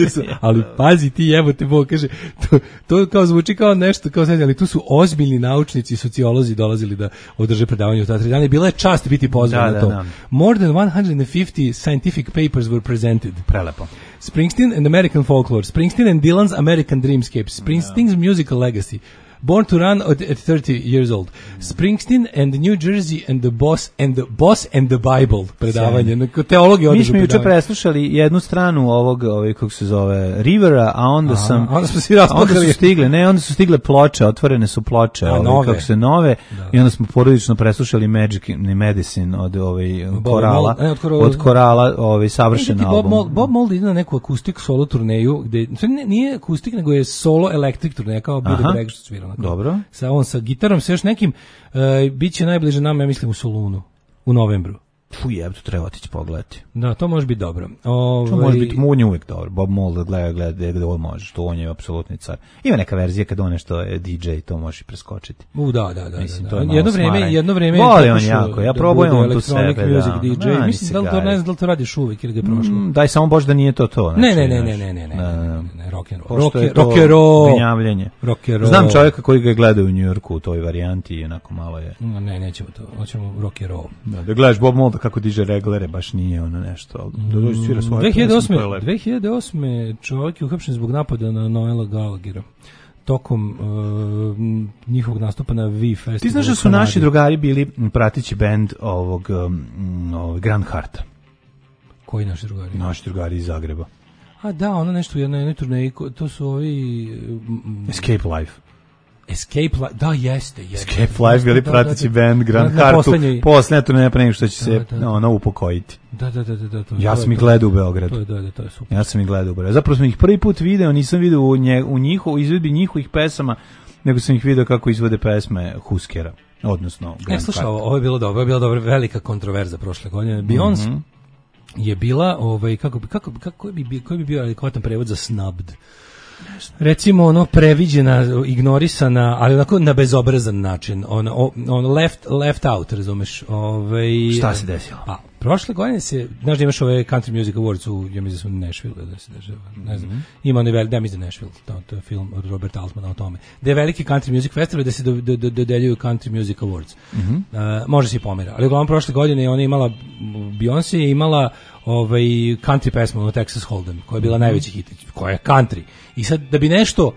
su, ali pazi ti, jebote Bog, kaže, to, to kao zvuči kao nešto, kao sad, ali tu su ozbiljni naučnici i sociolozi dolazili da održe predavanje u ta tri dana i bila je čast biti pozvan na to. Da, da. More than one hundred fifty scientific papers were presented. Prelepo. Springsteen and American Folklore, Springsteen and Dylan's American Dreamscape, Springsteen's no. Musical Legacy, Born to Run at thirty years old, Springsteen and New Jersey and the Boss and the Boss and the Bible predavanje, teologija. Mi smo juče preslušali jednu stranu ovog, ovaj kako se zove, Rivera, a onda Aha, sam onda smo svi rasplakali. Onda su stigle, ne, onda su stigle ploče, otvorene su ploče, a, ovaj, kako se nove, da. I onda smo porodično preslušali Magic Medicine od ovaj Korala, ne, od, korala, od Korala, ovaj savršen album. Bob Mould, Bob Mould ide na neku akustik solo turneju, gde nije akustik nego je solo electric turneja, kao Billy Bragg što svira. Dobro. Sa on sa gitarom, sa još nekim, uh, biće najbliže nama, ja mislim, u Solunu, u novembru. Fuj, jebto, treba otići pogledati. Da, to može biti dobro. Ove... To može biti, on je uvijek dobro. Bob Mould gleda, gleda gde on može, to on je apsolutni car. Ima neka verzija kad on nešto je D J, to možeš preskočiti. U, da, da, da. Mislim, da, to je da. Jedno vreme, jedno vreme voli on jako, ja probujem on tu sebe. Music D J. Da, mislim, da li to, ne znam da li to radiš uvijek ili ga je prošlo. Mm, daj, samo bož da nije to to. Znači, ne, ne, ne, ne, ne, ne, ne, ne, rock and roll. Rock and roll. Gnjavljenje. Znam čovjeka koji ga gleda u New Yorku u toj varijanti i onako malo je. Ne, nećemo to, hoćemo rock and roll. Da gledaš Bob Mould kako diže reglere, baš nije ono nešto. Da dođe svira svoje. dve hiljade osme čovjek je uhapšen zbog napada na Noela Gallaghera tokom uh, njihovog nastupa na V Festivalu. Ti znaš da su naši drugari bili pratići bend ovog, um, ovog Grand Hearta? Koji naši drugari? Naši drugari iz Zagreba. A da, ono nešto u jednoj, jednoj turneji, to su ovi... Um, Escape Life. Escape Life, da, jeste, jeste. Escape Life bili pratići band Grand Heartu, posljednja turneja pre nego što će se da, da. ono upokojiti. Da, da, da, da, to, ja sam ih gledao u Beogradu. To je, da, da, to je super. Ja sam ih gledao u Beogradu. Zapravo sam ih prvi put video, nisam video u, nje, u njihovu izvedbi njihovih pesama, nego sam ih video kako izvode pesme Huskera, odnosno Grand Heart. E, slušaj, ovo je bilo dobro, ovo je bila dobra, velika kontroverza prošle godine. Beyoncé mm-hmm. je bila, ovaj, kako, kako, kako bi, koji bi bio adekvatan prevod za snubbed? Recimo ono previđena, ignorisana, ali onako na bezobrazan način, on, on left, left out, razumeš? Ove, šta se desilo? Pa, prošle godine se, znaš da imaš ove Country Music Awards u, ja mislim da su Nashville, da se dešava, ne znam, mm-hmm. ima onaj veliki, da mislim da Nashville, to, to je film od Roberta Altmana o tome, da je veliki Country Music Festival da se do, do, do, dodeljuju Country Music Awards. Mm-hmm. Uh, može se i pomera, ali uglavnom prošle godine ona imala, Beyoncé je imala ovaj country pesmu od Texas Hold'em, koja je bila mm-hmm. najveći hit, koja je country. I sad da bi nešto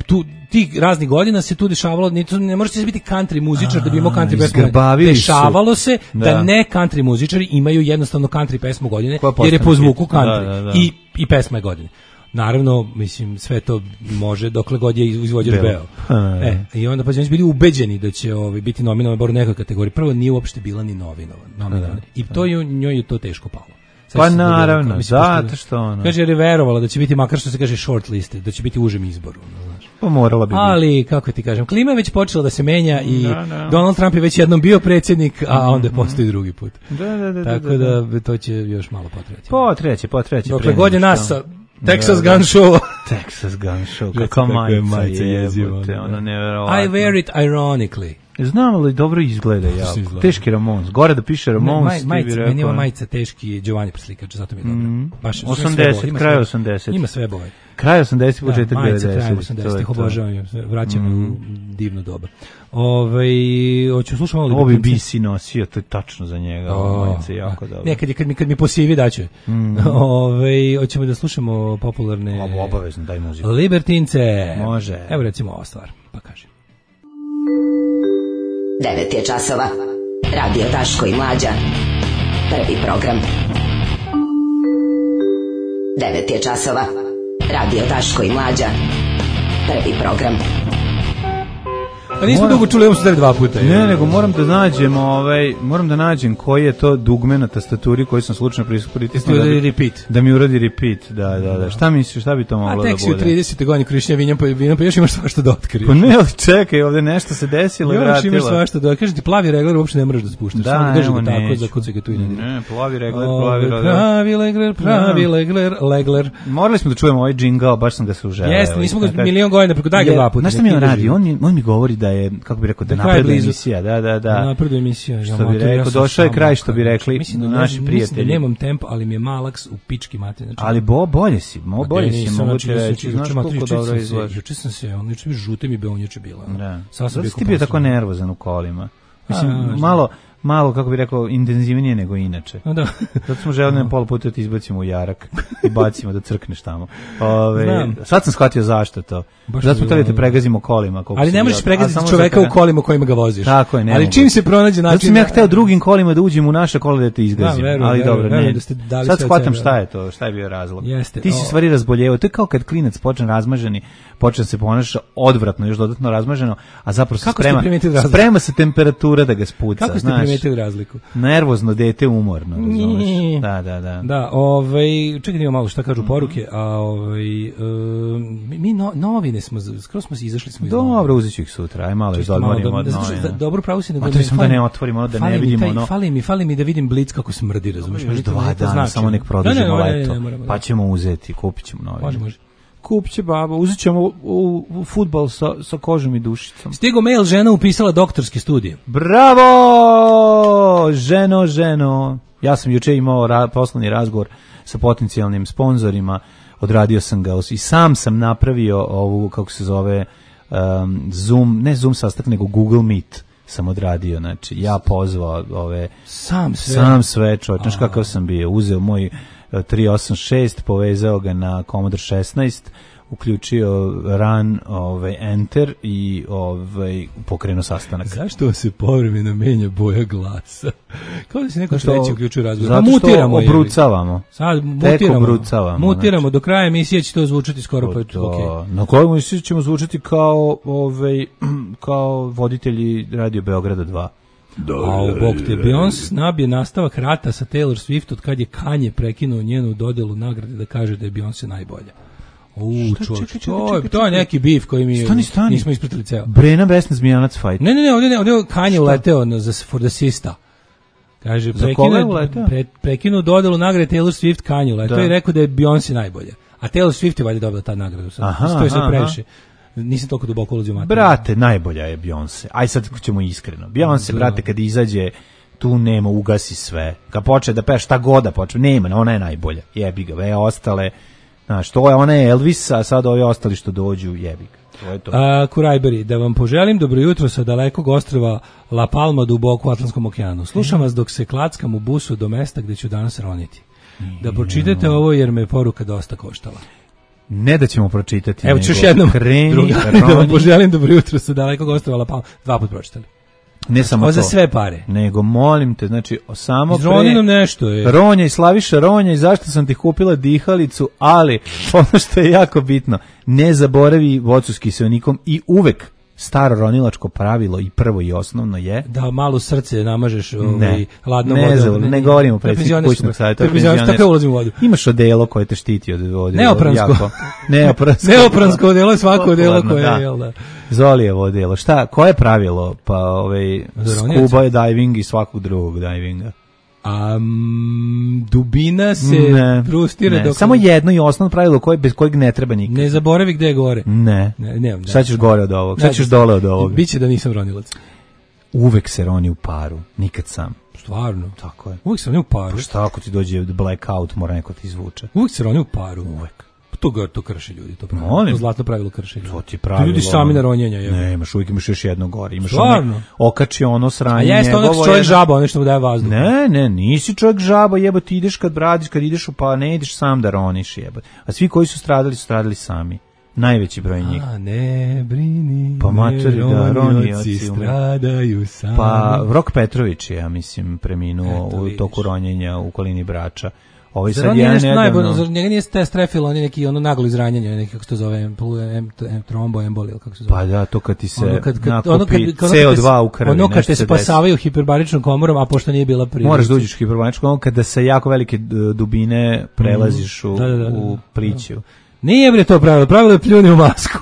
tu tih raznih godina se tu dešavalo, ne, ne možete se biti country muzičar a, da bi imao country pesmu. Dešavalo se da. da ne country muzičari imaju jednostavno country pesmu godine, jer je po zvuku country da, da, da. I, i pesma je godine. Naravno, mislim, sve to može dokle god je izvođač beo. E, i onda pa su bili ubeđeni da će ovaj, biti nominovan bar u nekoj kategoriji. Prvo nije uopšte bila ni novinovan. nominovan. I to je, njoj je to teško palo. Pa naravno, zato što ono. Kaže, jer je verovala da će biti, makar što se kaže short liste, da će biti u užem izboru. Znaš. Pa morala bi. Ali, kako ti kažem, klima je već počela da se menja i da, da. Donald Trump je već jednom bio predsjednik, a onda je postoji drugi put. Da, da, da. Tako da, da to će još malo potreći. Potreći, potreći. Dokle god je nas sa Texas Gun Show. Texas Gun Show, kako majica jebote, ono neverovatno. I wear it ironically. Znam li dobro izgleda jako. Teški Ramones. Gore da piše Ramones. Maj, majica, meni je ova majica teški Giovanni preslikač, zato mi je dobro. Mm. Baš, osamdeset, kraj osamdeset. Ima sve boje. Kraj osamdeset, početak da, devedeset. Majica kraj osamdeset, obožavam, vraćam mm. u divno doba. Ove, hoću slušam ovo. Ovo bi B C nosio, to je tačno za njega. Oh, majica je jako dobro. Ne, kad, kad, mi, kad mi posivi daću. Mm. Ove, hoćemo da slušamo popularne... Ovo obavezno, daj muziku. Libertince. Može. Evo recimo ova stvar, pa kaže. devet je časova. Radio Daško i Mlađa. Prvi program. devet je časova. Radio Daško i Mlađa. Prvi program. Pa nismo dugo čuli, imamo se dva puta. Ne, nego moram da nađem, ovaj, moram da nađem koji je to dugme na tastaturi koji sam slučajno pritisnuo. Da, repeat. Da mi uradi repeat, da, da, da. Šta misliš, šta bi to moglo da bude? A tek si u tridesete godine Krišnja vinjam pa vinom, pa još imaš svašta da otkriješ. Pa ne, čekaj, ovde nešto se desilo i vratilo. Još imaš svašta da, kažem ti, plavi regler uopšte ne moraš da spuštaš. Da, evo neću. Tako, za kuce ga tu i ne dira. Ne, plavi regler, plavi regler. Pravi regler, pravi regler, legler. Morali smo da čujemo ovaj džingl, baš sam ga se uželeo. Jeste, nismo ga milion godina, preko daj ga dva puta. Znaš šta mi on radi? On, on mi govori da je, kako bi rekao, da napreduje emisija. Da, da, da. Napreduje emisija. Što bi rekao, došao je kraj, što bi rekli naši prijatelji. Mislim da nemam tempo, ali mi je malaks u pički mate. Znači, ali bo, bolje si, mo, bolje si, mogu ti reći. Znaš koliko dobro izgledaš. Juče sam se, on juče mi žute mi beon juče bila. Da. Sada si ti bio tako nervozan u kolima. Mislim, A, malo, malo, kako bi rekao, intenzivnije nego inače. Da. Zato smo želeli na pola puta da ti izbacimo u jarak i bacimo da crkneš tamo. Ove, sad sam shvatio zašto to. Baš zato smo htjeli te pregazimo kolima. Ali ne možeš pregaziti čoveka u kolima kojima ga voziš. Tako je, ne ali mogu. Čim se pronađe način... Zato sam ja hteo drugim kolima da uđem u naše kolo da te izgazim. Da, verujem, ali verujem, dobro, verujem, ne. Da sad shvatam šta je to, šta je bio razlog. Jeste, ti si stvari razboljevao. To je kao kad klinac počne razmaženi, počne se ponaša odvratno, još dodatno razmaženo, a zapravo se sprema, sprema se temperatura da ga spuca. Kako ste primetili razliku? Nervozno dete, umorno, razumeš? Da, da, da. Da, ovaj, čekaj da imamo malo šta kažu poruke, a ovaj, um, mi no, novine smo, skoro smo se izašli smo iz novina. Dobro, uzet ću ih sutra, aj malo izodmorimo od novina. Dobro, pravo si nego... A to sam da ne otvorimo, ono da ne vidimo ono... Fali mi, fali mi da vidim Blic kako smrdi, razumiješ? Još dva dana, samo nek produžimo leto, pa ćemo uzeti, kupit ćemo novine. Može, može. Kupit će baba, uzet ćemo u, u, u futbal sa, sa kožom i dušicom. Stigo mail, žena upisala doktorske studije. Bravo! Ženo, ženo. Ja sam juče imao ra, poslovni razgovor sa potencijalnim sponzorima, odradio sam ga i sam sam napravio ovu, kako se zove, um, Zoom, ne Zoom sastanak, nego Google Meet sam odradio, znači ja pozvao ove... Sam sve? Sam sve, čovječ, znaš kakav sam bio, uzeo moj tri osam šest, povezao ga na Commodore šesnaest, uključio run, ovaj, enter i ovaj, pokrenuo sastanak. Zašto se povremeno menja boja glasa? Kao da se neko treći uključio razgovor. Zato što mutiramo, obrucavamo. Sad mutiramo. Obrucavamo. Mutiramo, znači. Do kraja emisije će to zvučati skoro pa to. Okay. Na kojoj emisiji ćemo zvučati kao, ovaj, kao voditelji Radio Beograda dva. Da, a u bok te, Beyoncé nabije nastavak rata sa Taylor Swift od kad je Kanye prekinuo njenu dodelu nagrade da kaže da je Beyoncé najbolja. Uuu, čovječ, to, to je neki bif koji mi stani, stani. Nismo ispratili ceo. Brena Vesna Zmijanac fight. Ne, ne, ne, ovdje, ovdje Kanye uleteo na, za, for the sista. Kaže, prekinuo, pre, prekinuo dodelu nagrade Taylor Swift, Kanye uleteo i rekao da je Beyoncé najbolja. A Taylor Swift je valjda dobila ta nagradu. Aha, to je sve previše. Nisam toliko duboko ulazio u materiju. Brate, najbolja je Beyoncé. Aj sad ćemo iskreno. Beyoncé, brate, kad izađe, tu nema, ugasi sve. Kad počne da peva šta god da počne, nema, ona je najbolja. Jebi ga, ve ostale. Znaš, to je, ona je Elvis, a sad ovi ostali što dođu, jebi ga. To je to. A, Kurajberi, da vam poželim dobro jutro sa dalekog ostrva La Palma duboko u Atlantskom okeanu. Slušam vas dok se klackam u busu do mesta gde ću danas roniti. Da pročitate ovo jer me poruka dosta koštala. Ne da ćemo pročitati. Evo ću još jednom drugari, da vam poželim dobro jutro sa dalekog ostrva La Palma. Dva put pročitali. Ne samo to. Za sve pare. Nego molim te, znači samo pre... nam nešto je. Ronja i Slaviša Ronja i zašto sam ti kupila dihalicu, ali ono što je jako bitno, ne zaboravi voću s kiseonikom i uvek staro ronilačko pravilo i prvo i osnovno je da malo srce namažeš ovaj hladnom vodom. Ne, zav, ne, ne govorimo predsjednik kućnog savjeta. Tako ulazim u vodu. Imaš odelo koje te štiti od vode. Neopransko. Neopransko. Neopransko odelo, svako odelo koje je, jel da. Zolijevo odelo. Šta, koje je pravilo? Pa ovaj scuba diving i svakog drugog divinga. A um, dubina se ne, prostire ne. dok... Samo jedno i osnovno pravilo koje, bez kojeg ne treba nikad. Ne zaboravi gde je gore. Ne. ne, ne, ne. Sad ćeš gore od ovog, sad ćeš dole od ovog. Biće da nisam ronilac. Uvek se roni u paru, nikad sam. Stvarno? Tako je. Uvek se roni u paru. Pa šta ako ti dođe blackout, mora neko ti izvuče. Uvek se roni u paru. Uvek. To, to krši ljudi, to pravilo. To zlatno pravilo krši ljudi. To ti pravilo. To ljudi sami na ronjenja. Ne, imaš uvijek imaš još jedno gore. Imaš ono, okači ono sranje. A jeste ono čovjek žaba, ono što mu daje vazduh. Ne, ne, nisi čovjek žaba, jebo ti ideš kad bradiš, kad ideš u pa ne ideš sam da roniš, jebo. A svi koji su stradali su stradali sami. Najveći broj njih. A ne brini, pa materi, da, ronioci stradaju sami. Pa Rok Petrović je, ja mislim, preminuo u toku ronjenja u okolini Brača. Ovaj sad ja ne najbolje, za njega nije te strefilo, on je neki ono naglo izranjanje, neki kako se to zove, trombo emboli, kako se zove. Pa da, to kad ti se ono kad, kad, nakupi ono kad, C O dva u krvi. Ono kad te spasavaju hiperbaričnom komorom, a pošto nije bila prirodna. Moraš da uđeš u hiperbaričnu komoru kada sa jako velike dubine prelaziš u, da, da, da, da, u pliću. Nije bre to pravilo, pravilo je pljuni u masku.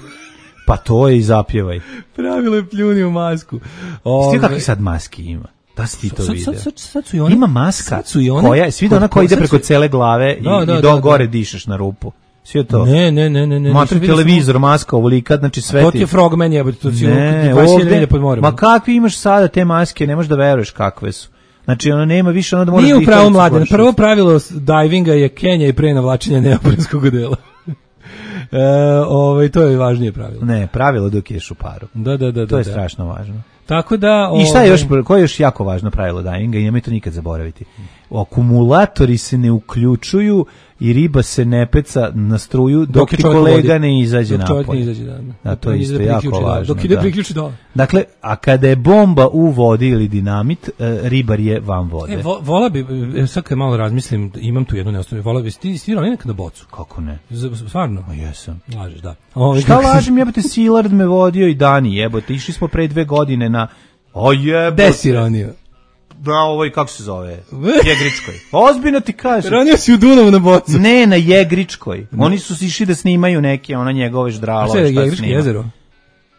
Pa to je i zapjevaj. Pravilo je pljuni u masku. Ove... kakvi sad maski ima? Da si ti to sad, vidio? Sad, sad, sad su i one, ima maska su i one, koja, svi da ona koja ide preko su... cele glave i, da, da, i do da, gore da. Dišeš na rupu. Sve to. Ne, ne, ne, ne, ne. Matri televizor, smo... maska, ovolika, znači sve ti. To ti je Frogman jebote, to si ne, ovdje, pod morem. Ma kakvi imaš sada te maske, ne možeš da veruješ kakve su. Znači ono nema više ono da možeš. Nije u pravu mladen. Prvo pravilo divinga je kenja i pre navlačenja neoprenskog odela. E, ovaj to je važnije pravilo. Ne, pravilo dok ješ u paru. Da, da, da, to je da. strašno važno. Tako da, ovaj... I šta je još, koje je još jako važno pravilo divinga i nemoj to nikad zaboraviti. Akumulatori se ne uključuju i riba se ne peca na struju dok, dok ti kolega vodi. Ne izađe dok napolje. Ne izađe, da, da. Da, to je isto jako važno. Dok ide da. priključi do. Dakle, a kada je bomba u vodi ili dinamit, e, ribar je van vode. E, vo, vola bi, sad kad malo razmislim, imam tu jednu neosnovnu, vola bi, ti stirao nekad na bocu? Kako ne? Z, stvarno? Ma jesam. Lažeš, da. Ovo, šta lažem, jebote, Silard me vodio i Dani, jebote, išli smo pre dve godine na... O jebote. Gde si ronio? Da, ovoj, kako se zove? Jegričkoj. Ozbiljno ti kažem. Ranio si u Dunavu na bocu. Ne, na Jegričkoj. Oni su išli da snimaju neke, ona njegove ždralove. A šta je Jegričko jezero?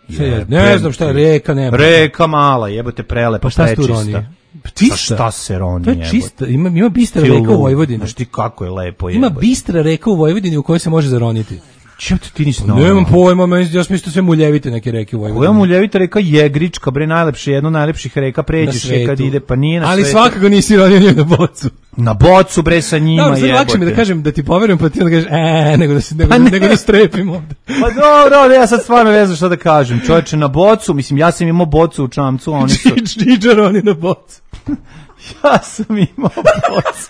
Je, ne znam šta je, reka nema. Reka mala, jebote, prelepa, pa šta se tu roni? Pa šta se roni, jebote? To je čista, ima, ima bistra reka u Vojvodini. Znaš ti kako je lepo, jebote. Ima bistra reka u Vojvodini u kojoj se može zaroniti. Čem ti ti nisi znao? Nemam pojma, ja sam mislio sve muljevite neke reke u Vojvodini. Koja muljevita reka Jegrička, bre, najlepše, jedno najlepših reka, pređeš je kad ide, pa nije na ali svetu. Ali svakako nisi ronio nije na bocu. Na bocu, bre, sa njima, jebote. Da, lakše mi da kažem da ti poverujem, pa ti onda kažeš, e, nego da, se, nego, pa nego da strepim ovde. Pa dobro, ja sad stvarno ne znam šta da kažem. Čovječe, na bocu, mislim, ja sam imao bocu u čamcu, oni su... Džiđar, oni na bocu. Ja sam imao bocu.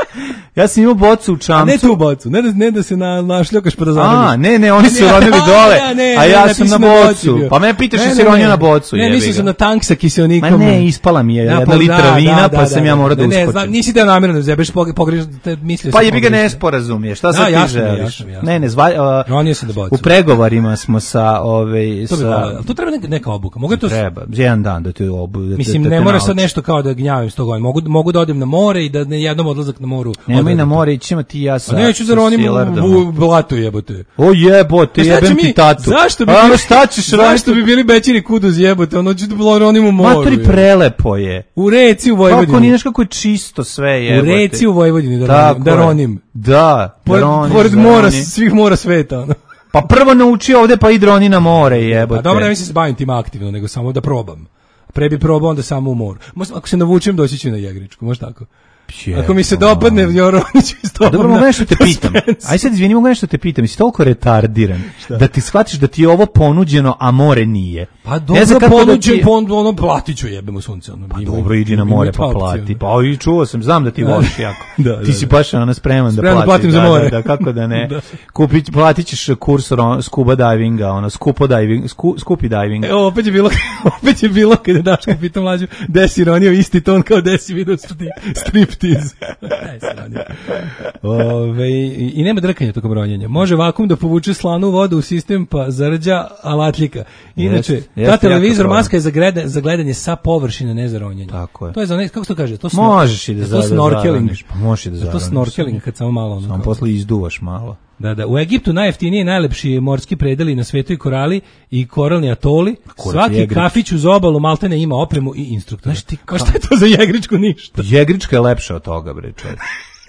Ja sam imao bocu u čamcu. A ne tu bocu, ne da, ne da se na, našljokaš pa da zarodiš. A, ne, ne, oni su ronili dole, a, ne, a ja ne, sam na bocu. Na pa me pitaš da si ronio na bocu. Ne, mislio sam na tank sa kiselnikom. Ma ne, ispala mi je jedna da, litra da, vina, da, pa da, sam da, ja morao da uskočim. Ne, znam, nisi teo namjerno da zebeš, pogreš, mislio sam. Pa jebi ga nesporazum je, šta sad ti želiš? Ne, ne, ronio sam na bocu. U pregovorima smo sa, ove, sa... To treba neka obuka, mogu to... Treba, jedan dan da ti obuka. Mislim, ne mora sad nešto kao da gnjavim sto godina, mogu da odem na more i da ne jednom odlazak na moru. Nemoj na more, ćemo ti ja sa. A neću da ronim u blatu jebote. O jebote, jebem ti tatu. Zašto bi a, šta ćeš zašto bi bili bećini kuduz jebote, ono ću da ronim u moru. Matri prelepo je. U reci u Vojvodini. Kako nije kako je čisto sve jebote. U reci u Vojvodini da ronim, da ronim. Da, pored, pored mora, svih mora sveta, ono. Pa prvo nauči ovde pa ide roni na more jebote. A dobro, ne mislim se bavim tim aktivno, nego samo da probam. Pre bi probao onda samo u moru. Možda, ako se navučem doći ću na Jegričku, može tako? Je, ako mi se dopadne, Joronić istopam. Dobro, mogu nešto te pitam. Aj sad izvini, mogu nešto te pitam. Jesi toliko retardiran da ti shvatiš da ti je ovo ponuđeno, a more nije. Pa dobro, ponuđen, da ti... ono, platit ću jebemo sunce. Ono, pa ima, dobro, idi na more pa plati. Pa i čuo sam, znam da ti voliš jako. da, da, ti si baš ona spreman da platiš. Spreman da platim za more. Da, da, kako da ne. da. Kupit, platit ćeš kurs scuba divinga, ono, skupo diving, sku, skupi diving. E, opet je bilo, opet je bilo kada Daško pitam mlađu, gde si ronio isti ton kao gde si vidio striptiz. Ove, i, i nema drkanja tokom ronjenja. Može vakum da povuče slanu vodu u sistem pa zarđa alatljika. Inače, jest, ta jest televizor maska je za, grede, za gledanje sa površine, ne za ronjenje. Tako je. To je za ne, kako se to kaže? To snor, možeš i da za, to snorkeling. Pa možeš i da zaroniš. To snorkeling kad samo malo. Samo posle izduvaš malo. Da, da. U Egiptu najjeftiniji i najlepši morski predeli na svetu i korali i koralni atoli. Svaki jegrič. Kafić uz obalu maltene ima opremu i instruktora. Znaš ti ka... šta je to za Jegričku ništa? Jegrička je lepša od toga, bre, čovječ.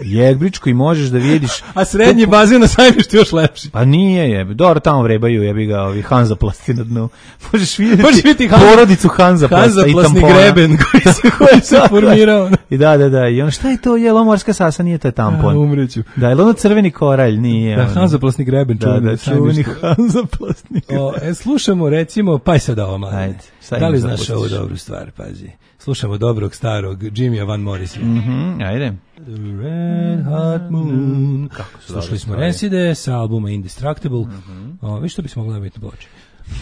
Jegričku i možeš da vidiš. A srednji bazen na Sajmištu još lepši. Pa nije je. Dobro, tamo vrebaju, jebi ga, ovi Hanzaplasti na dnu. Možeš vidjeti, možeš vidjeti porodicu Hanzaplasta i tampona. Greben koji se, koji se formirao. I da, da, da. I ono, šta je to? Je li morska sasa? Nije to tampon. Ja, umreću. Da, je li ono crveni koralj? Nije. Da, Hanzaplasni greben. Da, da, čuveni Hanzaplasni greben. O, e, slušamo, recimo, pa i sad ovo, mladine. Ajde. Da li znaš ovu dobru stvar, pazi. Slušamo dobrog starog Jimmya Van Morrisona. Mhm, ajde. The Red Hot Moon. Slušali smo Rancide sa albuma Indestructible. Mm -hmm. O, viš što bismo mogli biti ploče.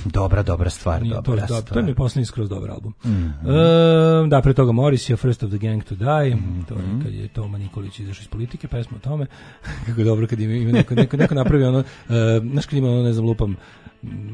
Dobra, dobra stvar, Nije, dobra to, stvar. To je mi poslednji skroz dobar album. Mm-hmm. E, da, pre toga Morrissey, First of the Gang to Die, mm-hmm. to je kad je Toma Nikolić izašao iz politike, pesma o tome. Kako je dobro kad ima, ima neko, neko, neko napravi ono, uh, znaš kad ima ono, ne znam, lupam,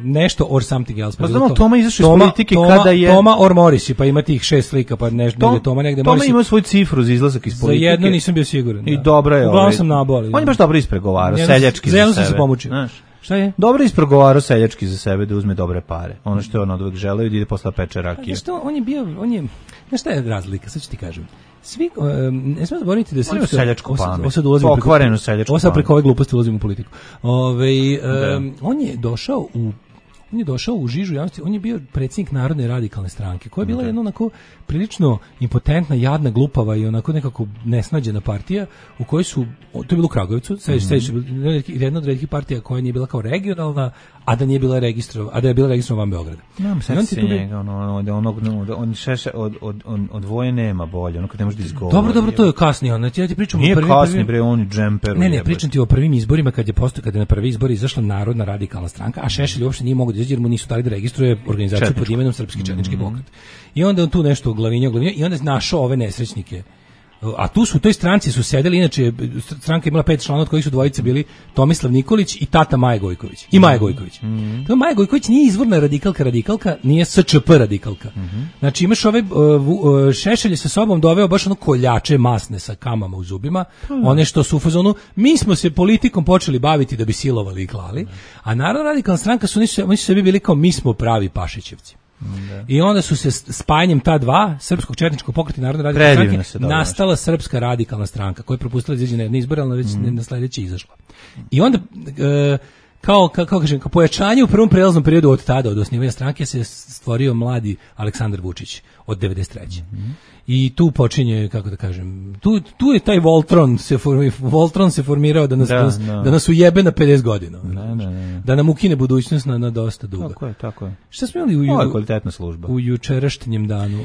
nešto or something else. Pa znamo, Toma izašao iz politike Toma, kada je... Toma or Morrissey, pa ima tih šest slika, pa nešto, Tom, Toma negde Toma Morrissey. ima svoju cifru za izlazak iz politike. Za jedno nisam bio siguran. Da. I dobro je. Uglavnom sam naboli. On je baš dobro ispregovarao, seljački za, za sebe. Za se pomoći. Znaš. Šta je? Dobro ispregovarao seljački za sebe da uzme dobre pare. Ono što je on odvek želeo i da ide posle peče rakije. Što on je bio, on je, znaš šta je razlika, sad ću ti kažem. Svi, um, ne smemo zaboraviti da srpska... seljačku pamet. Sad ulazimo pokvarenu seljačku pamet. Ovo sad preko ove gluposti ulazimo u politiku. Ove, um, on je došao u On je došao u žižu javnosti, on je bio predsjednik Narodne radikalne stranke, koja je bila jedna onako prilično impotentna, jadna, glupava i onako nekako nesnađena partija u kojoj su, to je bilo u Kragujevcu, sedište, mm-hmm. jedna od retkih partija koja nije bila kao regionalna, a da nije bila registrovana, a da je bila registrovana van Beograda. Nemam se njega, ono, onog, on šeše, od, od, od, od voje nema bolje, ono kad ne može da izgovori. Dobro, dobro, to je kasnije, ono, ja ti pričam nije o prvim... Nije kasnije, bre, on je džemperu. Ne, ne, pričam ti o prvim izborima, kad je postoji, kad je na prvi izbori izašla Narodna radikalna stranka, a Šešelj uopšte nije mogo da izađe jer mu nisu dali da registruje organizaciju pod imenom Srpski četnički pokret. I onda on tu nešto glavinjao, glavinjao i onda je našao ove nesrećnike. A tu su u toj stranci su sedeli, inače stranka je imala pet članova od kojih su dvojice bili Tomislav Nikolić i tata Maja Gojković. I Maja Gojković. Mm-hmm. To Maja Gojković nije izvorna radikalka radikalka, nije S Č P radikalka. Mm-hmm. Znači imaš ove uh, uh, Šešelj sa sobom doveo baš ono koljače masne sa kamama u zubima, mm-hmm. one što su u fazonu, mi smo se politikom počeli baviti da bi silovali i klali, mm-hmm. a Narodna radikalna stranka su, oni su, oni su sebi bili kao mi smo pravi Pašićevci. Da. I onda su se spajanjem ta dva, Srpskog četničkog pokreta i Narodne radikalne stranke, nastala Srpska radikalna stranka, koja je propustila izađe na izbore, ali već mm. na sledeći izašla. I onda, e, kao, kao, kao kažem, kao pojačanje u prvom prelaznom periodu od tada, od osnivanja stranke, se stvorio mladi Aleksandar Vučić od devedeset treće. Mm. I tu počinje, kako da kažem, tu, tu je taj Voltron se, formi, Voltron se formirao da nas, da, da, da nas ujebe na pedeset godina. Da, da, da. Da nam ukine budućnost na, na dosta dugo. Tako je, tako je. Šta smo imali u, Ovo je kvalitetna služba. U jučerašnjem danu?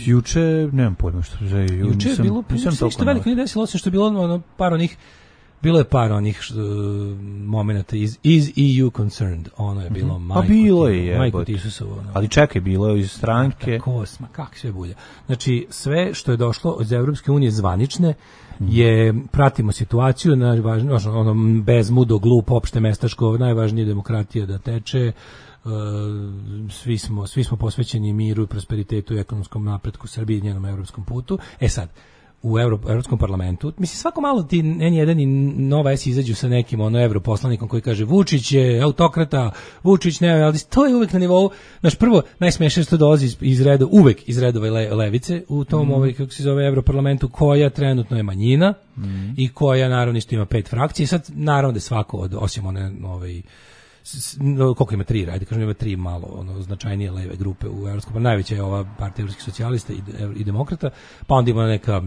Juče, nemam pojma što je. Ju, juče je bilo, nisam što veliko nije desilo, osim što je bilo ono, par onih, bilo je par onih uh, momenata iz, iz E U concerned, ono je bilo mm-hmm. majko, pa bilo je, majko Tisusovo. Ono. Ali čekaj, bilo je iz stranke. Kosma, kak sve bulja. Znači, sve što je došlo iz Evropske unije zvanične, mm. je, pratimo situaciju, najvažnije, ono, bezmudo, glup, opšte mestaško, najvažnije demokratija da teče, Uh, svi smo, svi smo posvećeni miru i prosperitetu i ekonomskom napretku Srbije i njenom evropskom putu. E sad, u Euro, Evropskom parlamentu, mislim svako malo ti N jedan i Nova S izađu sa nekim ono europoslanikom koji kaže Vučić je autokrata, Vučić ne, ali to je uvek na nivou, znaš, prvo najsmešnije što dolazi iz, iz reda, uvek iz redova le, levice u tom, mm. ovaj, kako se zove, Europarlamentu, koja trenutno je manjina mm. i koja naravno isto ima pet frakcija. Sad naravno da svako od, osim one ovaj, koliko ima tri, ajde kažem ima tri malo ono značajnije leve grupe u evropskom, pa najveća je ova partija evropskih socijalista i, i demokrata, pa onda ima neka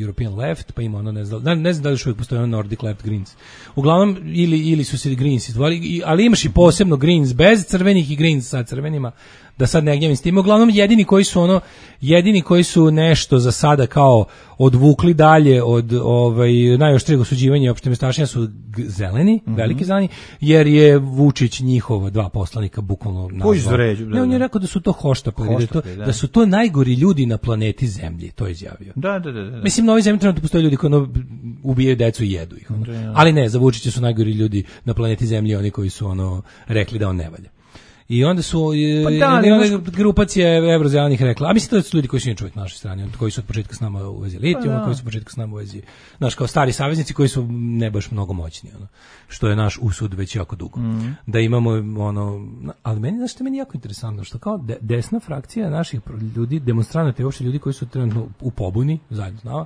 European Left, pa ima ono, ne znam, ne, ne znam da li još uvijek postoji ono Nordic Left Greens. Uglavnom, ili, ili su se Greens izdvojili, ali imaš i posebno Greens bez crvenih i Greens sa crvenima, da sad ne gnjavim s tim. Uglavnom, jedini koji su ono, jedini koji su nešto za sada kao odvukli dalje od ovaj, najoštrijeg osuđivanja i opštemestašenja su zeleni, mm-hmm. veliki zeleni, jer je Vučić njihova dva poslanika bukvalno nazvao. Ne, on je rekao da su to hoštapleri, da, to, da. da su to najgori ljudi na planeti Zemlji, to je izjavio. Da, da, da. da. Mislim, na ovoj zemlji trenutno postoje ljudi koji ono, ubijaju decu i jedu ih. Ono. Da. Ali ne, za Vučića su najgori ljudi na planeti Zemlji, oni koji su ono rekli da on ne valja. I onda su pa da, i onda možda... grupacija evrozelenih rekla, a mislim to su ljudi koji su inače uvijek na našoj strani, koji su od početka s nama u vezi litijuma, pa koji su od početka s nama u vezi, znaš, kao stari saveznici koji su ne baš mnogo moćni, ono, što je naš usud već jako dugo. Mm. Da imamo, ono, ali meni, znaš što meni jako interesantno, što kao de, desna frakcija naših ljudi, demonstranata i uopšte ljudi koji su trenutno u pobuni, zajedno s nama,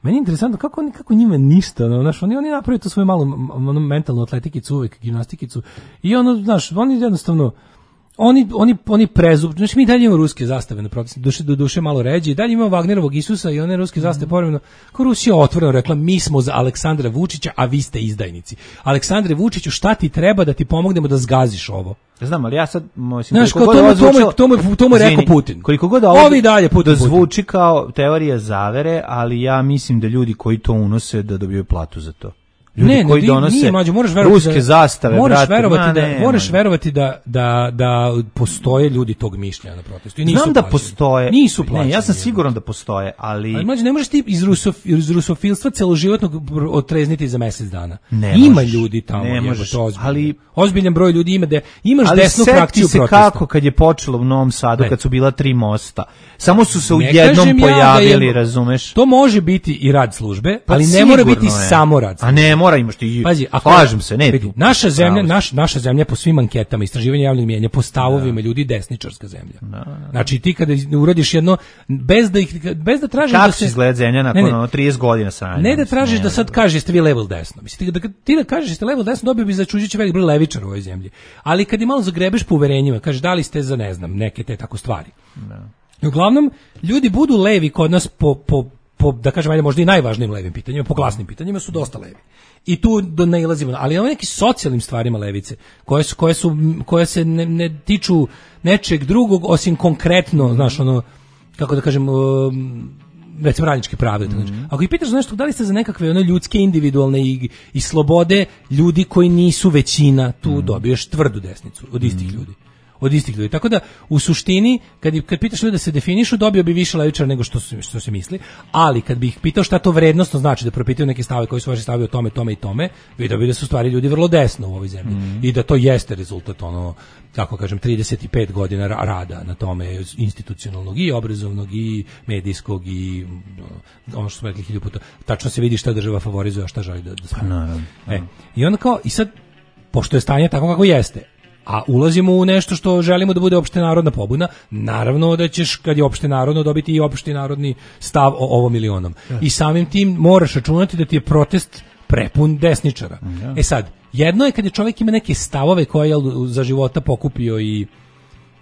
meni je interesantno kako oni kako njima ništa, ono, znaš, oni oni napravili to svoju malu ono, mentalnu atletikicu, uvek gimnastikicu i ono, znaš, oni jednostavno oni oni oni prezub, znači mi dalje imamo ruske zastave na protestima, duše do duše malo ređe, dalje imamo Wagnerovog Isusa i one ruske zastave mm. povremeno. Kao Rusija otvoreno rekla mi smo za Aleksandra Vučića, a vi ste izdajnici. Aleksandre Vučiću, šta ti treba da ti pomognemo da zgaziš ovo? Znam, ali ja sad mislim znaš, koliko god zvučao, to mu to mu rekao Putin. Koliko god ovo ovi dalje Putin da zvuči kao teorija zavere, ali ja mislim da ljudi koji to unose da dobiju platu za to. Ljudi ne, koji ne, donose nije, mađu, moraš verovati ruske da, zastave, moraš brate, verovati ma, da, ne, moraš man. verovati da, da, da postoje ljudi tog mišljenja na protestu. I nisu Znam da plaćeni. postoje. Nisu plaćeni. Ne, ja sam siguran da postoje, ali... Ali mađu, ne možeš ti iz, rusof, iz rusofilstva celoživotnog otrezniti za mesec dana. Ne ima možeš, ljudi tamo, ne jebote, možeš, ozbiljan. ali... ozbiljan broj ljudi ima da imaš ali desnu frakciju se protesta. kako kad je počelo u Novom Sadu, ne. kad su bila tri mosta. Samo su se u Ne jednom kažem ja pojavili, da je, razumeš? To može biti i rad službe, Pa ali ne mora biti sigurno je. samo rad službe. A ne, mora imaš ti. Pazi, ako slažem se, ne. vidi, naša zemlja, Pravo. naš, naša zemlja po svim anketama, istraživanja javnog mnijenja, po stavovima ljudi desničarska zemlja. Da, da. Znači ti kada uradiš jedno bez da ih bez da tražiš Kako da se izgleda zemlja nakon ne, ne. ono trideset godina sranja? Ne da tražiš da sad kažeš jeste vi level desno. Mislim da ti da kažeš jeste level desno, dobio bi začuđujući velik broj levičara u ovoj zemlji. Ali kad je malo zagrebeš po uverenjima, kažeš da li ste za ne znam neke te tako stvari. Da. I uglavnom ljudi budu levi kod nas po, po, po da kažem ajde možda i najvažnijim levim pitanjima, po glasnim pitanjima su dosta levi. I tu do nailazimo, ali ono neki socijalnim stvarima levice, koje su koje su koje se ne, ne tiču nečeg drugog osim konkretno, znaš, ono kako da kažem, um, recimo radničke prave. Mm -hmm. Ako ih pitaš za nešto, da li ste za nekakve ono ljudske, individualne i, i slobode ljudi koji nisu većina, tu mm -hmm. dobiješ tvrdu desnicu od istih mm -hmm. ljudi. Od istih ljudi. Tako da u suštini kad kad pitaš ljude da se definišu, dobio bi više levičara nego što su, što se misli, ali kad bih pitao šta to vrednosno znači, da propitaju neke stavove koji su vaši stavovi o tome, tome i tome, vidio bi da su stvari ljudi vrlo desno u ovoj zemlji mm. i da to jeste rezultat ono kako kažem trideset pet godina rada na tome institucionalnog i obrazovnog i medijskog i ono što smo rekli hiljadu puta, tačno se vidi šta država favorizuje, a šta želi da da pa, naravno. E, i onda kao i sad pošto je stanje tako kako jeste, a ulazimo u nešto što želimo da bude opštenarodna pobuna, naravno da ćeš kad je opštenarodno dobiti i opštenarodni stav o ovom milionom. Ja. I samim tim moraš računati da ti je protest prepun desničara. Ja. E sad, jedno je kad je čovjek ima neke stavove koje je za života pokupio i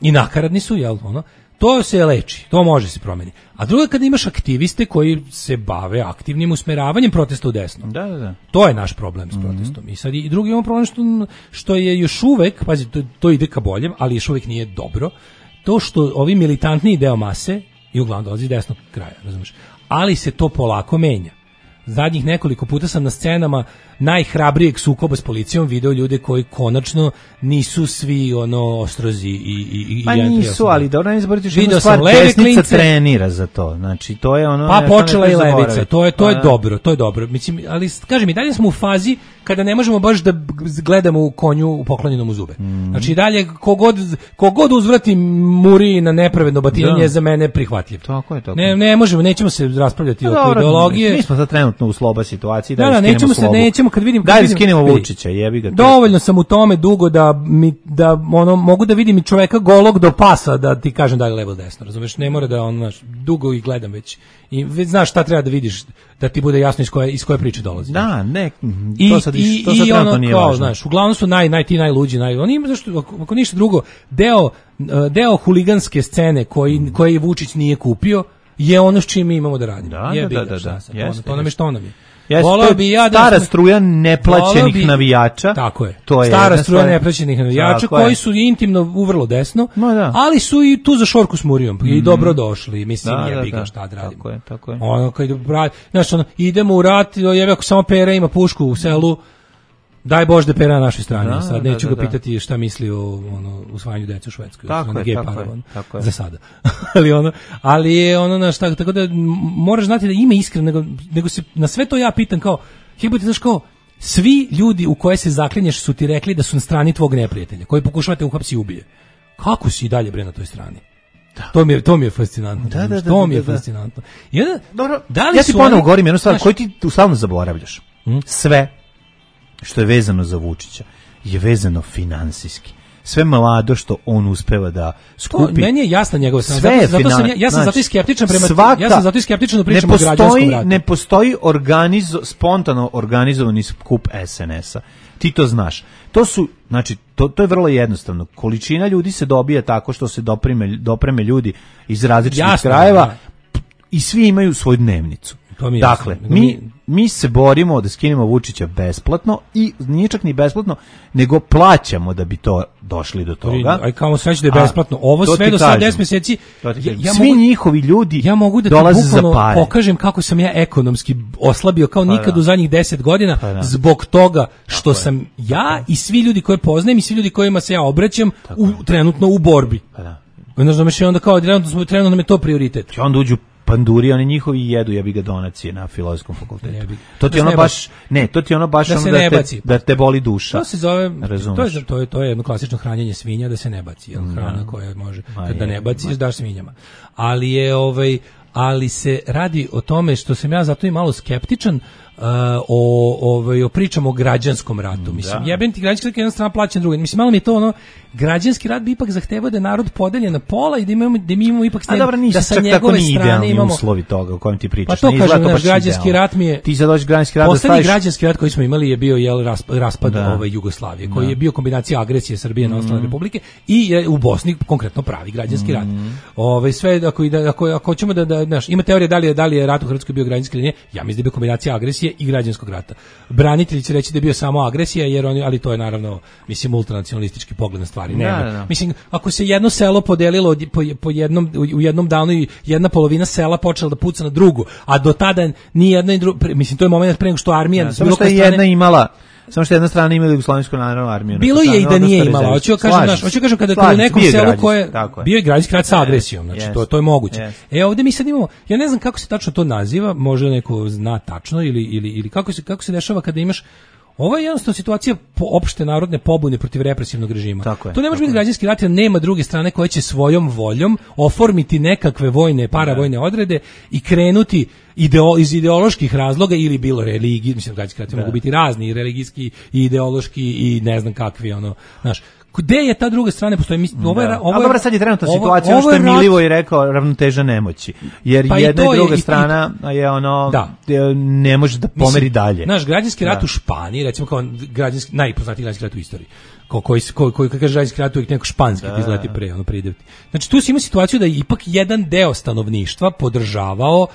i nakaradni su, jel, ono, to se leči, to može se promeniti. A drugo je kada imaš aktiviste koji se bave aktivnim usmeravanjem protesta u desno. Da, da, da. To je naš problem s protestom. Mm -hmm. I sad i drugi imamo problem što, što je još uvek, pazi, to, to ide ka boljem, ali još uvek nije dobro, to što ovi militantniji deo mase i uglavnom dolazi iz desnog kraja, razumiješ, ali se to polako menja. Zadnjih nekoliko puta sam na scenama najhrabrijeg sukoba s policijom video ljude koji konačno nisu svi ono ostrozi i i i pa nisu, ali dobro ne zaboravite što video stvar, sam leve desnica klince, trenira za to. Znači to je ono pa počela i levica, zaboraviti. to je to pa, je dobro, to je dobro. Mislim, ali kažem i dalje smo u fazi kada ne možemo baš da gledamo u konju u poklonjenom u zube. Mm. Znači dalje kogod kogod uzvrati muri na nepravedno batinanje je za mene prihvatljiv. Tako je, tako. Ne, ne možemo, nećemo se raspravljati no, oko ideologije. Mi smo sad trenutno u sloba situaciji, da, da, da nećemo se, nećemo kad vidim, kad da vidim, skinemo Vučića, jebi ga. Dovoljno sam u tome dugo da mi da ono mogu da vidim i čoveka golog do pasa da ti kažem da je levo desno, razumeš? Ne mora da on znaš, dugo ih gledam već. I već znaš šta treba da vidiš da ti bude jasno iz koje iz koje priče dolazi. Da, ne, to I, sad i, to sad ono, nije kao, važno. Znaš, uglavnom su naj naj ti najluđi, naj oni ima zašto ako, ako ništa drugo, deo deo huliganske scene koji mm. koji Vučić nije kupio je ono s čim mi imamo da radimo. Da, je da, da, da, to, jeste, to nam je što nam je. Jeste, bi ja da stara struja neplaćenih bi, navijača. Tako je. To je stara struja stvar. Neplaćenih navijača koji su intimno uvrlo desno, da. ali su i tu za šorku s murijom mm. i dobro došli. Mislim, da, jebi ga da, šta da radimo. Tako je, tako je. Ono, kad, znaš, ono, idemo u rat, jebi ako samo Pera ima pušku u selu, daj Bože da Pera na našoj strani. Da, sad neću da, da, ga pitati da. šta misli o ono usvajanju dece u Švedskoj. Tako je, tako je, tako je. Za sada. ali ono, ali je ono naš tako, tako da moraš znati da ima iskreno, nego, nego se na sve to ja pitam kao, jebote, znaš kao, svi ljudi u koje se zaklinješ su ti rekli da su na strani tvog neprijatelja, koji pokušavate uhapsi i ubije. Kako si i dalje bre na toj strani? Da. To mi je to mi je fascinantno. Da, da, da, to mi je da, da. fascinantno. I onda, dobro, da li ja ti su ponovo oni, govorim jednu stvar znaš, koju ti stalno zaboravljaš. Hmm? Sve što je vezano za Vučića je vezano finansijski. Sve mlado što on uspeva da skupi. To, meni je jasna njegova strana. Zato, zato sam ja, ja sam znači, zato i skeptičan prema svaka, ja sam zato i skeptičan da pričamo o građanskom ratu. Ne postoji organizo, spontano organizovani skup S N S-a. Ti to znaš. To su, znači, to, to je vrlo jednostavno. Količina ljudi se dobija tako što se dopreme, dopreme ljudi iz različitih jasno, krajeva da. I svi imaju svoju dnevnicu. To mi je dakle, jasno. mi, mi, mi se borimo da skinemo Vučića besplatno i nije čak ni besplatno, nego plaćamo da bi to došli do toga. Aj kao sve da je besplatno. Ovo sve do sad deset mjeseci. Ja, ja svi mogu, njihovi ljudi ja mogu da dolaze za pare. Pokažem kako sam ja ekonomski oslabio kao pa nikad da. u zadnjih deset godina pa zbog toga što Tako sam je. ja i svi ljudi koje poznajem i svi ljudi kojima se ja obraćam u, trenutno u borbi. Pa da. Znaš, onda kao trenutno smo trenutno nam je to prioritet. Će onda uđu panduri, oni njihovi jedu, jebi ga donacije na filozofskom fakultetu. To ti da ono baš, ne, to ti ono baš da, ono da, te, da te boli duša. To se zove, to je, to je, to je jedno klasično hranjenje svinja da se ne baci, jel, hrana da. koja može, kad da ne baciš, daš svinjama. Ali je, ovaj, ali se radi o tome što sam ja zato i malo skeptičan, Uh, o, ovaj, o pričamo o građanskom ratu. Mislim, da. jebem ti građanski rat, jedna strana plaća druga. Mislim, malo mi je to ono, građanski rat bi ipak zahtevao da je narod podeljen na pola i da, imamo, da mi imamo ipak sten, dobro, da sa njegove strane imamo... uslovi toga o kojem ti pričaš. Pa to kažem, naš građanski rat mi je... Ti sad dođeš građanski rat da staviš... građanski rat koji smo imali je bio jel, raspad, raspad ove Jugoslavije, koji da. je bio kombinacija agresije Srbije mm. na ostale republike i je u Bosni konkretno pravi građanski mm. rat. Ove, sve, ako, ako, ako ćemo da, da znaš, ima teorija da li je, da li je rat u Hrvatskoj bio građanski ili nije, ja mislim da je bio kombinacija agresije i građanskog rata. Branitelji će reći da je bio samo agresija, jer oni, ali to je naravno, mislim, ultranacionalistički pogled na stvari. Nema. Da, da. Mislim, ako se jedno selo podelilo po, po jednom, u jednom danu i jedna polovina sela počela da puca na drugu, a do tada ni jedna i druga, mislim, to je moment pre nego što armija... Da, samo što je jedna imala... Samo što jedna strana ima Jugoslavijsku narodnu armiju. Bilo je i da nije imala. Hoću da kažem, znaš, hoću kažem kada je u nekom selu koje bio je građanski rat sa agresijom, znači yes. to to je moguće. Yes. E ovdje mi sad imamo, ja ne znam kako se tačno to naziva, možda neko zna tačno ili ili ili kako se kako se dešava kada imaš. Ovo je jednostavno situacija po opšte narodne pobune protiv represivnog režima. Tako je, to ne može biti građanski rat, jer nema druge strane koja će svojom voljom oformiti nekakve vojne, paravojne odrede i krenuti ideo, iz ideoloških razloga ili bilo religiji, mislim građanski rati mogu biti razni, i religijski i ideološki i ne znam kakvi, ono, znaš. Gde je ta druga strana postoji? Mislim, ovo je, ovo je, dobro, sad je trenutna situacija, ono što je Milivo i rekao, ravnoteža nemoći. Jer pa jedna i, i druga je, strana i, je ono, da. ne može da pomeri mislim, dalje. Naš građanski rat da. u Španiji, recimo kao građanski, najpoznatiji građanski rat u istoriji, ko, koji, koji, koji kaže građanski rat uvijek neko španski, da. izleti pre, ono pridevti. Znači, tu si ima situaciju da je ipak jedan deo stanovništva podržavao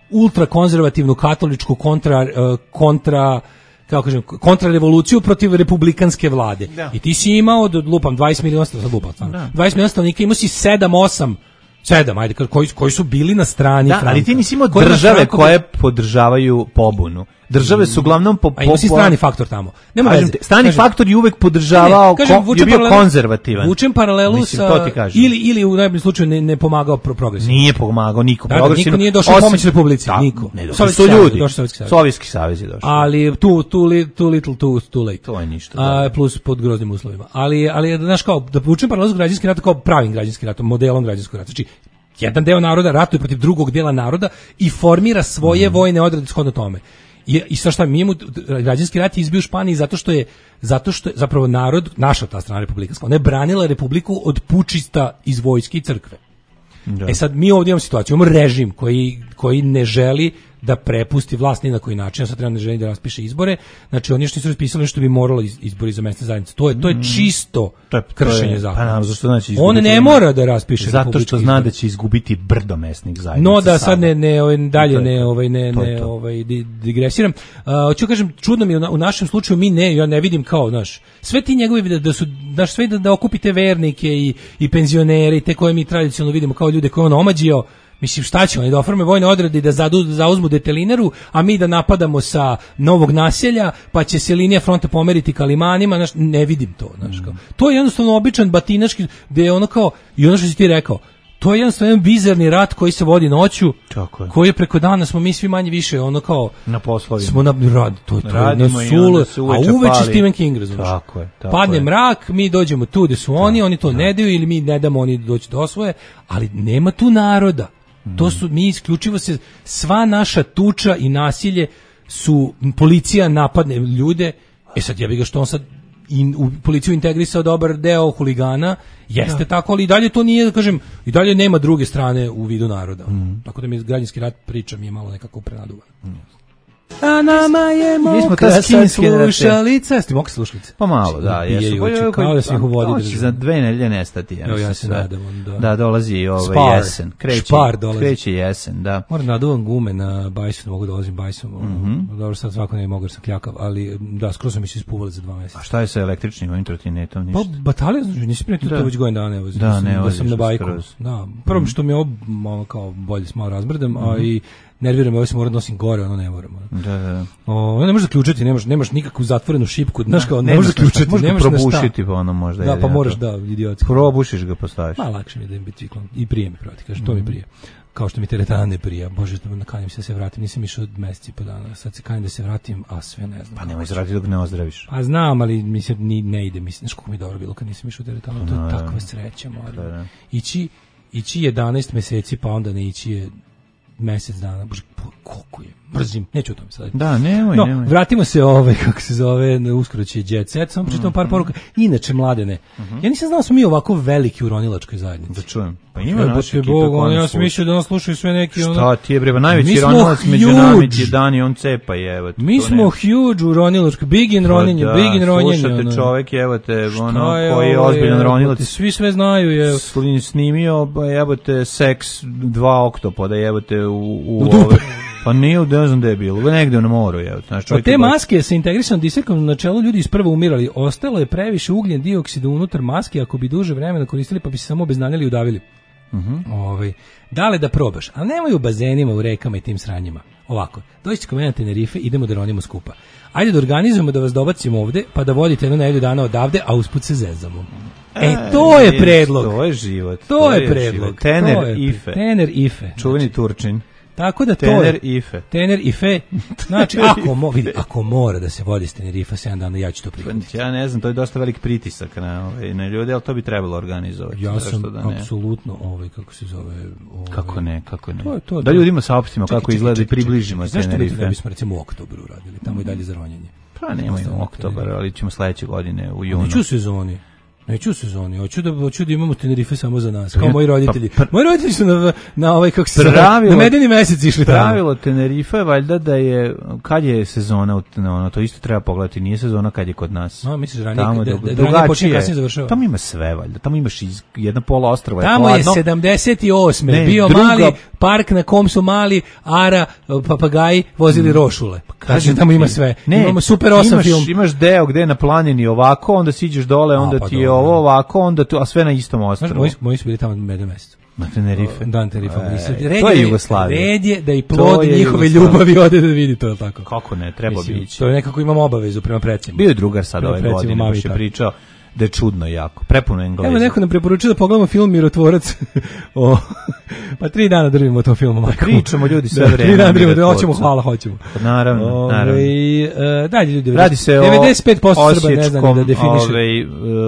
ultrakonzervativnu katoličku kontra, kontra kako kažem, kontrarevoluciju protiv republikanske vlade. Da. I ti si imao, do, lupam, dvadeset miliona stanovnika, dvadeset miliona stanovnika, imao si sedam osam, sedam, ajde, koji, koji su bili na strani da, Franka. Ali ti nisi imao države koje podržavaju pobunu. Države su uglavnom po, po, a ima si strani faktor tamo. Nema veze. Strani kažem, faktor je uvek podržavao, ne, kažem, ko, je bio paralelu, konzervativan. Vučem paralelu mislim, sa ili ili u najboljem slučaju ne, ne pomagao pro progresivno. Nije pomagao niko da, progresivno. Niko nije došao pomoć Republici, da, niko. Ne, Sovjetski ljudi. Sovjetski savez je došao. Ali tu tu too little too too late. To je ništa. A plus pod groznim uslovima. Ali ali znaš kao da vučem paralelu s građanskim ratom kao pravim građanskim ratom, modelom građanskog rata. Znači jedan deo naroda ratuje protiv drugog dela naroda i formira svoje mm. vojne odrede shodno tome. I, i sa šta mi imamo, građanski rat je izbio u Španiji zato što je, zato što je zapravo narod, naša ta strana republikanska, ona je branila republiku od pučista iz vojske i crkve. Da. E sad mi ovdje imamo situaciju, imamo režim koji, koji ne želi da prepusti vlast ni na koji način, sad treba ne želi da raspiše izbore, znači oni što su raspisali što bi moralo izbori za mesne zajednice. To je to je čisto to je, to kršenje je, zakona. Pa naravno, zašto znači on ne mora da raspiše zato što zna da će izgubiti brdo mesnih zajednica. No da sad ne ne ovaj dalje ne ovaj ne ne ovaj digresiram. Hoću kažem čudno mi u našem slučaju mi ne ja ne vidim kao naš sve ti njegovi da su daš sve da, da okupite vernike i i penzionere i te koje mi tradicionalno vidimo kao ljude koje on omađio. Mislim, šta će oni da oforme vojne odrede i da zadu, zauzmu detelinaru, a mi da napadamo sa novog naselja, pa će se linija fronta pomeriti ka limanima, znaš, ne vidim to, znaš, kao. To je jednostavno običan batinaški, gde je ono kao, i ono što si ti rekao, to je jednostavno jedan bizarni rat koji se vodi noću, je. koji je preko dana smo mi svi manje više, ono kao, na poslovima. Smo na rad, to, to na sulu, a uveče Stephen King, razumiješ. Tako je, tako Padne je. mrak, mi dođemo tu gde su oni, tako, oni to tako. ne daju ili mi ne damo oni doći do osvoje, ali nema tu naroda. To su mi isključivo se sva naša tuča i nasilje su policija napadne ljude. E sad ja bih ga što on sad in, u policiju integrisao dobar deo huligana, jeste da. tako, ali i dalje to nije, da kažem, i dalje nema druge strane u vidu naroda. Mm. Tako da mi građanski rat priča mi je malo nekako prenaduvan. Mm. A nama je moka sad slušalica. Sti moka slušalice? Pa malo, da. Jesu. Kao da si ih u vodi držati. Za dve nedelje nestati. Evo ja se nadam. Da, da dolazi ovaj jesen. Kreće, Špar dolazi. Kreće jesen, da. Moram naduvam gume na bajsu, mogu dolazim bajsom. Mm-hmm. Dobro, sad svako ne mogu jer sam kljakav, ali da, skoro sam mi se ispuvali za dva mjeseca. A šta je sa električnim ovim trotinetom? Ništa? Pa batalija, znači, nisi primjetio to već godin dana, evo. Da, ne, da sam na bajku. Da, prvo što mi je ovo kao bolje s malo razmrdam, a i nerviram me, ovo se mora nosim gore, ono ne moram. Da, da. O, ne možeš zaključati, nemaš, nemaš nikakvu zatvorenu šipku, znaš kao, ne možeš zaključati, možeš nemaš probušiti, pa ono možda. Da, pa moraš, da, idiotski. Probušiš ga, postaviš. Ma, lakše mi je da im biciklom, i prije mi proti, kaže, to mi prije. Kao što mi teretana ne prija, bože, nakanim se da se vratim, nisam išao od meseci po dana, sad se kanim da se vratim, a sve ne znam. Pa nemoj zrati dok ne ozdraviš. Pa znam, ali mi se ni, ne ide, mislim, znaš kako mi je dobro bilo kad nisam išao od teretana, to je takva sreća, moram. Ići, ići jedanaest meseci, pa onda ne ići je mesec dana, bože, koliko je, brzim, neću o tome sad. Da, nemoj, no, nemoj. Vratimo se ove, kako se zove, uskoro će Jet Set, samo pročitam mm, par poruka. Inače, mladene, mm -hmm. ja nisam znao da smo mi ovako veliki u ronilačkoj zajednici. Da čujem. Pa ima naše ekipe. Bog, ja sam mislio da nas slušaju sve neki... Šta ono, ti je bre, najveći ronilac među nami je Dani, on cepa je, evo. Mi smo nema. Huge u ronilačkoj, big in roninje, da, big in ronjenje. Slušate ono. Čovek, evo te, ono, koji je ozbiljan ronilac. Svi sve znaju, evo. Snimio, evo te, seks dva oktopoda, evo te u, u ove... Pa nije, ne znam gde je bilo, negde na moru. Je, znači, od te maske sa integrisanom disekom na čelu ljudi isprvo umirali. Ostalo je previše ugljen dioksida unutar maske, ako bi duže vremena koristili pa bi se samo obeznanjali i udavili. Uh-huh. Ovaj, dale da probaš, ali nemoj u bazenima, u rekama i tim sranjima. Ovako, dođite kod mene na Tenerife, idemo da ronimo skupa. Ajde da organizujemo da vas dobacimo ovde, pa da vodite jednu nedelju dana odavde, a usput se zezamo. E, to je predlog. To je život. To, to je predlog. Tener Ife. Tener Ife. Čuveni znači, Turčin. Tako da Tener to je Ife. Tener Ife. Znači ako mo, vidi, ako mora da se vodi s Tenerifa sedam dana, ja ću to prihvatiti. Ja ne znam, to je dosta velik pritisak na ovaj na ljude, al to bi trebalo organizovati. Ja sam da apsolutno ovaj kako se zove, ovaj, kako ne, kako ne. To je to. Da ljudima saopštimo kako izgleda i približimo se Tenerife. Zašto ne bismo recimo u oktobru radili, tamo i dalje za ronjenje. Pa nemojmo oktobar, ali ćemo sledeće godine u junu. Neću sezoni. Neću u sezoni, hoću da, hoću da imamo Tenerife samo za nas, kao moji roditelji. Pa, pa, moji roditelji su na, na ovaj, kako se pravilo, na medeni mesec išli tamo. Pravilo Tenerife je valjda da je, kad je sezona, no, to isto treba pogledati, nije sezona kad je kod nas. No, misliš, ranije, tamo, da, da, da ranije počinje kasnije završava. Tamo ima sve, valjda, tamo imaš iz, jedna pola ostrava. Tamo je, je sedamdeset osme Ne, bio druga, mali park na kom su mali ara, papagaji vozili rošule. Pa kažem, tamo ima sve. Ne, imamo super osam film. Imaš deo gde je na planini ovako, onda siđeš dole, onda ti je ovo ovako, onda tu, a sve na istom ostrvu. Moji, moji su bili tamo medeni mesec. Na Tenerife. Dan Tenerife. E, to je Jugoslavija. Red je da i plod njihove ljubavi ode da vidi to tako. Kako ne, treba bi ići. To je nekako imamo obavezu prema precima. Bio je drugar sad ove godine, baš je pričao da je čudno jako, prepuno Engleza. Evo neko nam preporučuje da pogledamo film Mirotvorac. o, pa tri dana držimo o tom filmu. Pa pričamo ljudi sve da, vreme. Tri dana držimo, hoćemo, hvala, hoćemo. Pa naravno, ove, naravno. Uh, dalje ljudi, radi se devedeset pet posto Srba ne zna da definiše. Ove,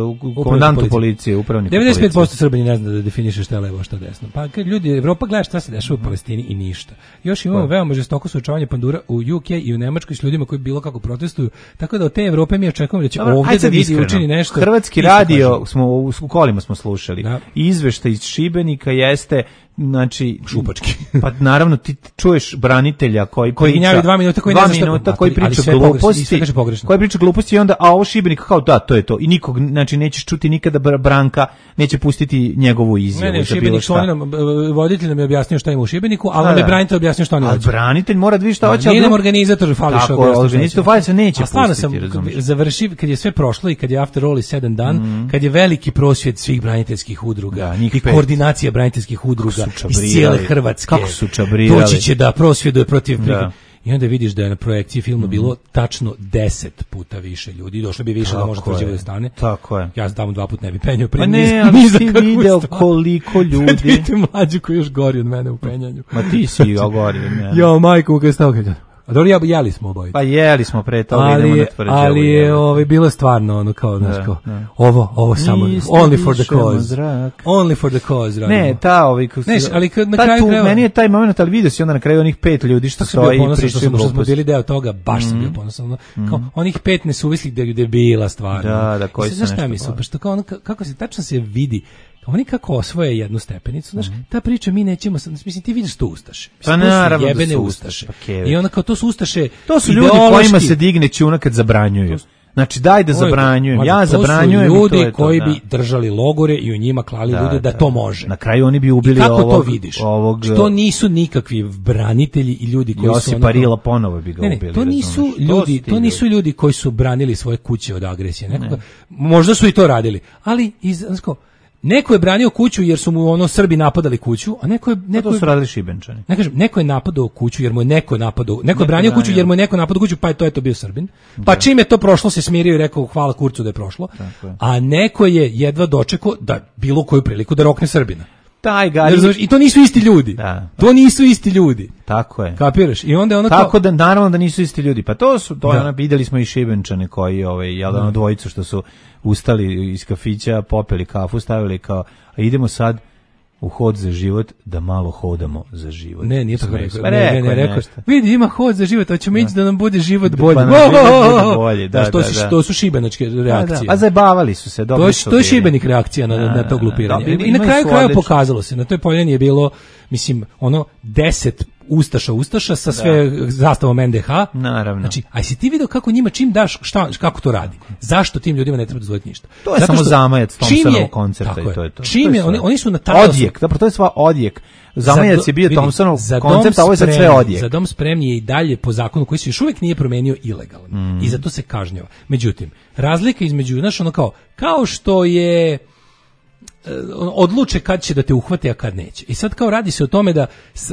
uh, komandantu policije, upravniku policije. devedeset pet posto Srba ne zna da definiše šta je levo, šta desno. Pa kad ljudi, Evropa gleda šta se dešava u Palestini i ništa. Još imamo veoma žestoko suočavanje pandura u U K i u Nemačkoj s ljudima koji bilo kako protestuju. Tako da od te Evrope mi očekujemo da će ovdje da vidi učini nešto. Hrvatski radio smo u, u kolima smo slušali. Da. Izveštaj iz Šibenika jeste znači šupački. Pa naravno ti čuješ branitelja koji koji gnjavi dva minuta koji dva ne minuta koji priča gluposti, koji priča gluposti i onda a ovo Šibenik kao da to je to i nikog znači nećeš čuti nikada Branka neće pustiti njegovu izjavu. Ne, ne, Šibenik nam voditelj nam je objasnio šta ima u Šibeniku, a on je branitelj objasnio šta on hoće. A branitelj mora da vidi šta hoće. Nije nam organizator fali što. Tako, organizator fali se neće pustiti. Sam završio kad je sve prošlo i kad je after all sedam dan, kad je veliki prosvjed svih braniteljskih udruga i koordinacija braniteljskih udruga iz cijele Hrvatske. Kako su čabrirali. Doći će da prosvjeduje protiv da. I onda vidiš da je na projekciji filma mm. bilo tačno deset puta više ljudi. Došlo bi više tako da može tvrđivo da stane. Tako je. Ja tamo dva puta ne bi penjao. Pa ne, ali ti vidio koliko ljudi. Vidite mlađu koji još gori od mene u penjanju. Ma ti si gori od mene. Jo, majko, kada stavke. A dobro, ja, jeli smo obojice. Pa jeli smo pre toga, ali, idemo na tvrđavu. Ali je ovaj, bilo stvarno ono kao, znaš, kao, ovo, ovo samo, only for the cause. Only for the cause. Radimo. Ne, ta ovaj... Neš, ali kad na kraju tu, meni je taj moment, ali vidio si onda na kraju onih pet ljudi što stoji i pričaju gluposti. Što smo bili deo toga, baš mm. sam bio ponosan. Kao, mm. onih pet nesuvislih debila stvarno. Da, da, koji se nešto mislim, pa što kao ono, kako se, tačno se vidi, oni kako osvoje jednu stepenicu, znaš, mm. ta priča mi nećemo, mislim, ti vidiš to ustaše. Pa naravno da su ustaše. ustaše. I onda kao to su ustaše, to su ljudi kojima se digne čuna kad zabranjuju. Znači daj da zabranjujem, ja zabranjujem. To su ljudi to koji to, da. bi držali logore i u njima klali da, ljude da, da to može. Na kraju oni bi ubili I kako ovog, to vidiš? Ovog, to nisu nikakvi branitelji i ljudi koji Josip su Josip Parila ponovo bi ga ne, ne, ubili. To nisu ljudi, to, to nisu ljudi koji su branili svoje kuće od agresije. Nekoga, ne. Možda su i to radili, ali iz znači, neko je branio kuću jer su mu ono Srbi napadali kuću, a neko je neko to su radili Šibenčani. Ne kažem, neko je napadao kuću jer mu je neko napadao, neko, neko je branio kuću jer mu je neko napadao kuću, pa je to je to bio Srbin. Pa da. Čim je to prošlo se smirio i rekao hvala kurcu da je prošlo. Je. A neko je jedva dočekao da bilo koju priliku da rokne Srbina. Taj gari. I to nisu isti ljudi. Da. To nisu isti ljudi. Tako je. Kapiraš? I onda ono tako kao... da naravno da nisu isti ljudi. Pa to su to da. Ona, videli smo i Šibenčane koji ovaj jel da ono dvojicu što su ustali iz kafića, popeli kafu, stavili kao a idemo sad u hod za život da malo hodamo za život. Ne, nije tako rekao. Pa ne, ne, ne, rekao. Vidi, ima hod za život, hoćemo ići da nam bude život bolji. Pa nam bude bolje, da, da, to, da, su, da. To su šibenačke reakcije. Da, da. A zajebavali su se, dobro su. To je Šibenik reakcija na, na to glupiranje. Da, I na kraju kraja pokazalo se, na toj poljani je bilo, mislim, ono, deset Ustaša, Ustaša sa sve da. Zastavom en de ha. Naravno. Znači, aj si ti vidio kako njima čim daš, šta, kako to radi? Zašto tim ljudima ne treba dozvoliti ništa? To je zato samo zamajac Thompsonovog koncerta i to je to. Čim je, oni, oni su na talasu. Odjek, dobro, to je sva odjek. Zamajac je bio Thompsonov koncept, a ovo je sad sve odjek. Za dom spremni je i dalje po zakonu koji se još uvijek nije promenio ilegalno. Mm. I zato se kažnjava. Međutim, razlika između, znaš, ono kao, kao što je odluče kad će da te uhvate, a kad neće. I sad kao radi se o tome da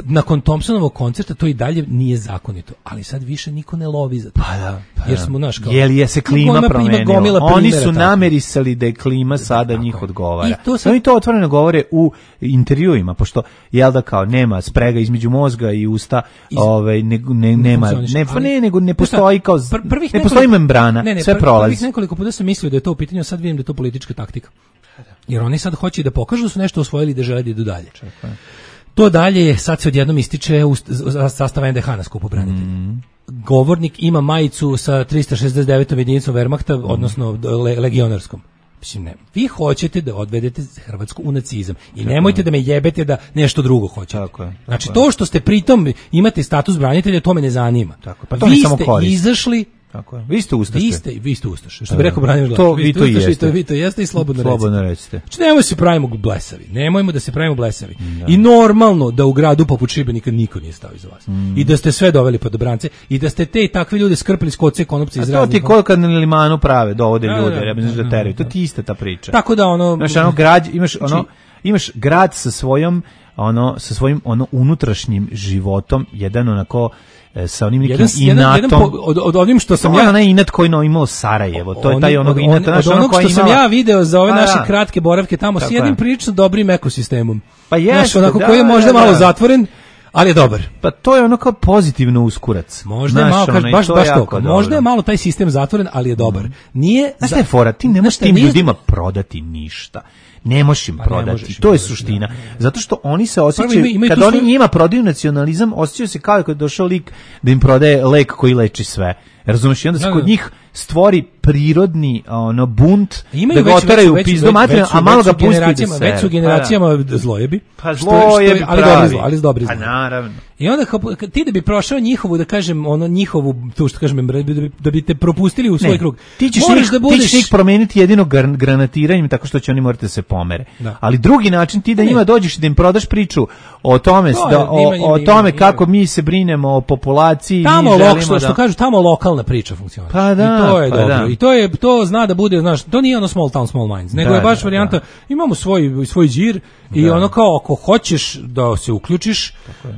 nakon Thompsonovog koncerta to i dalje nije zakonito, ali sad više niko ne lovi za to. Pa da, pa jer smo naš kao je li je se klima promenila? Oni su namerisali da je klima sada tako njih odgovara. I to sad... Oni to otvoreno govore u intervjuima, pošto jel da kao nema sprega između mozga i usta, Iz... ovaj ne, ne nema ne, ali... ne nego ne postoji kao pr ne nekoliko... postoji membrana, ne, ne, sve pr prolazi. Prvih nekoliko puta sam mislio da je to u pitanju, sad vidim da je to politička taktika. Jer oni sad hoće da pokažu da su nešto osvojili da žele da idu dalje. Čekaj. To dalje sad se odjednom ističe u sastava en de ha na skupu branitelja. Mm. Govornik ima majicu sa trista šezdeset devetom jedinicom Wehrmachta, mm. odnosno le, legionarskom. Mislim, ne. Vi hoćete da odvedete Hrvatsku u nacizam i Čekaj. Nemojte da me jebete da nešto drugo hoćete. Tako je, tako znači, to što ste pritom imate status branitelja, to me ne zanima. Tako, pa to vi samo ste korist. Izašli Tako je. Vi ste ustaše. Vi ste, vi ste ustaše. Što bi rekao Branimir Glavaš. To vi to jeste. To vi to jeste i slobodno, slobodno recite. Znači nemojmo se pravimo blesavi. Nemojmo da se pravimo blesavi. Da. I normalno da u gradu poput Šibenika niko nije stao iza vas. Mm. I da ste sve doveli pod obrance i da ste te i takve ljude skrpili s koce konopce iz raznih. A to ti ko kad na limanu prave dovode ljude, ja mislim da teraju. To ti ista ta priča. Tako da ono, znaš, ono grad, imaš ono imaš grad sa svojom ono sa svojim ono unutrašnjim životom, jedan onako sa onim nekim jedan, inatom. Jedan, jedan po, od, od onim što sam to ja... onaj inat koji no imao Sarajevo, to je taj onog inata. Od, od onog što sam ja video za ove a, naše kratke boravke tamo s jednim prilično dobrim ekosistemom. Pa jeste, onako da, koji je možda da, malo da. zatvoren, ali je dobar. Pa to je ono kao pozitivno uskurac. Možda je malo, kaž, baš, baš to. Možda je malo taj sistem zatvoren, ali je dobar. Nije... Znaš šta je fora? Ti ne možeš tim nije... ljudima prodati ništa. Ne možeš im pa prodati, možeš to je suština. Da, da. Zato što oni se osjećaju, ima, ima kad oni svoj... njima prodaju nacionalizam, osjećaju se kao kad je došao lik da im prodaje lek koji leči sve. Razumeš, i onda se da, kod da. njih stvori prirodni ono bunt da ga oteraju u pizdu materinu, a malo ga pusti da se. Već su generacijama pa, zlojebi. Pa zlojebi, ali dobri zlo, ali dobri zlo. Pa naravno. I onda kao, ti da bi prošao njihovu, da kažem, ono njihovu, tu što kažem, da bi, da bi te propustili u svoj ne, krug. Ti ćeš njih, da budeš... ti ćeš njih promeniti jedino granatiranjem tako što će oni morati da se pomere. Da. Ali drugi način ti da njima dođeš i da im prodaš priču o tome, to da, o, ima, o tome ima, kako ima. mi se brinemo o populaciji. Tamo, mi lok, što, da... što kažu, tamo lokalna priča funkcionira. Pa da, I to je pa dobro. Da. I to je, to zna da bude, znaš, to nije ono small town, small minds, nego da, je baš da, varijanta, da. imamo svoj, svoj džir i da. ono kao, ako hoćeš da se uključiš,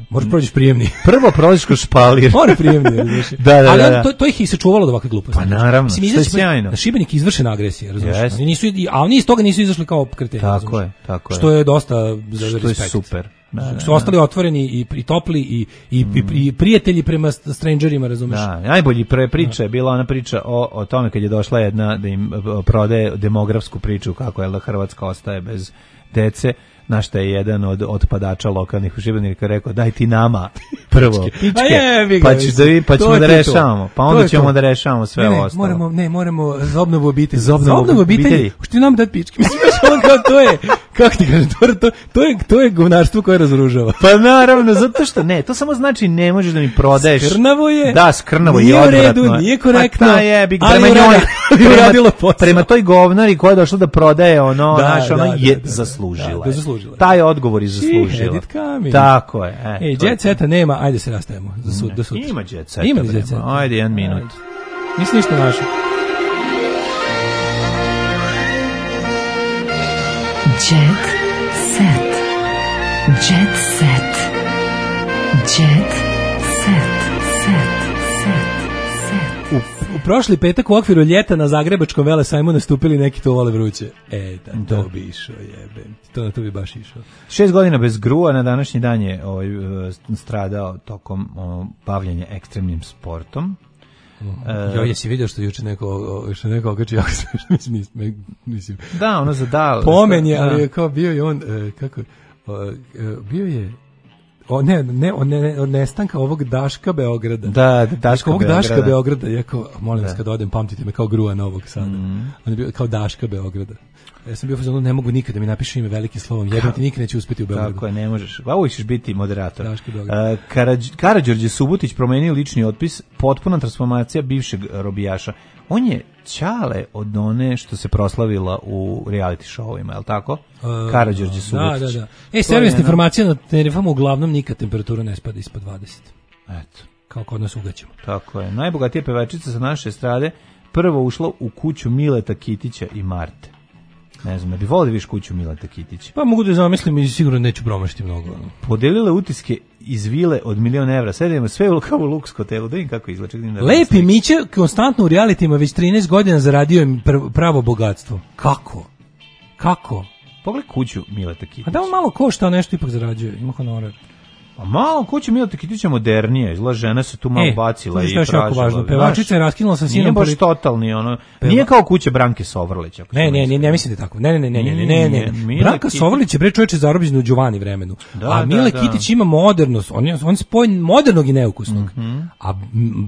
možeš prođeš prijemni. Prvo prolaziš kroz špalir. Mora prijemni, znači. da, da, ali da, da. To, to ih i sačuvalo od ovakve gluposti. Pa naravno, što je sjajno. Na Šibenik izvršena agresija, razumiješ? Yes. Nisu, a oni iz toga nisu izašli kao kreteni. Tako je, tako je. Što je dosta za što respekt. Je super. Da, da, su ostali otvoreni i, i topli i, i, mm. i, i prijatelji prema strangerima, razumeš? Da, najbolji pre priča je bila ona priča o, o tome kad je došla jedna da im prodaje demografsku priču kako je da Hrvatska ostaje bez dece. Na šta je jedan od otpadača lokalnih u Šibeniku rekao, daj ti nama prvo pičke, je, pa, ćeš da, pa ćemo da rešavamo, pa onda ćemo to. da rešavamo sve ne, ne, ostalo. Moramo, ne, moramo za obnovu obitelji. Za obnovu, za obnovu obitelji, obitelji. Što ti nam dati pičke? Mislim, kao, to je, kako ti kažem, to, to, to, je, to je govnarstvo koje razružava. Pa naravno, zato što ne, to samo znači ne možeš da mi prodaješ. Skrnavo je. Da, skrnavo je odvratno. Nije u redu, nije korektno. Pa je, bi, prema njoj, prema, prema toj govnari koja je došla da prodaje ono, da, naš, ono da, je da, da, zaslužila. Da, da, zaslužila. Taj odgovor je zaslužila. Tako je. E, Ej, jet seta nema, ajde se rastajemo. Za sud, do sutra. Ima jet seta. Ima jet seta. Ajde, jedan minut. Nisi ništa našao. Jet set. Jet set. Jet set. Set. Set. U, u prošli petak u okviru ljeta na Zagrebačkom velesajmu nastupili neki to vole vruće. E, da, to bi išao, jebem. To na to bi baš išao. Šest godina bez grua na današnji dan je ovaj, stradao tokom o, bavljenja ekstremnim sportom. Jo, jesi vidio što juče neko što neko okači jako smiješno, mislim. Da, ono za dal. Pomen je, ali je kao bio je on kako bio je o ne ne od ne, od nestanka ovog Daška Beograda. Da, Daška ovog Beograda. Daška Beograda, ja kao molim vas kad odem pamtite me kao grua Novog Sada. Mm. On je bio kao Daška Beograda. Ja sam bio fazonu, ne mogu nikada da mi napiše ime velikim slovom, jebem ti nikad neće uspjeti u Beogradu. Tako je, ne možeš. A uvijek ćeš biti moderator. Uh, Karadž, Karađorđe Subotić promenio lični otpis, potpuna transformacija bivšeg robijaša. On je ćale od one što se proslavila u reality showima, je li tako? Uh, Karađorđe Subotić. Da, da, da. E, servisna informacija na Tenerifama, uglavnom nikad temperatura ne spada ispod dvadeset. Eto. Kao kod nas ugaćemo. Tako je. Najbogatija pevačica sa naše estrade prvo ušla u kuću Mileta Kitića i Marte. Ne znam, da bi volio da viš kuću Mileta Kitića. Pa mogu da zamislim i sigurno neću promašiti mnogo. Podelile utiske iz vile od milion evra. Sedemo sve u kao u Lux hotelu. Da im kako izlače. Da Lepi Miće konstantno u realitima već trinaest godina zaradio im pravo bogatstvo. Kako? Kako? Pogledaj kuću Mileta Kitića. A da on malo košta, nešto ipak zarađuje. Ima honorar. A malo kuća Mileta Kitića modernije, izgleda žena se tu malo e, bacila i tražila. Pevačica je raskinula sa sinom. Nije baš totalni, ono, Peva... nije kao kuća Branke Sovrlić. Ne, ne, ne, ne mislite tako. Ne, ne, ne, ne, ne, ne, ne. ne. Branka Kitić... Sovrlić je bre čoveče zarobljen u Đuvani vremenu. Da, a Mile da, Kitić da. ima modernost, on je on spoj modernog i neukusnog. Mm -hmm. A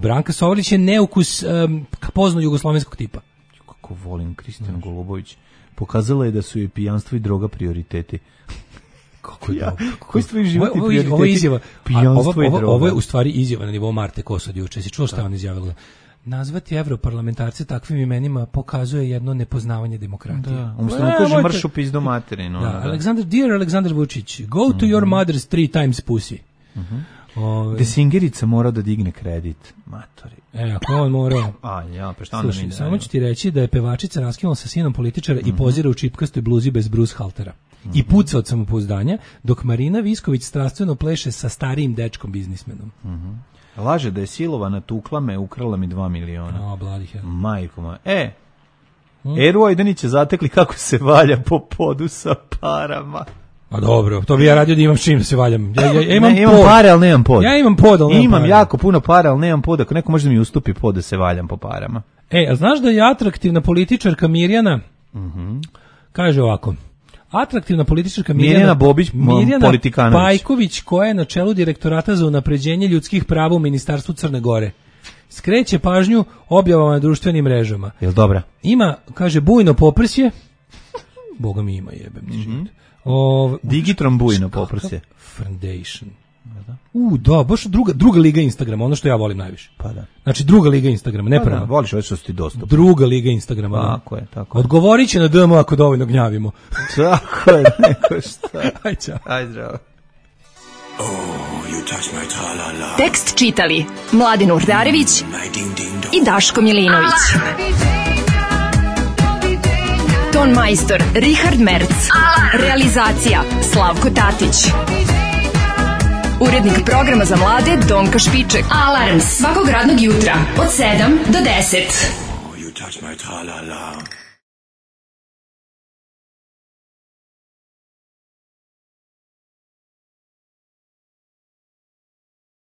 Branka Sovrlić je neukus um, pozno jugoslovenskog tipa. Kako volim Kristijanu Golubović. Pokazala je da su joj pijanstvo i droga prioriteti. Kako ja? Koji su tvoji životni ovo, prioriteti? Ovo je izjava. Ovo, ovo, ovo je u stvari izjava na nivou Marte Kosod juče. Si čuo šta on izjavila? Nazvati evroparlamentarce takvim imenima pokazuje jedno nepoznavanje demokratije. Da, umjesto da kaže mrš u pizdu materinu. Da, da. Alexander, dear Aleksandar Vučić, go to mm -hmm. your mother's three times pussy. Mm -hmm. Ove... Desingerica mora da digne kredit. Matori. E, ako on mora... A, ja, pa šta onda mi da... Samo ću ti reći da je pevačica raskinula sa sinom političara mm -hmm. i pozira u čipkastoj bluzi bez Bruce Haltera. Mm -hmm. I puca od samopouzdanja, dok Marina Visković strastveno pleše sa starijim dečkom biznismenom. Mm -hmm. Laže da je silovana, tukla me, ukrala mi dva miliona. A, bladih je. Majko moja. E, mm. Eru Ajdanića zatekli kako se valja po podu sa parama. A dobro, to bi ja radio da imam s čim da se valjam. Ja, ja, ja imam, ne, imam pare, ali nemam pod. Ja imam pod, ali nemam Imam pare. jako puno para, ali nemam pod. Ako neko može da mi ustupi pod da se valjam po parama. E, a znaš da je atraktivna političarka Mirjana, mm-hmm. kaže ovako, atraktivna političarka Mirjana, Mirjana Bobić, Mirjana Politikanović. Pajković, koja je na čelu direktorata za unapređenje ljudskih prava u Ministarstvu Crne Gore, skreće pažnju objavama na društvenim mrežama. Jel dobra? Ima, kaže, bujno poprsje, Boga mi ima, jebem ti mm-hmm. O, Digitron bujno poprsje. Foundation. Da. U, da, baš druga, druga liga Instagrama, ono što ja volim najviše. Pa da. Znači, druga liga Instagrama, ne prva. Da, voliš ovo što si ti dostupno. Druga liga Instagrama. Tako je, tako je. Odgovorit će na D M ako dovoljno gnjavimo. Tako je, neko šta. Aj, čao. Aj, zdravo. Oh, you touch my tra-la-la. Tekst čitali Mladin Urdarević i Daško Milinović. Ton majstor Richard Merc. Realizacija Slavko Tatić. Urednik programa za mlade Donka Špiček. Alarms svakog radnog jutra od sedam do deset. Oh, you touch my tra-la-la.